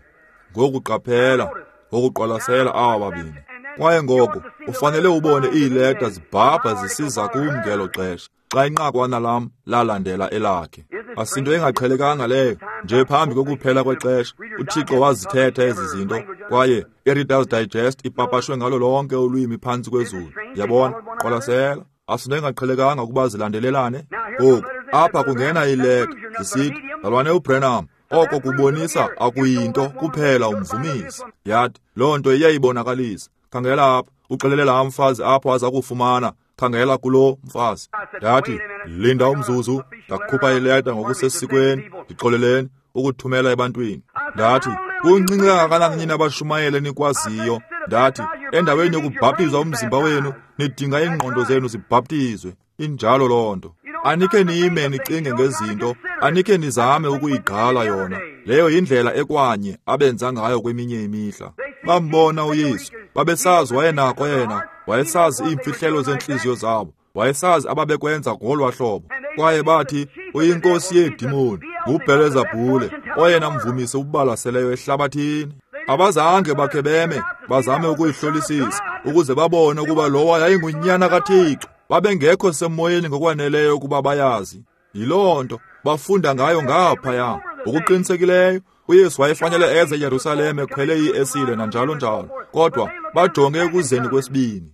Ngoku qaphela, ngokuqwalasela aba babini. Kwaye ngoku ufanele ubone iileta zibhabha zisiza kum ngelo xesha, xa inqakwana lam lalandela elakhe. Asinto engaqhelekanga leyo. Nje phambi kokuphela kwexesha, uThixo wazithetha ezi zinto, kwaye iReader's Digest ipapashwe ngalo lonke ulwimi phantsi kwezulu. Yabona, qwalasela. Asinto engaqhelekanga ukuba zilandelelane. Ngoku apha kungena iileta zisithi, mzalwane uBranham, oko kubonisa akuyinto kuphela umvumisi. Yathi loo nto iyayibonakalisa. Khangela apha, uxelele laa mfazi apho aza kufumana. Khangela kulo mfazi. Ndathi, linda umzuzu, ndakhupha ileta ngokusesikweni, ndixoleleni ukuthumela ebantwini. Ndathi, kuncinci kangakanani nina abashumayeli enikwaziyo? Ndathi, endaweni yokubhaptizwa umzimba wenu, nidinga iingqondo zenu zibhaptizwe. Injalo loo nto. Anikhe nime nicinge ngezinto, anikhe nizame ukuyigqala yona. Leyo yindlela ekwanye abenza ngayo kweminye imihla. Bambona uYesu, babesazi wayenako yena, wayesazi iimfihlelo zeentliziyo zabo, wayesazi ababekwenza ngolwa hlobo. Kwaye bathi, uyinkosi yeedimoni, nguBhelezebhule, oyena mvumisi ubalaseleyo ehlabathini. Abazange bakhe beme, bazame ukuyihlolisisa, ukuze babone ukuba lowa yayingunyana kaThixo. Babengekho semoyeni ngokwaneleyo ukuba bayazi. Yiloo nto bafunda ngayo ngaphaya. Ngokuqinisekileyo, uYesu wayefanele eze eYerusalem ekhwele iesile nanjalo njalo, kodwa bajonge ekuzeni kwesibini.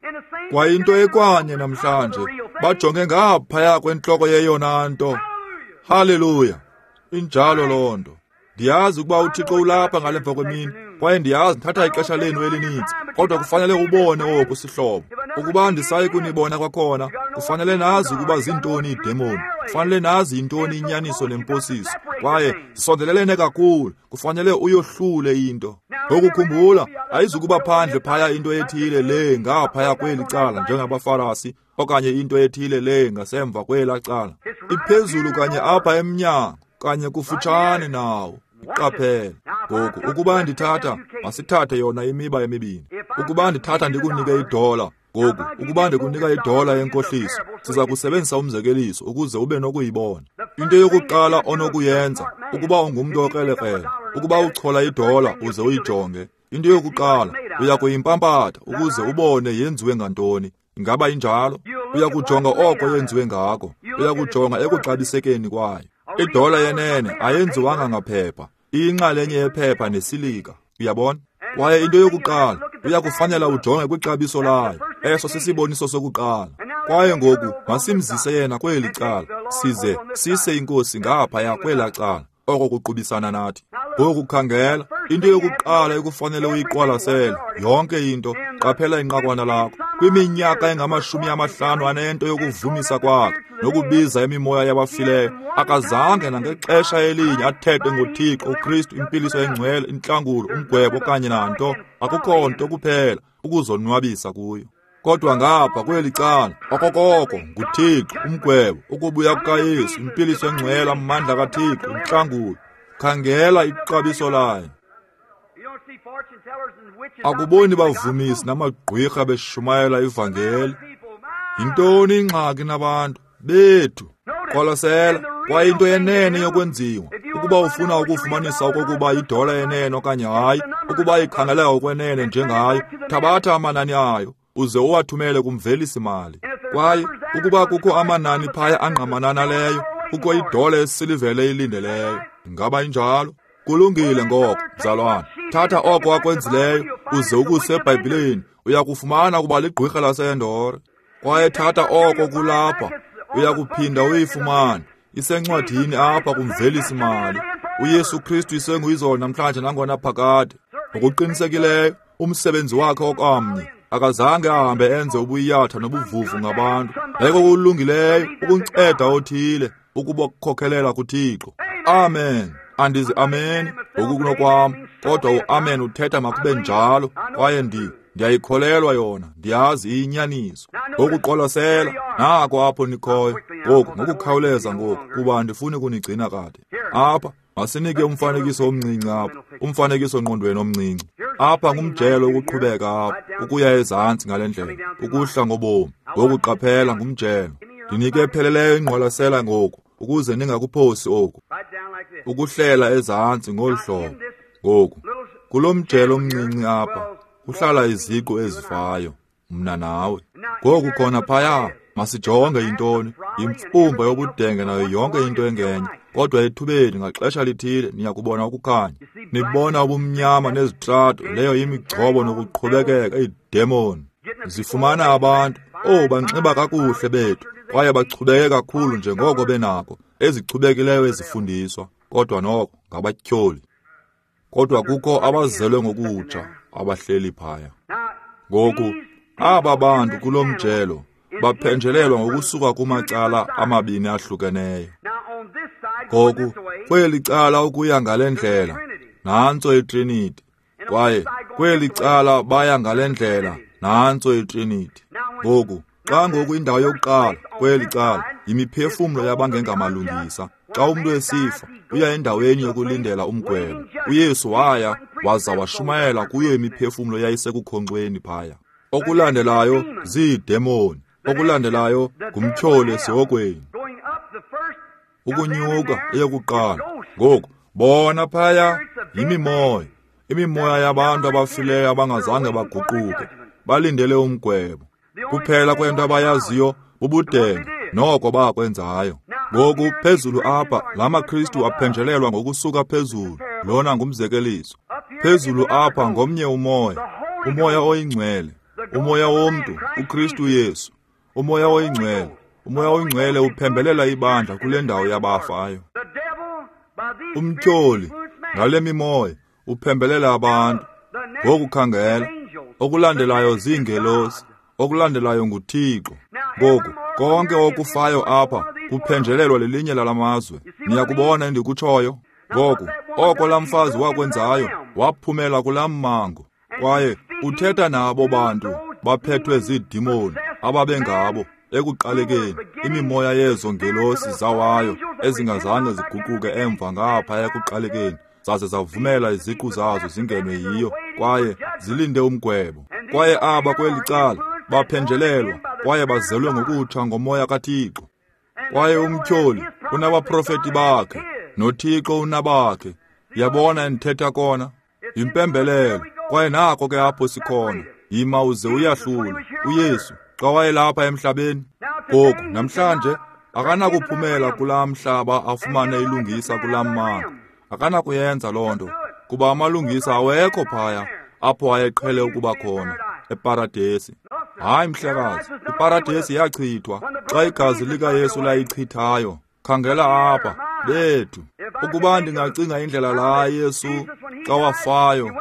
Kwayinto ekwanye namhlanje, bajonge ngaphaya kwentloko yeyona nto. Haleluya! Injalo loo nto. Ndiyazi ukuba uThixo ulapha ngale mva kwemini, kwaye ndiyazi ndithatha ixesha lenu elininzi, kodwa kufanele ubone oku, sihlobo. Ukuba andisayi kunibona kwakhona, kufanele nazi ukuba zintoni iidemoni, kufanele nazi yintoni inyaniso nemposiso, kwaye zisondelelene kakhulu, kufanele uyohlule into. Ngokukhumbula, ayizukuba phandle phaya into ethile le ngaphaya kweli cala njengabaFarisi, okanye into ethile le ngasemva kwelaa cala. Iphezulu kanye apha emnyango, kanye kufutshane nawo. Iqaphele. Ngoku ukuba ndithatha, masithathe yona imiba emibini. Ukuba ndithatha ndikunike idola, ngoku ukuba ndikunika idola yenkohliso, siza kusebenzisa umzekeliso ukuze ube nokuyibona. Into yokuqala onokuyenza, ukuba ungumntu okrelekrele, ukuba uchola idola uze uyijonge, into yokuqala uya kuyimpampatha ukuze ubone yenziwe ngantoni. Ingaba injalo? Uya kujonga oko yenziwe ngako. Uya kujonga ekuxabisekeni kwayo. Idola yenene ayenziwanga ngaphepha, iyinxalenye yephepha nesilika. Uyabona? Kwaye into yokuqala uya kufanela ujonge kwixabiso layo. Eso sisiboniso sokuqala. Kwaye ngoku masimzise yena kweli cala, size sise inkosi ngaphaya kwelaa cala, oko kuqubisana nathi. Ngoku khangela, into yokuqala ekufanele uyiqwalasele, yonke into, qaphela inqakwana lakho. Kwiminyaka engamashumi amahlanu anento yokuvumisa kwakhe nokubiza imimoya yabafileyo, akazange nangexesha elinye athethe ngoThixo, uKristu, impiliso engcwele, intlangulo, umgwebo okanye nanto. Akukho nto kuphela ukuzonwabisa kuyo. Kodwa ngapha kweli cala, okokoko nguThixo, umgwebo, ukubuya kukaYesu, impiliso engcwele, amandla kaThixo, intlangulo. Khangela ixabiso layo. Akuboni bavumisi namagqwirha beshumayela ivangeli. Yintoni ingxaki nabantu bethu? Qwalasela, kwaye into yenene yokwenziwa, ukuba ufuna ukufumanisa okokuba idola yenene okanye hayi, ukuba ikhangeleka okwenene njengayo, thabatha amanani ayo uze uwathumele kumvelisi mali. Kwaye ukuba kukho amanani phaya angqamana naleyo, kukho idola esilivele ilindeleyo. Ingaba injalo? Kulungile ngoko, mzalwana. Thatha oko akwenzileyo uze ukuse eBhayibhileni, uya kufumana ukuba ligqwirha laseEndore. Kwaye thatha oko kulapha, uya kuphinda uyifumane. Isencwadini apha kumvelisi mali. uYesu Kristu isenguyizolo namhlanje nangona phakade. Ngokuqinisekileyo, umsebenzi wakhe okamnye akazange ahambe enze ubuyatha nobuvuvu ngabantu. Yayikokulungileyo ukunceda othile ukubakhokhelela kuThixo. Amen. Andizi amen ngokunokwam, kodwa uamen uthetha makube njalo, kwaye ndi ndiyayikholelwa yona, ndiyazi iyinyaniso. Ngokuqwalasela, nako apho nikhoyo. Ngoku ngokukhawuleza ngoku, kuba andifuni kunigcina kade. Apha masinike umfanekiso omncinci apha, umfanekiso ngqondweni omncinci. Apha ngumjelo ukuqhubeka apha, ukuya ezantsi ngale ndlela, ukuhla ngobomi. Ngokuqaphela ngumjelo. Ndinike epheleleyo ingqwalasela ngoku, ukuze ningakuphosi oku. Ukuhlela ezantsi ngolu hlobo. Ngoku, kulo mjelo omncinci apha, kuhlala iziqu ezifayo, mna nawe. Ngoku khona phaya, masijonge yintoni, yimfumba yobudenge nayo yonke into engenye. Kodwa ethubeni ngaxesha lithile niyakubona ukukhanya. Nibona ubumnyama nezitrato, leyo imigcobo nokuqhubekeka, iidemoni. Zifumana abantu, oh, banxiba kakuhle bethu, kwaye bachubeke kakhulu njengoko benako, ezichubekileyo ezifundiswa, kodwa noko ngabatyholi. Kodwa kukho abazelwe ngokutsha abahleli phaya. Ngoku, aba bantu kulo mjelo baphenjelelwa ngokusuka kumacala amabini ahlukeneyo. Ngoku, kweli cala ukuya ngale ndlela, nantso iTrinity. Kwaye kweli cala baya ngale ndlela, nantso iTrinity. Ngoku, xa ngoku indawo yokuqala kweli cala yimiphefumlo yabangengamalungisa. Xa umntu esifa, uya endaweni yokulindela umgwebo. uYesu waya waza washumayela kuyo imiphefumlo yayisekukhonkxweni phaya. Okulandelayo ziidemoni. Okulandelayo ngumtyholi esihogweni. Ukunyuka eyokuqala. Ngoku bona phaya yimimoya, imimoya yabantu abafileyo abangazange baguquke, balindele umgwebo. Kuphela kwento abayaziyo bubudenge noko bakwenzayo. Ngoku phezulu apha la maKristu aphenjelelwa ngokusuka phezulu. Lona ngumzekeliso. Phezulu apha ngomnye umoya, umoya oyingcwele, umoya womntu, uKristu Yesu. Umoya oyingcwele, umoya oyingcwele uphembelela ibandla kule ndawo yabafayo. Umtyholi ngale mimoya uphembelela abantu. Ngokukhangela, okulandelayo ziingelosi, okulandelayo nguThixo. Ngoku konke okufayo apha kuphenjelelwa lelinye lalamazwe. Niyakubona endikutshoyo? Ngoku oko laa mfazi wakwenzayo, Waphumela kulaa mmango. Kwaye uthetha nabo bantu baphethwe ziidimoni ababengabo ekuqalekeni, imimoya yezo ngelosi zawayo ezingazange ziguquke emva ngapha ekuqalekeni, zaze zavumela iziqu zazo zingenwe yiyo kwaye zilinde umgwebo. Kwaye aba kweli cala baphenjelelwa kwaye bazelwe ngokutsha ngomoya kaThixo. Kwaye umtyholi unabaprofeti bakhe noThixo unabakhe. Yabona endithetha kona? Yimpembelelo. Kwaye nako ke apho sikhona. Yima uze uyahlule. UYesu xa wayelapha emhlabeni ngoku namhlanje akanakuphumela kulaa mhlaba afumane ilungisa kulaa mmandla. Akanakuyenza loo nto, kuba amalungisa awekho phaya apho ayeqhele ukuba khona eparadesi. Hayi mhlekazi, iparadesi yachithwa xa igazi likaYesu layichithayo. Khangela apha bethu. Ukuba ndingacinga indlela laa Yesu xa wafayo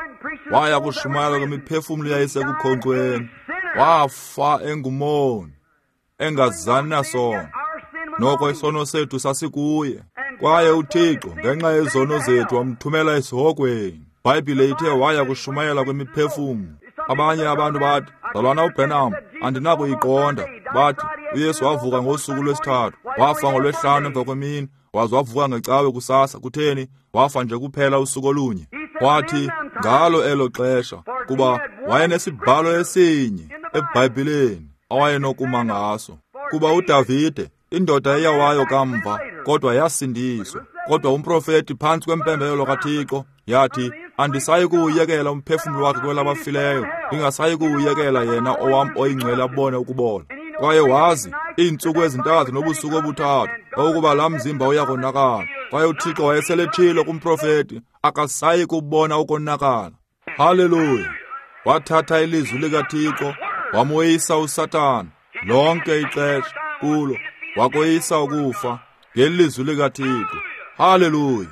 waya kushumayela kwimiphefumlo yayisekukhonkcweni, wafa engumoni engazani nasono. Noko isono sethu sasikuye, kwaye uThixo ngenxa yezono zethu wamthumela esihogweni. Bhayibhile ithe waya kushumayela kwimiphefumlo. Abanye abantu bathi, "Mzalwana uBranham, andinakuyiqonda." Bathi uYesu wavuka ngosuku lwesithathu, wafa ngolwesihlanu emva kwemini, waze wavuka ngecawe kusasa. Kutheni? Wafa nje kuphela usuku olunye. Wathi ngalo elo xesha, kuba wayenesibhalo esinye eBhayibhileni awayenokuma ngaso. Kuba uDavide, indoda eyawayo kamva, kodwa yasindiswa. Kodwa umprofeti phantsi kwempembelelo kaThixo yathi, "Andisayi kuwuyekela umphefumlo wakhe kwelabafileyo, ndingasayi kuwuyekela yena owam oyingcwele abone ukubola." Kwaye wazi iintsuku ezintathu nobusuku obuthathu ukuba laa mzimba uyakonakala. Kwaye uThixo wayeseletshilo kumprofeti, akasayi kubona ukonakala. Haleluya! Wathatha ilizwi likaThixo wamoyisa uSathana lonke ixesha kulo, wakoyisa ukufa ngelizwi likaThixo. Haleluya!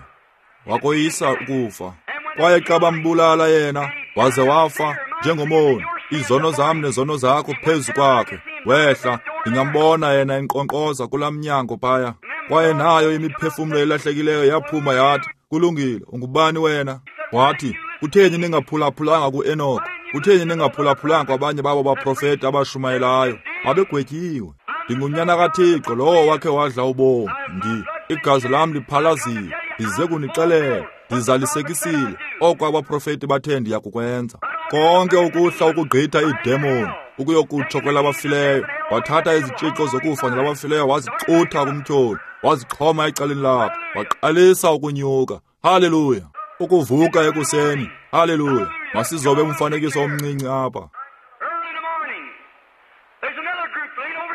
Wakoyisa ukufa. Kwaye xa bambulala yena waze wafa njengomoni, izono zam nezono zakho phezu kwakhe, wehla. Ndingambona yena enkqonkqoza kulaa mnyango phaya. Kwaye nayo imiphefumlo elahlekileyo yaphuma yathi, "Kulungile, ungubani wena?" Wathi, "Kutheni ningaphulaphulanga kuEnoch? Kutheni ningaphulaphulanga kwabanye babo baprofeti abashumayelayo? Babegwetyiwe. Ndingunyana kaThixo lowo wakhe wadla ubomi. Ndi igazi lam liphalaziwe. Ndize kunixelela, ndizalisekisile oko abaprofeti bathe ndiyakukwenza." Konke ukuhla ukugqitha iidemoni ukuyokutsho kwelabafileyo. Wathatha izitshixo zokufa nelabafileyo wazixutha kumtyholi, wazixhoma ecaleni lakhe, waqalisa ukunyuka. Haleluya! Ukuvuka ekuseni. Haleluya! Masizobe umfanekiso omncinci apha.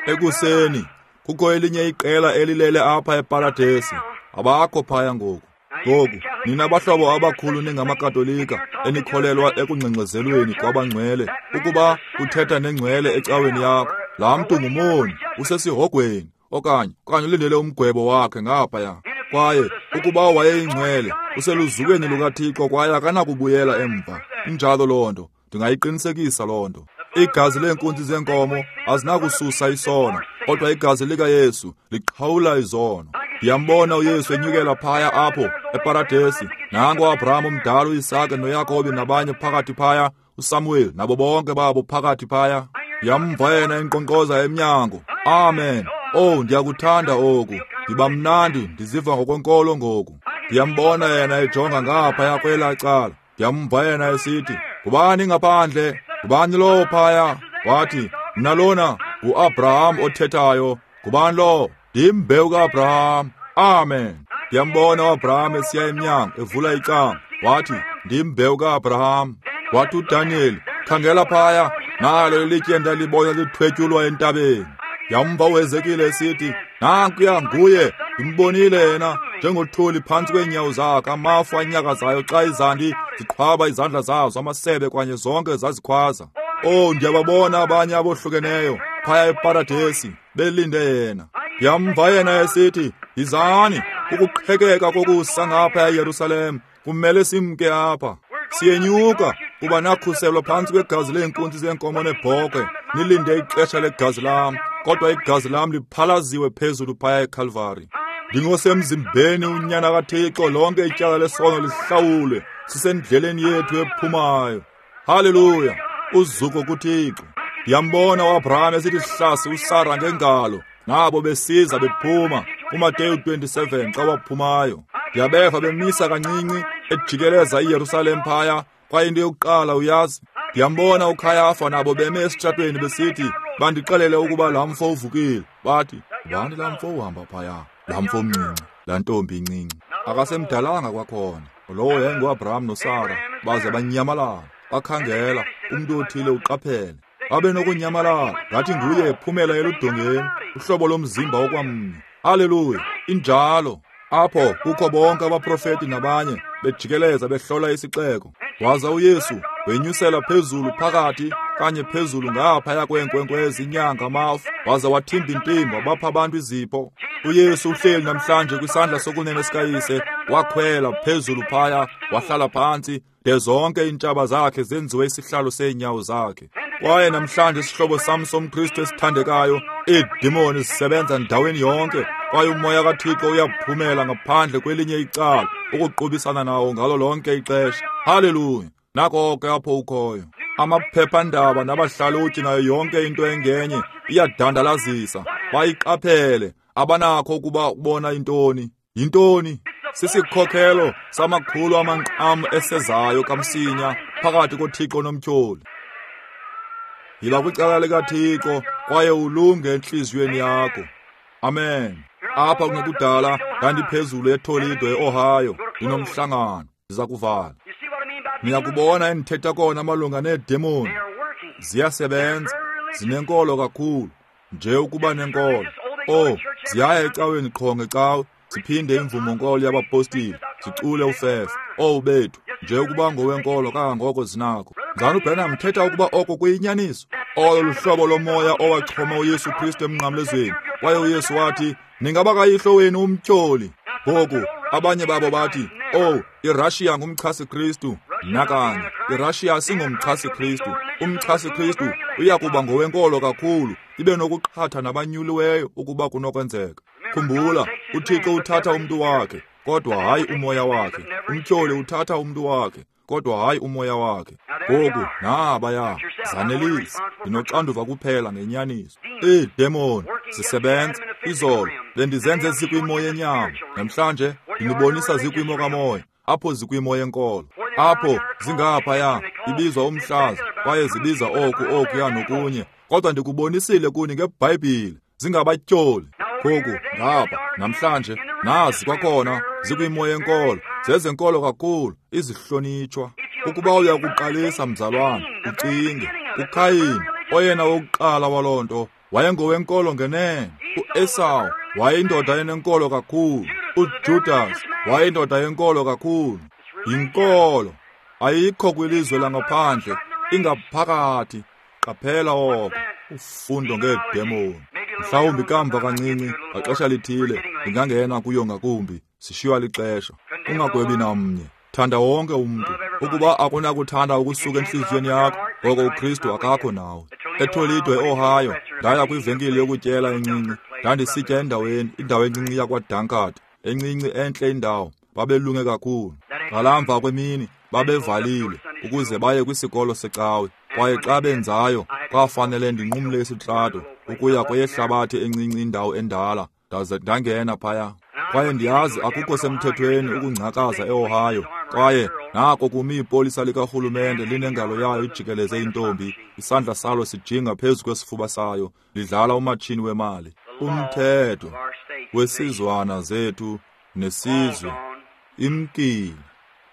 Ekuseni kukho elinye iqela elilele apha eparadesi. Abakho phaya ngoku. Ngoku nina bahlobo abakhulu ningamakatolika enikholelwa ekungxengxezelweni kwabangcwele, ukuba uthetha nengcwele ecaweni yakho, laa mntu ngumoni, usesihogweni okanye okanye ulindele umgwebo wakhe ngaphaya. Kwaye ukuba wayeyingcwele, useluzukweni lukaThixo kwaye akanakubuyela emva. Injalo loo nto, ndingayiqinisekisa loo nto. Igazi leenkunzi zeenkomo azinakususa isono, kodwa igazi likaYesu liqhawula izono. Ndiyambona uYesu enyukela phaya apho eparadesi. Nango uAbraham omdala, uIsake noYakobi nabanye phakathi phaya, uSamuel nabo bonke babo phakathi phaya. Ndiyamva yena enkqonkqoza emnyango. Amen. Oh, ndiyakuthanda oku. Ndiba mnandi, ndiziva ngokwenkolo ngoku. Ndiyambona yena ejonga ngaphaya kwelaa cala. Ndiyamva yena esithi, "Ngubani ngaphandle? Ngubani lowo phaya?" Wathi, "Mna lona nguAbraham othethayo." "Ngubani lowo?" "Ndimbewu kaAbraham." Amen. Ndiyambona uAbraham esiya emnyango evula icango. Wathi, "Ndimbewu kaAbraham." Wathi uDaniel, "Khangela phaya, nalo ilitye ndalibona lithwetyulwa entabeni." Yamva uHezekile esithi, "Nankuya nguye, ndimbonile yena njengothuli phantsi kweenyawo zakhe, amafu anyakazayo xa izandi ziqhwaba izandla zazo, amasebe kwanye zonke zazikhwaza." Oh, ndiyababona abanye abohlukeneyo phaya eparadesi belinde yena. Ndiyamva yena esithi, "Yizani, ukuqhekeka kokusa ngapha eYerusalem, kumele simke apha. Siyenyuka kuba nakhuselwa phantsi kwegazi leenkunzi zeenkomo neebhokhwe, nilinde ixesha legazi lam, kodwa igazi lam liphalaziwe phezulu phaya eKalvari. Ndingosemzimbeni unyana kaThixo, lonke ityala lesono lihlawulwe. Sisendleleni yethu ephumayo. Haleluya! Uzuko kuThixo. Ndiyambona uAbraham esithi hlasi uSara ngengalo, nabo besiza bephuma kuMateyu twenty-seven xa waphumayo. Ndiyabeva bemisa kancinci ejikeleza iYerusalem phaya, kwaye into yokuqala uyazi, ndiyambona uKhayafa nabo beme esitratweni besithi, bandixelele ukuba laa mfo uvukile. Bathi, ngubani laa mfo uhamba phaya? Laa mfo mncinci, laa ntombi incinci. Akasemdalanga kwakhona. Lowo yayinguAbraham noSara, baze banyamalala. Bakhangela, umntu othile uqaphele. Babe nokunyamalala, ngathi nguye ephumela eludongeni, uhlobo lomzimba okwamnye. Haleluya, injalo. Apho kukho bonke abaprofeti nabanye bejikeleza behlola isixeko. Waza uYesu wenyusela phezulu phakathi kanye phezulu ngaphaya kweenkwenkwezi, inyanga, amafu, waza wathimba intimba bapha abantu izipho. uYesu uhleli namhlanje kwisandla sokunene sikaYise, wakhwela phezulu phaya, wahlala phantsi de zonke iintshaba zakhe zenziwe isihlalo seenyawo zakhe. Kwaye namhlanje isihlobo sam somKristu esithandekayo, iidimoni zisebenza ndaweni yonke, kwaye umoya kaThixo uyaphumela ngaphandle kwelinye icala ukuqubisana nawo ngalo lonke ixesha. Haleluya! Nako ke apho ukhoyo. Amaphephandaba nabahlalutyi nayo yonke into engenye iyadandalazisa. Bayiqaphele, abanakho ukuba ubona intoni. Yintoni? Sisikhokhelo samakhulu amanqam esezayo kamsinya phakathi koThixo nomtyholi. Yiba kwicala likaThixo kwaye ulunge entliziyweni yakho. Amen. Apha kungekudala ndandiphezulu eToledo eOhio, ndinomhlangano. Ndiza kuvala. Niyakubona endithetha kona malunga needemoni. Ziyasebenza, zinenkolo kakhulu, nje ukuba nenkolo. Oh, ziyaya ecaweni qho ngecawe, ziphinde imvumo-nkolo yabapostile, zicule ufefe. Oh bethu, nje ukuba ngowenkolo kangangoko zinakho. Mzalwana uBranham thetha ukuba oko kuyinyaniso. Olo luhlobo lomoya owachoma uYesu Kristu emnqamlezweni. Kwaye uYesu wathi, ningaba kayihlo wenu umtyholi. Ngoku abanye babo bathi, oh, iRussia ngumchasi Kristu. Nakanye, iRussia singumchasi Kristu. Umchasi Kristu uyakuba ngowenkolo kakhulu, ibe nokuqhatha nabanyuliweyo ukuba kunokwenzeka. Khumbula, uThixo uthatha umntu wakhe, kodwa hayi umoya wakhe. Umtyholi uthatha umntu wakhe, kodwa hayi umoya wakhe. Ngoku nabaya, zanelise, ndinoxanduva kuphela ngenyaniso. Iidemoni zisebenza. Izolo bendizenze zikwimo yenyama, namhlanje ndinibonisa zikwimo kamoya, apho zikwimo yenkolo. Apho zingaphaya ibizwa umhlaza, kwaye zibiza oku okuya nokunye, kodwa ndikubonisile kuni ngeBhayibhile, zingabatyholi. Ngoku ngapha namhlanje nazi kwakhona zikwimo yenkolo, zezenkolo kakhulu, izihlonitshwa. Ukuba uyakuqalisa mzalwana, ucinge uKhayini, oyena wokuqala waloo nto, wayengowenkolo ngenene. uEsawu wayeyindoda enenkolo kakhulu. uJudas wayeyindoda yenkolo kakhulu. Yinkolo ayikho kwilizwe langaphandle, ingaphakathi. Qaphela oko, ufundo ngeedemoni. Mhlawumbi kamva kancinci, ngaxesha lithile, ndingangena kuyo ngakumbi. Sishiywa lixesha. Ungagwebi namnye. Thanda wonke umntu. Ukuba akunakuthanda ukusuka entliziyweni yakho, ngoko uKristu akakho nawe. eToledo eOhio, ndaya kwivenkile yokutyela encinci. Ndandisitya endaweni, indawo encinci yakwaDunkard, encinci entle indawo. Babelunge kakhulu. Ngalamva kwemini babevalile ukuze baye kwisikolo secawe. Kwaye xa benzayo, kwafanele ndinqumle isitrato ukuya kweyehlabathi encinci indawo endala. Ndaze ndangena phaya. Kwaye ndiyazi akukho semthethweni ukungcakaza eOhio. Kwaye nako kumi ipolisa likarhulumente linengalo yayo ijikeleze intombi, isandla salo sijinga phezu kwesifuba sayo, lidlala umatshini wemali. Umthetho wesizwana zethu nesizwe imkile,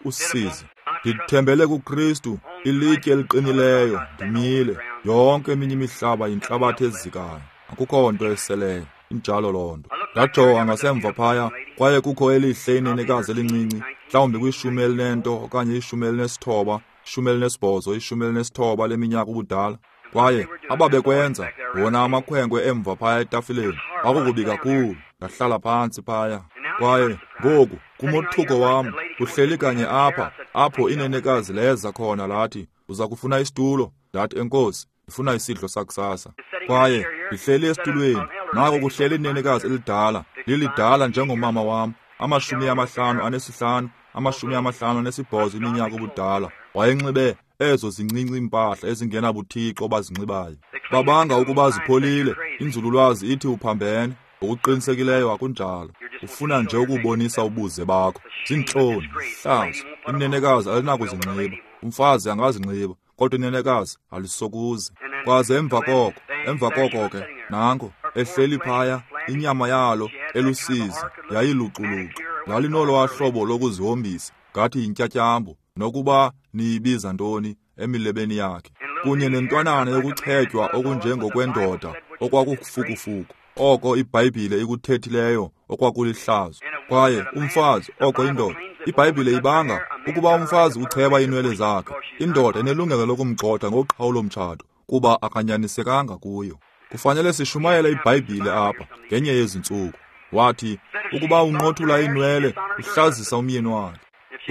usizi. Ndithembele kuKristu, ilitye eliqinileyo, ndimile. Yonke eminye imihlaba yintlabathi ezikayo, akukho nto eseleyo. Injalo loo nto. Ndajonga ngasemva phaya, kwaye kukho elihle inenekazi elincinci, mhlawumbi kwishumi elinento okanye ishumi elinesithoba, ishumi elinesibhozo, ishumi elinesithoba leminyaka ubudala. Kwaye ababekwenza wona amakhwenkwe emva phaya etafileni kwakukubi kakhulu. Ndahlala phantsi phaya. Kwaye ngoku kumothuko wam uhleli kanye apha, apho inenekazi leza khona lathi, uza kufuna isitulo? Ndathi, enkosi, ndifuna isidlo sakusasa. Kwaye ndihleli esitulweni, nako kuhleli inenekazi elidala, lilidala njengomama wam, amashumi amahlanu anesihlanu, amashumi amahlanu nesibhozo iminyaka ubudala, wayenxibe ezo zincinci iimpahla ezingenabuthixo bazinxibayo. Babanga ukuba zipholile, inzululwazi ithi uphambene. Ngokuqinisekileyo akunjalo. Ufuna nje ukubonisa ubuze bakho. Zintloni, hlazo. Inenekazi alinakuzinxiba, umfazi angazinxiba, kodwa inenekazi alisokuze. Kwaze emva koko, emva koko ke, nanko ehleli phaya, inyama yalo elusizi yayiluxuluxu. Lalinolwa hlobo lokuzihombisa, ngathi yintyatyambo, nokuba niyibiza ntoni, emilebeni yakhe, kunye nentwanana yokuchetywa okunjengokwendoda okwakufukufuku, oko iBhayibhile ikuthethileyo okwakulihlazo. Kwaye umfazi, oko indoda, iBhayibhile ibanga ukuba umfazi ucheba iinwele zakhe, indoda inelungelo lokumgxotha ngoqhawulo-mtshato kuba akanyanisekanga kuyo. Kufanele sishumayele iBhayibhile apha ngenye yezi ntsuku. Wathi ukuba unqothula iinwele uhlazisa umyeni wakhe.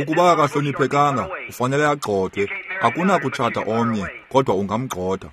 Ukuba akahloniphekanga ufanele agxothwe. Akunakutshata omnye kodwa ungamgxotha.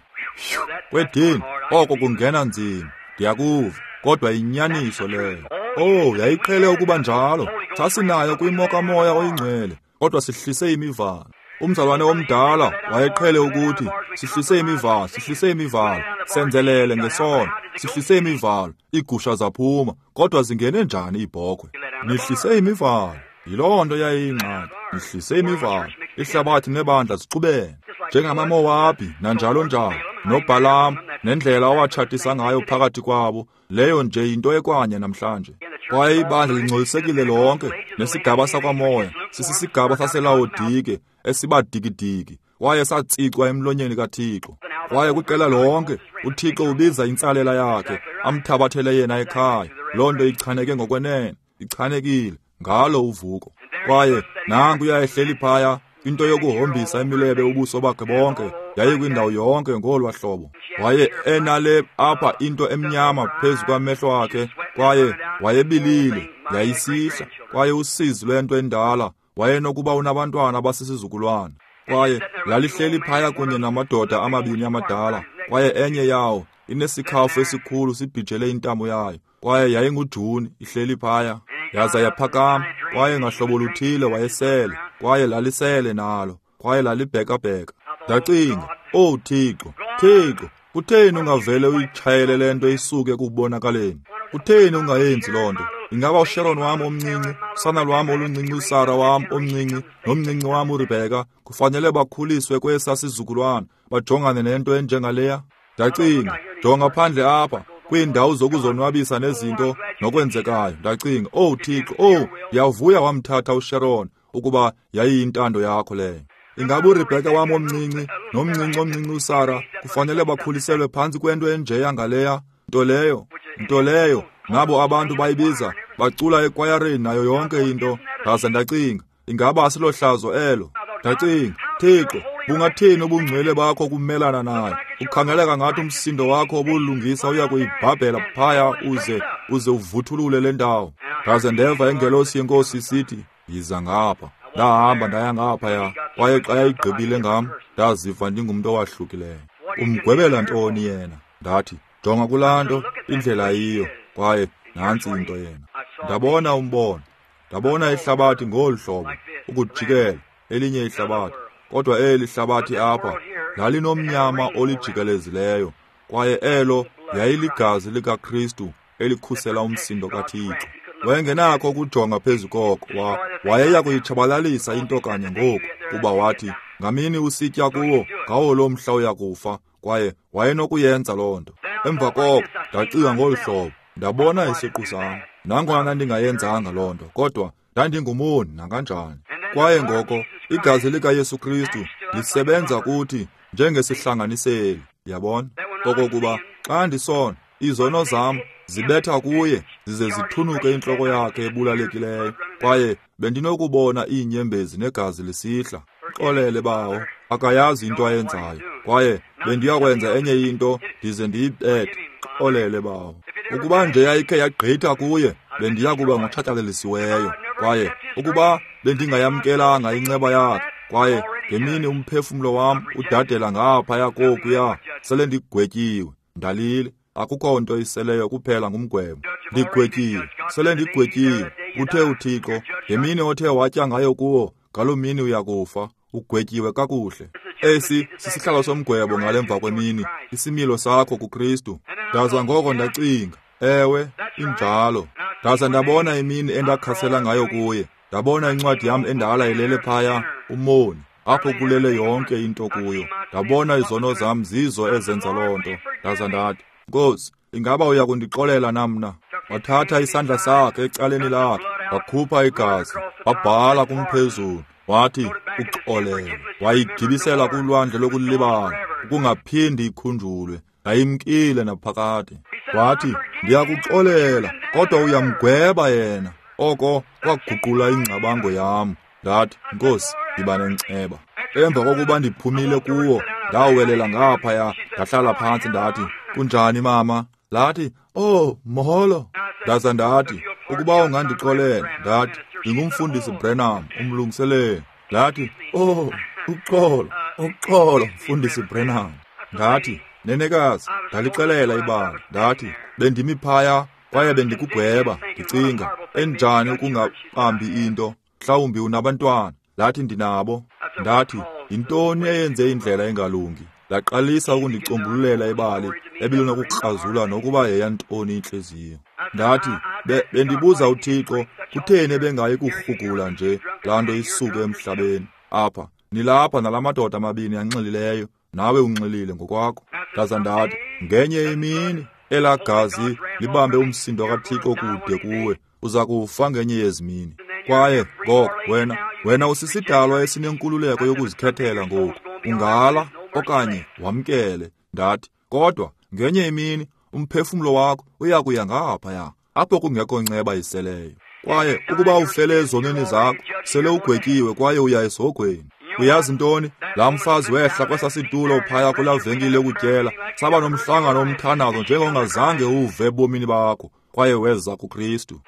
Kwedini, oko kungena nzima, ndiyakuva, kodwa yinyaniso leyo. Oh, yayiqhele ukuba njalo. Sasinayo kwimo kaMoya oyiNgcwele, kodwa sihlise imivalo. Umzalwane omdala wayeqhele ukuthi sihlise imivalo, sihlise imivalo, senzelele ngesono, sihlise imivalo, iigusha zaphuma, kodwa zingene njani iibhokhwe? Nihlise imivalo. Yiloo nto yayiyingxaki. Nihlise imivalo. Ihlabathi nebandla zixubene njengamaMowabi nanjalo njalo, noBhalam nendlela owatshatisa ngayo phakathi kwabo. Leyo nje yinto ekwanye namhlanje. Kwaye ibandla lingcolisekile lonke, nesigaba sakwamoya sisisigaba saseLawodike esibadikidiki, kwaye satsicwa emlonyeni kaThixo. Kwaye kwiqela lonke uThixo ubiza intsalela yakhe, amthabathele yena ekhaya. Loo nto ichaneke ngokwenene, ichanekile ngalo uvuko. Kwaye nanku uyayehleli phaya, into yokuhombisa imilebe ubuso bakhe bonke yayikwindawo yonke ngolwa hlobo. Waye enale apha into emnyama phezu kwamehlo akhe, kwaye wayebilile, yayisihla, kwaye usizi lwento endala, wayenokuba unabantwana abasisizukulwana. Kwaye lalihleli phaya kunye namadoda amabini amadala, kwaye enye yawo inesikhafu esikhulu sibhijele intamo yayo, kwaye yayinguJuni ihleli phaya. Yaza yaphakama, kwaye ngahlobo luthile wayesele, kwaye lalisele nalo, kwaye lalibhekabheka. Ndacinga, "Oh Thixo, Thixo, kutheni ungavele uyitshayele le nto isuke kubonakaleni? Kutheni ungayenzi loo nto? Ingaba uSharon wam omncinci, usana lwam oluncinci, uSara wam omncinci, nomncinci wam uRebheka kufanele bakhuliswe kwesa sizukulwana, bajongane nento enjengaleya?" Ndacinga, jonga phandle apha kwiindawo zokuzonwabisa nezinto nokwenzekayo. Ndacinga, "Oh Thixo, oh, ndiyavuya wamthatha uSharon ukuba yayiyintando yakho leyo. Ingaba uRebheka wam omncinci nomncinci omncinci uSara kufanele bakhuliselwe phantsi kwento enjeya ngaleya nto leyo, nto leyo nabo abantu bayibiza bacula ekwayareni nayo yonke into?" Ndaze ndacinga, ingaba asilohlazo elo? Ndacinga, Thixo, bungathini ubungcwele bakho kumelana nayo? Ukhangeleka ngathi umsindo wakho obulungisa uya kuyibhabhela phaya uze uze uvuthulule le ndawo. Ndaze ndeva ingelosi yeNkosi isithi, "Yiza ngapha." Ndahamba ndaya ngaphaya, kwaye xa yayigqibile ngam, ndaziva ndingumntu owahlukileyo. Umgwebela ntoni yena? Ndathi, jonga kulaa nto, indlela yiyo, kwaye nantsi into yena. Ndabona umbono, ndabona ihlabathi ngolu hlobo, ukujikela elinye ihlabathi, kodwa eli hlabathi apha lalinomnyama olijikelezileyo, kwaye elo yayiligazi likaKristu elikhusela umsindo kaThixo. Wayengenakho ukujonga phezu koko, wa wayeya kuyitshabalalisa into kanye ngoku, kuba wathi, ngamini usitya kuwo, ngawo loo mhla uya kufa, kwaye wayenokuyenza loo nto. Emva koko ndacinga ngolu hlobo, ndabona isiqu sam. Nangona ndandingayenzanga loo nto, kodwa ndandingumoni nakanjani. Kwaye ngoko igazi likaYesu Kristu lisebenza kuthi njengesihlanganiseli, yabona, okokuba xa ndisona, izono zam zibetha kuye zize zithunuke intloko yakhe ebulalekileyo, kwaye bendinokubona iinyembezi negazi lisihla. Xolele bawo, akayazi into ayenzayo, kwaye bendiyakwenza enye into ndize ndiyibethe. Xolele bawo. Ukuba nje yayikhe yagqitha kuye, bendiya kuba ngotshatyalelisiweyo, kwaye ukuba bendingayamkelanga inceba yakhe, kwaye ngemini umphefumlo wam udadela ngaphaya kokuya, sele ndigwetyiwe, ndalile. Akukho nto iseleyo kuphela ngumgwebo. Ndigwetyiwe, sele ndigwetyiwe. Uthe uThixo, ngemini othe watya ngayo kuwo, ngaloo mini uyakufa, ugwetyiwe kakuhle. Esi sisihlalo somgwebo ngale mva kwemini, isimilo sakho kuKristu. Ndaza ngoko ndacinga, ewe, injalo. Ndaza ndabona imini endakhasela ngayo kuye. Ndabona incwadi yam endala ilele phaya, umoni, apho kulele yonke into kuyo. Ndabona izono zam zizo ezenza loo nto. Ndaza ndathi, Nkosi, ingaba uya kundixolela na mna? Wathatha isandla sakhe ecaleni lakhe, wakhupha igazi, wabhala kumphezulu, wathi uxolele. Wayigibisela kulwandle lokulibala, ukungaphindi ikhunjulwe. Yayimkile naphakade. Wathi, ndiyakuxolela, kodwa uyamgweba yena. Oko kwaguqula ingcabango yam. Ndathi, Nkosi, yiba nenceba. Emva kokuba ndiphumile kuwo, ndawelela ngaphaya, ndahlala phantsi ndathi, kunjani mama? Lathi, oh, molo. Ndaza ndathi, ukuba ungandixolela, ndathi, ndingumfundisi Branham, umlungiseleli. Lathi, oh, uxolo, uxolo, mfundisi Branham. Ndathi, nenekazi, ndalixelela ibali. Ndathi, bendimi phaya kwaye bendikugweba, ndicinga, enjani ukungabambi into, mhlawumbi unabantwana. Lathi, ndinabo. Ndathi, yintoni eyenze indlela engalungi? Laqalisa ukundicombululela ibali ebilunokukrazula nokuba yeyantoni intliziyo. Ndathi, be, bendibuza uThixo, kutheni ebengayi kurhugula nje laa nto isuke emhlabeni? Apha, nilapha nala madoda amabini anxilileyo, nawe unxilile ngokwakho. Ndaza ndathi, ngenye imini elaa gazi libambe umsindo kaThixo kude kuwe, uza kufa ngenye yezimini. Kwaye ngoko wena, wena usisidalwa esinenkululeko yokuzikhethela ngoku. Ungala okanye wamkele. Ndathi, kodwa ngenye imini umphefumlo wakho uya kuya ngaphaya, apho kungekho nceba iseleyo. Kwaye ukuba ufele ezonweni zakho, sele ugwetyiwe kwaye uya esihogweni. Uyazi ntoni? Laa mfazi wehla kwesaa situlo phaya kulaa venkile yokutyela, saba nomhlangano omthandazo njengongazange uve ebomini bakho, kwaye weza kuKristu.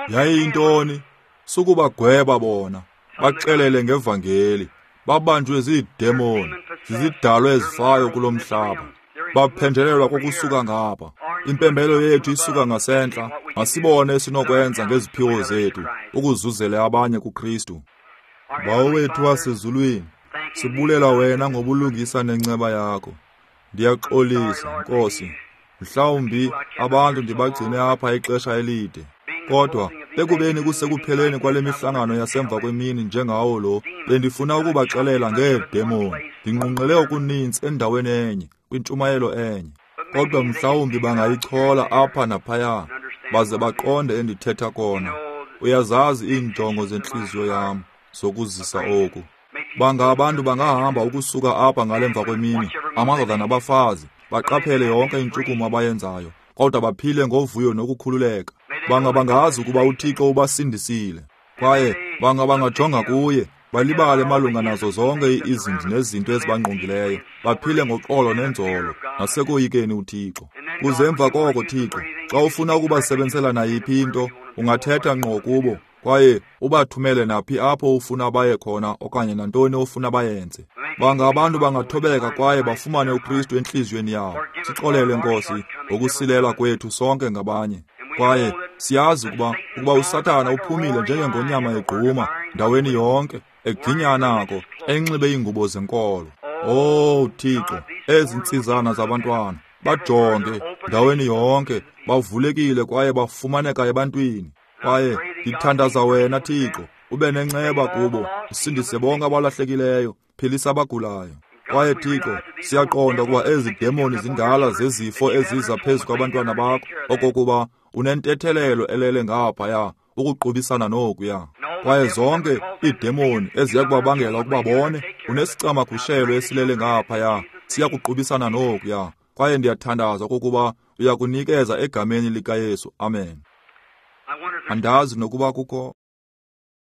Yayiyintoni? Sukubagweba bona, baxelele ngevangeli. Babanjwe ziidemoni, zizidalwa ezifayo kulo mhlaba. Baphenjelelwa kokusuka ngapha. Impembelo yethu isuka ngasentla. Masibone esinokwenza ngeziphiwo zethu ukuzuzela abanye kuKristu. Bawo wethu wasezulwini, sibulela wena ngobulungisa nenceba yakho. Ndiyaxolisa, Nkosi. Mhlawumbi abantu ndibagcine apha ixesha elide. Kodwa ekubeni kusekupheleni kwale mihlangano yasemva kwemini njengawo lo, bendifuna ukubaxelela ngeedemoni. Ndinqunqele okuninzi endaweni enye, kwintshumayelo enye. Kodwa mhlawumbi bangayichola apha naphaya, baze baqonde endithetha kona. Uyazazi iinjongo zentliziyo yam zokuzisa oku. Banga abantu bangahamba ukusuka apha ngale mva kwemini, amadoda nabafazi, baqaphele yonke intshukumo abayenzayo, kodwa baphile ngovuyo nokukhululeka. Banga bangazi ukuba uThixo ubasindisile, kwaye banga bangajonga kuye, balibale malunga nazo zonke izinto nezinto ezibangqongileyo, baphile ngoxolo nenzolo nasekoyikeni uThixo. Kuze emva koko, Thixo, xa ufuna ukubasebenzisela nayiphi into, ungathetha ngqo kubo kwaye ubathumele naphi apho ufuna baye khona okanye nantoni ofuna bayenze. Banga abantu bangathobeka kwaye bafumane uKristu entliziyweni yabo. Sixolele, Nkosi, ngokusilela kwethu sonke ngabanye. Kwaye siyazi ukuba ukuba uSathana uphumile njengengonyama egquma ndaweni yonke, eginya nako, enxibe iingubo zenkolo. Oh Thixo, ezi ntsizana zabantwana bajonge ndaweni yonke, bavulekile kwaye bafumaneka ebantwini. Kwaye ndithandaza wena, Thixo, ube nenceba kubo, usindise bonke abalahlekileyo, philisa abagulayo. Kwaye Thixo, siyaqonda ukuba ezi demoni zindala zezifo eziza phezu kwabantwana bakho, okokuba unentethelelo elele ngaphaya ukuqubisana nokuya. Kwaye zonke iidemoni eziya kubabangela ukuba bone, unesicamagushelo esilele ngaphaya, siya kuqubisana nokuya. Kwaye ndiyathandaza okokuba uya kunikeza egameni likaYesu. Amen. Andazi nokuba kukho